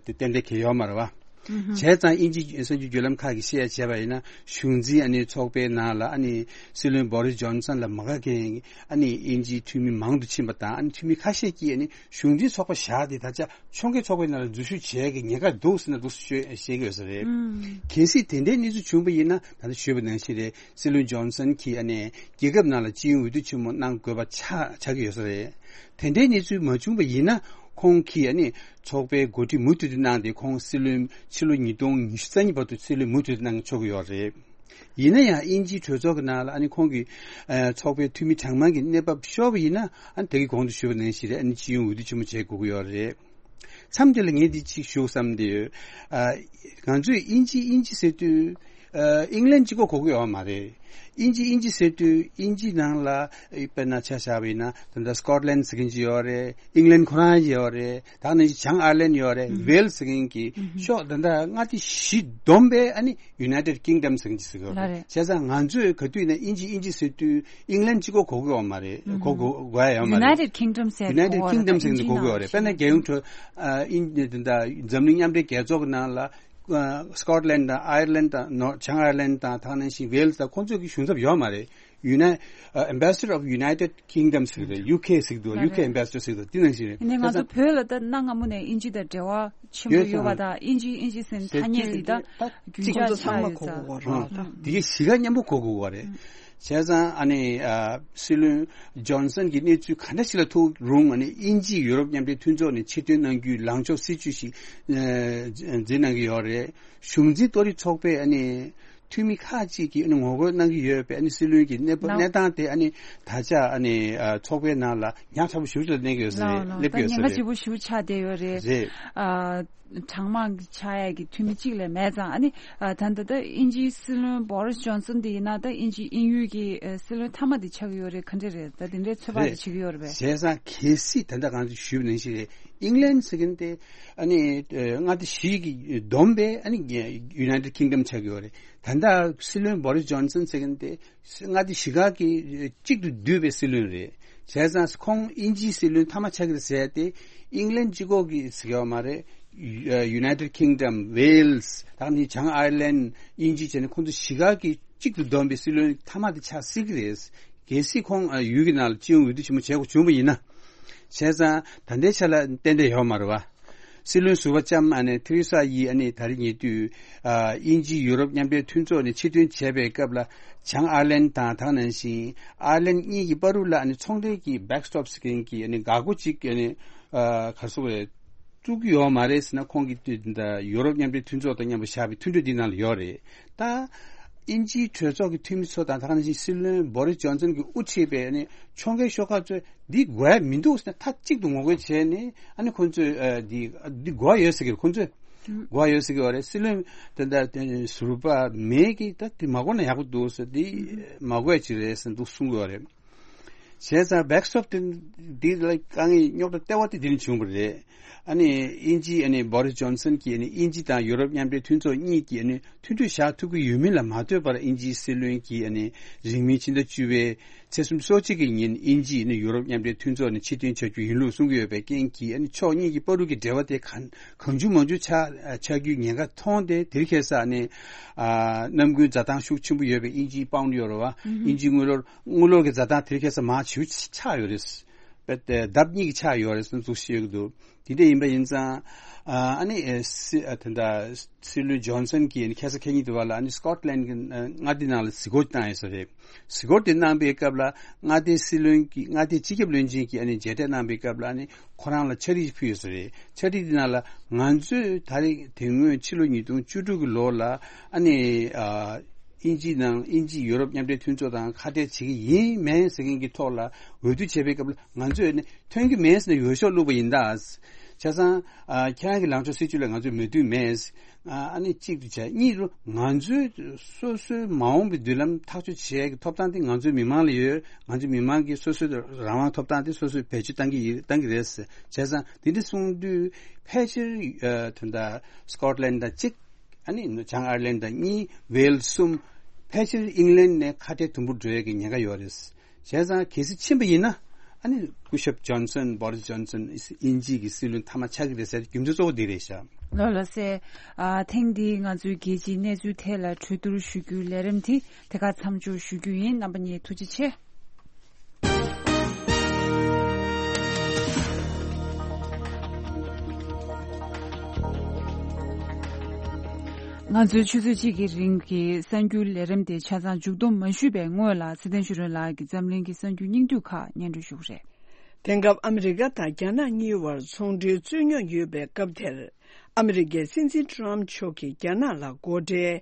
དེ་ཏན་ཏན་གང་ཡོད་མ་རེད་པ། ཨུ་ཧུ། བྱས་ཙང་དབྱིན་ཇི་གསར་འགྱུར་བརྒྱུད་ལམ་ཁག་གིས་བཤད་ཡ་བྱས་པ་ཡིན་ན། གཞུང་འཛིན་ཨ་ནི་ཚོགས་པའི་ནང་ལ་ཨ་ནི་སྲིད་བློན་བོ་རིས་ཇོན་སན་ལ་མ་དགའ་མཁན་ཨ་ནི་དབྱིན་ཇིའི་འཐུས་མི་མང་དུ་ཕྱིན་པ་དང་། ཨ་ནི་འཐུས་མི་ཁ་ཤས་ཀྱིས་ཨ་ནི་གཞུང་འཛིན་ཚོགས་པ་བཞག་སྟེ་ད་ཆ་ཕྱོགས་འགལ་ཚོགས་པའི་ནང་ལ་འཛུལ་ཞུགས་བྱེད་ཀྱི་ཉེན་ཁ་འདུག་ཟེར་ན་འདུག་ཟེར་བཤད་ཀྱི་ཡོད་ས་རེད། ཨུམ། གལ་སྲིད་དེ་འདྲའི་གནས་ཚུལ་བྱུང་བ་ཡིན་ན། ད་ལྟ་ཞུས་པ་ནང་བཞིན་རེད། སྲིད་བློན་ཇོན་སན་གྱིས་ཨ་ནི་རྒྱལ་ཁབ་ནང་ལ་སྤྱི་ཡོངས་འོས་བསྡུ་ཆེན་མོ་གནང་དགོས་པ་ཆགས་ཆགས་ཀྱི་ཡོད་ས་རེད། དེ་འདྲའི་གནས་ཚུལ་མ་བྱུང་བ་ཡིན་ན། ཁོང་གིས་ཨ་ནི་ཚོགས་པའི་འགོ་ཁྲིད་མུ་མཐུད་དུ་གནང་སྟེ། ཁོང་སྲིད་བློན་ཕྱི་ལོ་ཉིས་སྟོང་ཉི་ཤུ་རྩ་གཉིས་བར་དུ་སྲིད་བློན་མུ་མཐུད་དུ་གནང་ཆོག་གི་ཡོད་རེད། ཡིན་ན་ཡང་དབྱིན་ཇིའི་གྲོས་ཚོགས་ཀྱི་ནང་ལ་ཨ་ནི་ཁོང་གིས་ཨ། ཚོགས་པའི་འཐུས་མི་གྲངས་མང་གི་གནས་བབ་ཤོར་བ་ཡིན་ན། ཨ་ནི་དེ་གི་གོང་དུ་ཞུས་པ་ནང་བཞིན་རེད། ཨ་ནི་སྤྱི་ཡོངས་འོས་བསྡུ་ཆེན་མོ་བྱེད་དགོས་ཀྱི་ཡོད་རེད། མཚམས་དེ་ལ་ངས་འདི་གཅིག་ཞུ་བསམ་བསྡད་ཡོད། ཨ། ང་ཚོས་དབྱིན་ཇི་དབྱིན་ཇི་ཟེར་དུས། ཨ། ཨིང་ལན་གཅིག་པོ་གོ་གི་ཡོད་མ་རེད། དབྱིན་ཇི་དབྱིན་ཇི་ཟེར་དུས་དབྱིན་ཇི་ནང་ལ་དཔེར་ན་ཆ་བཞག་པ་ཡིན་ན། ད་ལྟ་སི་ཀོཊ་ལན་ཟེར་མཁན་ཅིག་ཡོད་རེད། ཨིང་ལན་ཁོ་རང་ཡོད་རེད། ད་ནི་བྱང་ཨའི་ལན་ཡོད་རེད། ཨུ་ཧུ། ཝེལ་ཟེར་མཁན་གྱི་ཨུ་ཧུ། ཕྱོགས་ད་ལྟ་མངའ་སྡེ་བཞི་བསྡོམས་པས་ཨ་ནི་ཡུ་ནའི་ཊེཌ་ཀིང་ཌམ་ཟེར་མཁན་ཅིག་ཟེར་གི་ཡོད་རེད། ལགས་རེད། བྱས་ཙང་ང་ཚོས་ག་དུས་ཡིན་ན་དབྱིན་ཇི་དབྱིན་ཇི་ཟེར་དུས་ཨིང་ལན་གཅིག་པོ་གོ་གི་ཡོད་མ་རེད། ཨུ་ཧུ། གོ་གོ་གོ་ཡ་ཡོད་མ་རེད། ཡུ་ནའི་ཊེཌ་ཀིང་ཌམ་ཟེར་ཡུ་ནའི་ཊེཌ་ཀིང་ཌམ་ཟེར་ནས་གོ་གི་ཡོད་རེད། དཔེར་ན་རྒྱལ་ཡོངས་གྲོས་ཨ། དབྱིན་ཨ། ད་ལྟ་འཛམ་གླིང་མཉམ་འབྲེལ་རྒྱལ་ཚོགས་ཀྱི་ནང་ལ་ཨ། སི་ཀོཊ་ལན་དང་ཨའི་ལན་དང་ནོར་བྱང་ཨའི་ལན་དང་། ད་ག་ནང་བཞིན་ཝེལ་དང་། ཁོང་ཚོ་གི་གཞུང་ཚབ་ཡོད་མ་རེད། ཡུ་ནའི་ཨ། Ambassador of United Kingdom ཟེར་གི་རེད། ཡུ་ཁེ་ཟེར་གི་འདུག། ལགས་རེད། ཡུ་ཁེ་ཨེམ་བེ་སི་ཌར་ཟེར་གི་འདུག། དེ་ནང་བཞིན་རེད། ཡིན་ནའི་ང་ཚོ་བོད་ལ་ད་གནའ་སྔ་མོ་ནས་དབྱིན་ཇི་དང་འབྲེལ་བ་ཆེན་པོ་ཡོད་པ་དང་། དབྱིན་ཇི་དབྱིན་ཇི་ཟེར་ཐ་སྙད་འདི་ད་རྒྱུན་ཆགས་ཆགས་ཡོད་ཙང་། ཨ། དེ་གའི་གཞིས་ཀ་མཉམ་པོ་གོ་དགོས་པ་རེད། བྱས་ཙང་ཨ་ནི་ཨ། སྲིད་བློན་ཇོན་སན་གྱི་གནས་ཚུལ་ག་འདྲ་ཞིག་ལ་ཐུག་རུང་། ཨ་ནི་དབྱིན་ཇི་ཡུ་རོབ་མཉམ་འབྲེལ་མཐུན་ཚོགས་ནས་ཕྱིར་ཐོན་གནང་རྒྱུའི་ལངས་ཕྱོགས་སྲིད་བྱུས་ཤིག་ཨ། འཛིན་གནང་གི་ཡོད་རེད། གཞུང་འཛིན་གཏོར་རིགས་ཚོགས་པའི་ཨ་ནི་འཐུས་མི་ཁག་ཅིག་གིས་ཨ་ནི་ངོ་རྒོལ་གནང་གི་ཡོད་པས། ཨ་ནི་སྲིད་བློན་གྱི་གནས་བབ་གནས་སྟངས་དེ་ཨ་ནི་ད་ཆ་ཨ་ནི་ཨ། ཚོགས་པའི་ནང་ལ་ཉག་ཕྲ་པོ་ཞེ་པོ་ཅིག་ལ་གནས་ཀྱི་ཡོད་ས་རེད། སླེབས་ཀྱི་ཡོད་ས་རེད། ད་ཉེན་ཁ་ཆེ་པོ་ཞེ་པོ་ཆགས་བསྡད་ཡོད་རེད། རེད། ཨ། གྲངས་མང་ཆགས་ཡས་ཀྱི་འཐུས་མི་གཅིག་ལས་མེད་ཙང་། ཨ་ནི་ཨ། ད་ལྟ་ད་དབྱིན་ཇིའི་སྲིད་བློན་བོ་རིས་ཇོན་སན་དེ་ཡིན་ན། ད་དབྱིན་ཇི་དབྱིན་ཡུལ་གྱི་ཨ། སྲིད་བློན་མཐའ་མ་དེ་ཆགས་ཀྱི་ཡོད་རེད། ག་འདྲ་རེད། ད་དེ་འདྲའི་ཚོད་དཔག་རེད། དེ་བྱེད་ཀྱི་ཡོད་རེད་པས། བྱས་ཙང་གལ་སྲིད་ད་ལྟ་གང་ཞུས་པ་ནང་བཞིན་རེད། ཨིང་ལན་ཟེར་མཁན་དེ་ཨ་ནི་ཨ། མངའ་སྡེ་བཞི་གིས་བསྡོམས་པས་ཨ་ནི་ཡུ་ནའི་ཊེཌ་ཀིང་ཌམ་ཆགས་ཀྱི་ཡོད་རེད། ད་ལྟ་སྲིད་བློན་བོ་རིས་ཇོན་སན་ཟེར་མཁན་དེ་མངའ་སྡེ་བཞི་ཀ་གི་གཅིག་ཏུ་བསྡུས་པའི་སྲིད་བློན་རེད། བྱས་ཙང་ཁོང་དབྱིན་ཇིའི་སྲིད་བློན་མཐའ་མ་ཆགས་ཀྱི་རེད་ཟེར་ཏེ། ཨིང་ལན་གཅིག་པོ་གི་ཟེར་གྱི་ཡོད་མ་རེད། ཡུ་ནའི་ཊེཌ་ཀིང་ཌམ། ཝེལ་སི། ད་ནི་བྱང་ཨའི་ལན། དབྱིན་ཇི་བྱས་ནས་ཁོང་ཚོ་བཞི་ཀ་གི་གཅིག་ཏུ་བསྡོམས་པའི་སྲིད་བློན་མཐའ་མ་དེ་ཆགས་སྲིད་ཀྱི་རེད། གལ་སྲིད་ཁོང་ཨ། ཡུལ་གྱི་ནང་ལ་སྤྱི་ཡོངས་འོས་བསྡུ་ཆེན་མོ་བྱེད་དགོས་བྱུང་བ་ཡིན་ན། བྱས་ཙང་ད་ལྟའི་ཆ་ལ་ཏན་ཏན་ཡོད་མ་རེད་པ། སྲིད་བློན་ཟུར་པ་ལྕམ་ཨ་ནི་ཐེ་རེ་ས་ཡིས་ཨ་ནི་ད་རེས་ཉེ་དུས་ཨ་དབྱིན་ཇི་ཡུ་རོབ་མཉམ་འབྲེལ་མཐུན་ཚོགས་ནས་ཕྱིར་ཐོན་བྱས་པའི་སྐབས་ལ། བྱང་ཨར་ལན་དང་དེ་ནང་བཞིན་ཨར་ལན་གཉིས་ཀྱི་བར་དུ་ལ་ཨ་ནི་ཚོང་འབྲེལ་གྱི་backstop ཟེར་མཁན་གྱི་ཨ་ནི་འགག་སྒོ་གཅིག་ཨ་ནི་ཨ་ག་རེ་ཟེར་དགོས་རེད། བཙུགས་ཀྱི་ཡོད་མ་རེད་ཟེར་ན། ཁོང་གིས་དུས་འདི་ཡུ་རོབ་མཉམ་འབྲེལ་མཐུན་ཚོགས་དང་མཉམ་དུ་བཞག་པའི་མཐུན་གྲོས་འདི་ནང་ལ་ཡོད་རེད། ད་དབྱིན་ཇིའི་གྲོས་ཚོགས་ཀྱི་འཐུས་མི་ཚོ་དང་། དེ་ནང་བཞིན་སྲིད་བློན་བོ་རིས་ཇོན་སན་གྱིས་དབུ་ཁྲིད་པའི་ཨ་ནི་ཕྱོགས་འགལ་ཤོག་ཁག་ཚོས་འདི་དགོས་ཡ་མི་འདུག་ཟེར་ནས་མཐའ་གཅིག་ཏུ་ངོ་རྒོལ་བྱས་ནས། ཨ་ནི་ཁོང་ཚོས་ཨ་འདི་འདི་དགོས་ཡ་ཡོད་ཟེར་གྱི་རེད། ཁོང་ཚོས་དགོས་ཡ་ཡོད་ཟེར་གྱི་ཡོད་རེད། སྲིད་བློན་དེ་འདྲ་དེ་ཟུར་པ་མེ་གིས་ད་འདི་མ་དགོས་ན་ཡག་པོ་འདུག་ཟེར། འདི་མ་དགོས་ཡ་ཅིག་རེད་ཟེར་འདུག་གསུང་གི་ཡོད་རེད། བྱས་ཙང་backstop དེ་འདི་ལ་དཀའ་ངལ་རྙོག་དྲ་ལྟེ་བ་དེ་འདི་ནས་བྱུང་བ་རེད། ཨ་ནི་དབྱིན་ཇི་ཨ་ནི་བོ་རིས་ཇོན་སན་གྱིས་ཨ་ནི་དབྱིན་ཇི་དང་ཡུ་རོབ་མཉམ་འབྲེལ་མཐུན་ཚོགས་གཉིས་ཀྱིས་ཨ་ནི་མཐུན་གྲོས་བཞག་ཐུབ་ཀྱི་ཡོད་མིན་ལ་མ་ལྟོས་པར། དབྱིན་ཇིའི་སྲིད་བློན་གྱིས་ཨ་ནི་རིང་མིན་ཕྱི་ཟླ་བཅུ་པའི་ཚེས་སོ་གཅིག་གི་ཉིན་དབྱིན་ཇི་ཨ་ནི་ཡུ་རོབ་མཉམ་འབྲེལ་མཐུན་ཚོགས་ནས་ཕྱིར་འཐེན་བྱ་རྒྱུ་ཡིན་ལུགས་གསུང་གི་ཡོད་པའི་རྐྱེན་གྱིས། ཨ་ནི་ཕྱོགས་གཉིས་ཀྱི་བར་དུ་གི་འབྲེལ་བ་དེ་གང་གང་བྱུང་མང་བྱུང་ཆགས་ཆགས་རྒྱུའི་ཉེན་ཁ་མཐོང་སྟེ། དེ་རིང་ཁ་སང་ཨ་ནི་ཨ་གནམ་དགུན་འཛའ་ཐང་ཤུགས་ཆེན་པོ་ཡོད་པའི་དབྱིན་ཇིའི་པའུན་ཌི་ཡོད་རེད་བ། དབྱིན་ཇིའི་དངུལ་ལོར། དངུལ་ལོར་གྱི་འཛའ་ཐང་དེ་རིང་ཁ་སང་མང་ཆེ་བ་ཆག་ཡོད་རེད། པད་ལྡབ་གཉིས་ཀྱི་ཆག་ཡོད་རེད་ཟེར་ནས་འདུག་བཤད་ཀྱི་འདུག་དེ་འདྲ་ཡིན་པ་ཡིན་ཙང་། ཨ་ཨ་ནི་ཨེ་སི་ཨ་དེ་འདྲ་སྲིད་བློན་ཇོན་སན་གྱིས་ཨ་ནི་ཁ་སང་ཁ་ཉིན་དེ་བ་ལ་ཨ་ནི་སི་ཀོཊ་ལན་གྱི་ཨ་མངའ་སྡེ་ནང་ལ་གཟིགས་སྐོར་བཏང་ཡོད་ས་རེད། གཟིགས་སྐོར་དེ་གནང་པའི་སྐབས་ལ་མངའ་སྡེའི་སྲིད་བློན་གྱིས། མངའ་སྡེའི་སྤྱི་ཁྱབ་བློན་ཆེན་གྱིས་ཨ་ནི་མཇལ་འཕྲད་གནང་པའི་སྐབས་ལ་ཨ་ནི་ཁོ་རང་ལ་ཕྱག་བྲིས་ཕུལ་ཡོད་ས་རེད། ཕྱག་བྲིས་དེ་ནང་ལ། ང་ཚོས་ད་རེས་དེ་སྔོན་ཕྱི་ལོ་ཉིས་སྟོང་བཅུ་དྲུག་གི་ལོ་ལ་ཨ་ནི་ཨ། དབྱིན་ཇི་ནང་། དབྱིན་ཇི་ཡུ་རོབ་མཉམ་འབྲེལ་མཐུན་ཚོགས་དང་ཁ་བྲལ་བྱེད་ཀྱི་ཡིན་མིན་ཟེར་མཁན་གྱི་ཐོག་ལ་འོས་བསྡུ་བྱས་པའི་སྐབས་ལ་ང་ཚོས་ནི་ཐོན་གྱི་མེད་ཟེར་ནས་འོས་ཤོག་བླུགས་པ་ཡིན་ད། བྱས་ཙང་ཨ་ཁྱེད་རང་གི་ལངས་ཕྱོགས་སྲིད་བྱུས་ལ་ང་ཚོས་མོས་མཐུན་མེད། ཨ་ནི་གཅིག་ཏུ་བྱས། གཉིས་རུ་ང་ཚོས་སོ་སོའི་མ་འོངས་པའི་མདུན་ལམ་ཐག་གཅོད་བྱེད་ཡག་གི་ཐོབ་ཐང་དེ་ང་ཚོའི་མི་མང་ལ་ཡོད། ང་ཚོའི་མི་མང་གིས་སོ་སོའི་རང་དབང་ཐོབ་ཐང་དེ་སོ་སོས་བེད་སྤྱོད་གཏང་གི་ཡིན། གཏང་གི་རེད། བྱས་ཙང་དེ་འདྲ་གསུངས་དུས་ཕལ་ཆེར་ཨ་དེ་འདྲ་སི་ཀོཊ་ལན་དང་གཅིག་ཨ་ནི་བྱང་ཨར་ལན་དང་གཉིས། ཝེལ་གསུམ། ཕལ་ཆེར་ཨིང་ལན་ནས་ཁ་བྲལ་དུམ་བུར་འགྲོ་ཡས་ཀྱི་ཉེན་ཁ་ཡོད་རེད། བྱས་ཙང་གལ་སྲིད་ཕྱིན་པ་ཡིན་ན། ཨ་ནི་སྐུ་ཞབས་ཇོན་སན། བོ་རིས་ཇོན་སན་དབྱིན་ཇི་གི་སྲིད་བློན་མཐའ་མ་ཆགས་ཀྱི་རེད་ཟེར། རྒྱུ་མཚན་གཙོ་བོ་འདི་རེད་ཤག་ལགས་ལགས་སེ། ཨ་ཐེངས་འདིའི་ང་ཚོའི་རྒྱལ་སྤྱིའི་གནས་ཚུལ་ཐད་ལ་གྲོས་བསྡུར་ཞུ་རྒྱུའི་ལས་རིམ་དེ་དེ་ག་མཚམས་འཇོག་ཞུ་རྒྱུ་ཡིན། རྣམ་པ་གཉིས་ཐུགས་རྗེ་ཆེ། ང་ཚོའི་ཆུ་ཚོད་གཅིག་གི་རིང་གི་གསར་འགྱུར་ལས་རིམ་དེ་ཆ་ཚང་མཇུག་བསྡོམས་མ་ཞུས་པའི་སྔོན་ལ། ཚེ་བརྟན་ཆོས་སྒྲོན་ལགས་ཀྱིས་འཛམ་གླིང་གི་གསར་འགྱུར་སྙིང་བསྡུས་ཁག་སྙན་སྒྲོན་ཞུ་གི་རེད། དེང་སྐབས་ཨ་མི་རི་ཀ་དང་རྒྱ་ནག་གཉིས་བར་ཚོང་འབྲེལ་རྩོད་རྙོག་ཡོད་པའི་སྐབས་དེར། ཨ་མི་རི་ཀའི་སྲིད་འཛིན་ཏྲམ་མཆོག་གིས་རྒྱ་ནག་ལ་སྒོ་ཁྲལ་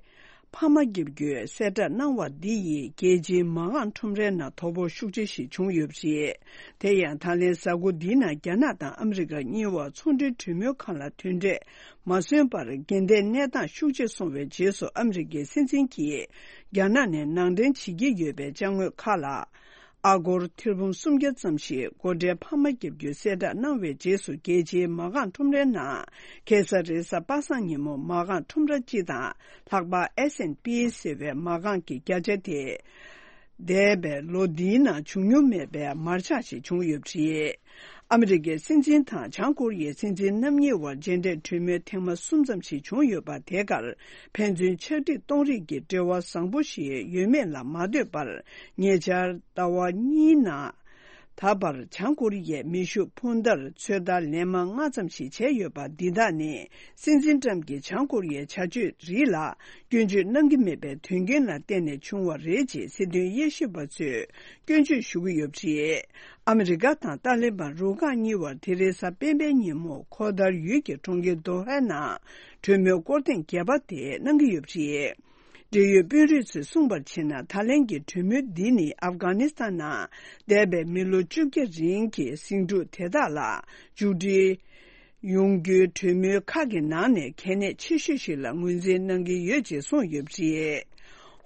འཕར་མ་བརྒྱབ་རྒྱུའི་གསལ་བསྒྲགས་གནང་བ་འདི་ཡིས་རྒྱལ་སྤྱིའི་མ་འགག་ཁྲོམ་རའི་ནང་དོ་ཕོག་ཤུགས་ཆེ་ཞིག་བྱུང་ཡོད་པ་རེད། དེ་ཡང་ད་ལན་གཟའ་འཁོར་འདིའི་ནང་རྒྱ་ནག་དང་ཨ་མི་རི་ཀ་གཉིས་བར་ཚོང་འབྲེལ་གྲོས་མོལ་ཁང་ལ་དོན་འབྲས་མ་སོན་པར། འགལ་ཟླའི་གནས་སྟངས་ཤུགས་ཆེ་སོང་བའི་རྗེས་སུ། ཨ་མི་རི་ཀའི་སྲིད་འཛིན་གྱིས་རྒྱ་ནག་ནས་ནང་འདྲེན་བྱེད་ཀྱི་ཡོད་པའི་ཅ་དངོས་ཁག་ལ། ཨ་སྒོར་ཐེར་འབུམ་སུམ་བརྒྱ་ཙམ་ཞིག་སྒོ་ཁྲལ་འཕར་མ་བརྒྱབ་རྒྱུའི་གསལ་བསྒྲགས་གནང་བའི་རྗེས་སུ། རྒྱལ་སྤྱིའི་མ་འགག་ཁྲོམ་རའི་ནང་ཁ་སང་རེས་གཟའ་པ་སངས་ཉིན་མོ་མ་འགག་ཁྲོམ་ར་སྤྱི་དང་ལྷག་པར་ཨེ་སི་ཨེན་པི་ཟེར་བའི་མ་འགག་གི་བརྒྱ་ཆ་དེ། འདས་པའི་ལོ་འདིའི་ནང་བྱུང་མྱོང་མེད་པའི་མར་ཆག་ཞིག་བྱུང་ཡོད་པ་རེད། ཨ་མི་རི་ཀའི་སྲིད་འཛིན་དང་བྱང་ཀོ་རི་ཡའི་སྲིད་འཛིན་རྣམ་གཉིས་དབར་མཇལ་འཕྲད་གྲོས་མོལ་ཐེངས་མ་གསུམ་ཙམ་ཞིག་བྱུང་ཡོད་པ། དེ་གར་ཕན་ཚུན་ཕྱག་བྲིས་གཏོང་རེས་ཀྱི་འབྲེལ་བ་བཟང་པོ་ཞིག་ཡོད་མེད་ལ་མ་ལྟོས་པར། ཉེ་ཆར་ཟླ་བ་གཉིས་ནང་ད་བར་བྱང་ཀོ་རི་ཡས་མེ་ཤུགས་འཕུར་མདའ་ཚོད་ལྟ་ལན་མང་ལྔ་ཙམ་ཞིག་བྱས་ཡོད་པ། འདི་དག་ནི་སྲིད་འཛིན་ཏྲམ་གྱིས་བྱང་ཀོ་རི་ཡའི་བྱ་སྤྱོད་རིགས་ལ་སྐྱོན་བརྗོད་གནང་གི་མེད་པའི་དོན་རྐྱེན་ལ་བརྟེན་ནས་བྱུང་བ་རེད་ཅེས་སྲིད་དོན་དབྱེ་ཞིབ་པ་ཚོས་སྐྱོན་བརྗོད་ཞུ་གི་ཡོད་པ་རེད། ཨ་མི་རི་ཀ་དང་ཏཱ་ལི་བན་རུ་ཁག་གཉིས་བར་དེ་རིང་གཟའ་སྤེན་པའི་ཉིན་མོ་ཁོ་ཐར་ཡུལ་གྱི་གྲོང་ཁྱེར་དོ་ཧའི་ནང་གྲོས་མོལ་སྐོར་ཐེངས་བརྒྱད་པ་དེ་གནང་གི་ཡོད་པ་རེད། འབྲེལ་ཡོད་དཔོན་རིགས་ཚོས་གསུངས་པར་བྱས་ན། ད་ལན་གྱི་གྲོས་མོལ་འདི་ནི་ཨབ་གྷ་ནི་སི་ཐན་ནང་འདས་པའི་མི་ལོ་བཅོ་བརྒྱད་རིང་གི་ཟིང་འཁྲུག་དེ་དག་ལ་མཇུག་སྒྲིལ་ཡོང་རྒྱུའི་གྲོས་མོལ་ཁག་གི་ནང་ནས་གལ་གནད་ཆེ་ཤོས་ཤིག་ལ་ངོས་འཛིན་གནང་གི་ཡོད་ཅེས་གསུངས་ཡོད་པ་རེད།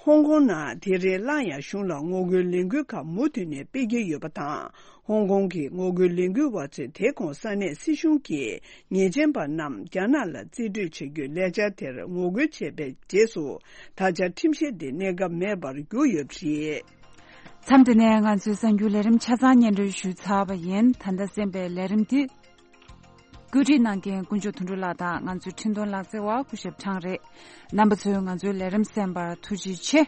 ཧོང་ཀོང་ནང་དེ་རིང་སླར་ཡང་གཞུང་ལ་ངོ་རྒོལ་ལས་འགུལ་ཁག་མུ་མཐུད་ནས་སྤེལ་གྱི་ཡོད་པ་དང་། ཧོང་ཀོང་གི་ངོ་རྒོལ་ལས་འགུལ་བ་ཚོས་དེ་གོང་ས་གནས་སྲིད་གཞུང་གི་ཉེས་ཅན་པ་རྣམས་རྒྱ་ནག་ལ་རྩིས་སྤྲོད་བྱ་རྒྱུའི་ལས་འཆར་དེར་ངོ་རྒོལ་བྱས་པའི་རྗེས་སུ། ད་ཆ་ཁྲིམས་གཞི་དེ་གནས་སྐབས་མེད་པར་གྱུར་ཡོད་པ་རེད། མཚམས་འདི་ནས་ང་ཚོའི་གསར་འགྱུར་ལས་རིམ་ཆ་ཚང་སྙན་སྒྲོན་ཞུས་ཚར་བ་ཡིན། ད་ལྟ་གསན་པའི་ལས་རིམ་འདི་བཀོད་སྒྲིག་གནང་མཁན་དཀོན་མཆོག་དོན་གྲུབ་ལགས་དང་ང་ཚོའི་འཕྲིན་གཏོང་ལག་རྩལ་བ་སྐུ་ཞབས་ཁྲང་རེད། རྣམ་པ་ཚོས་ང་ཚོའི་ལས་རིམ་གསན་པར་ཐུགས་རྗེ་ཆེ།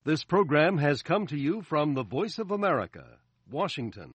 This program has come to you from the Voice of America, Washington.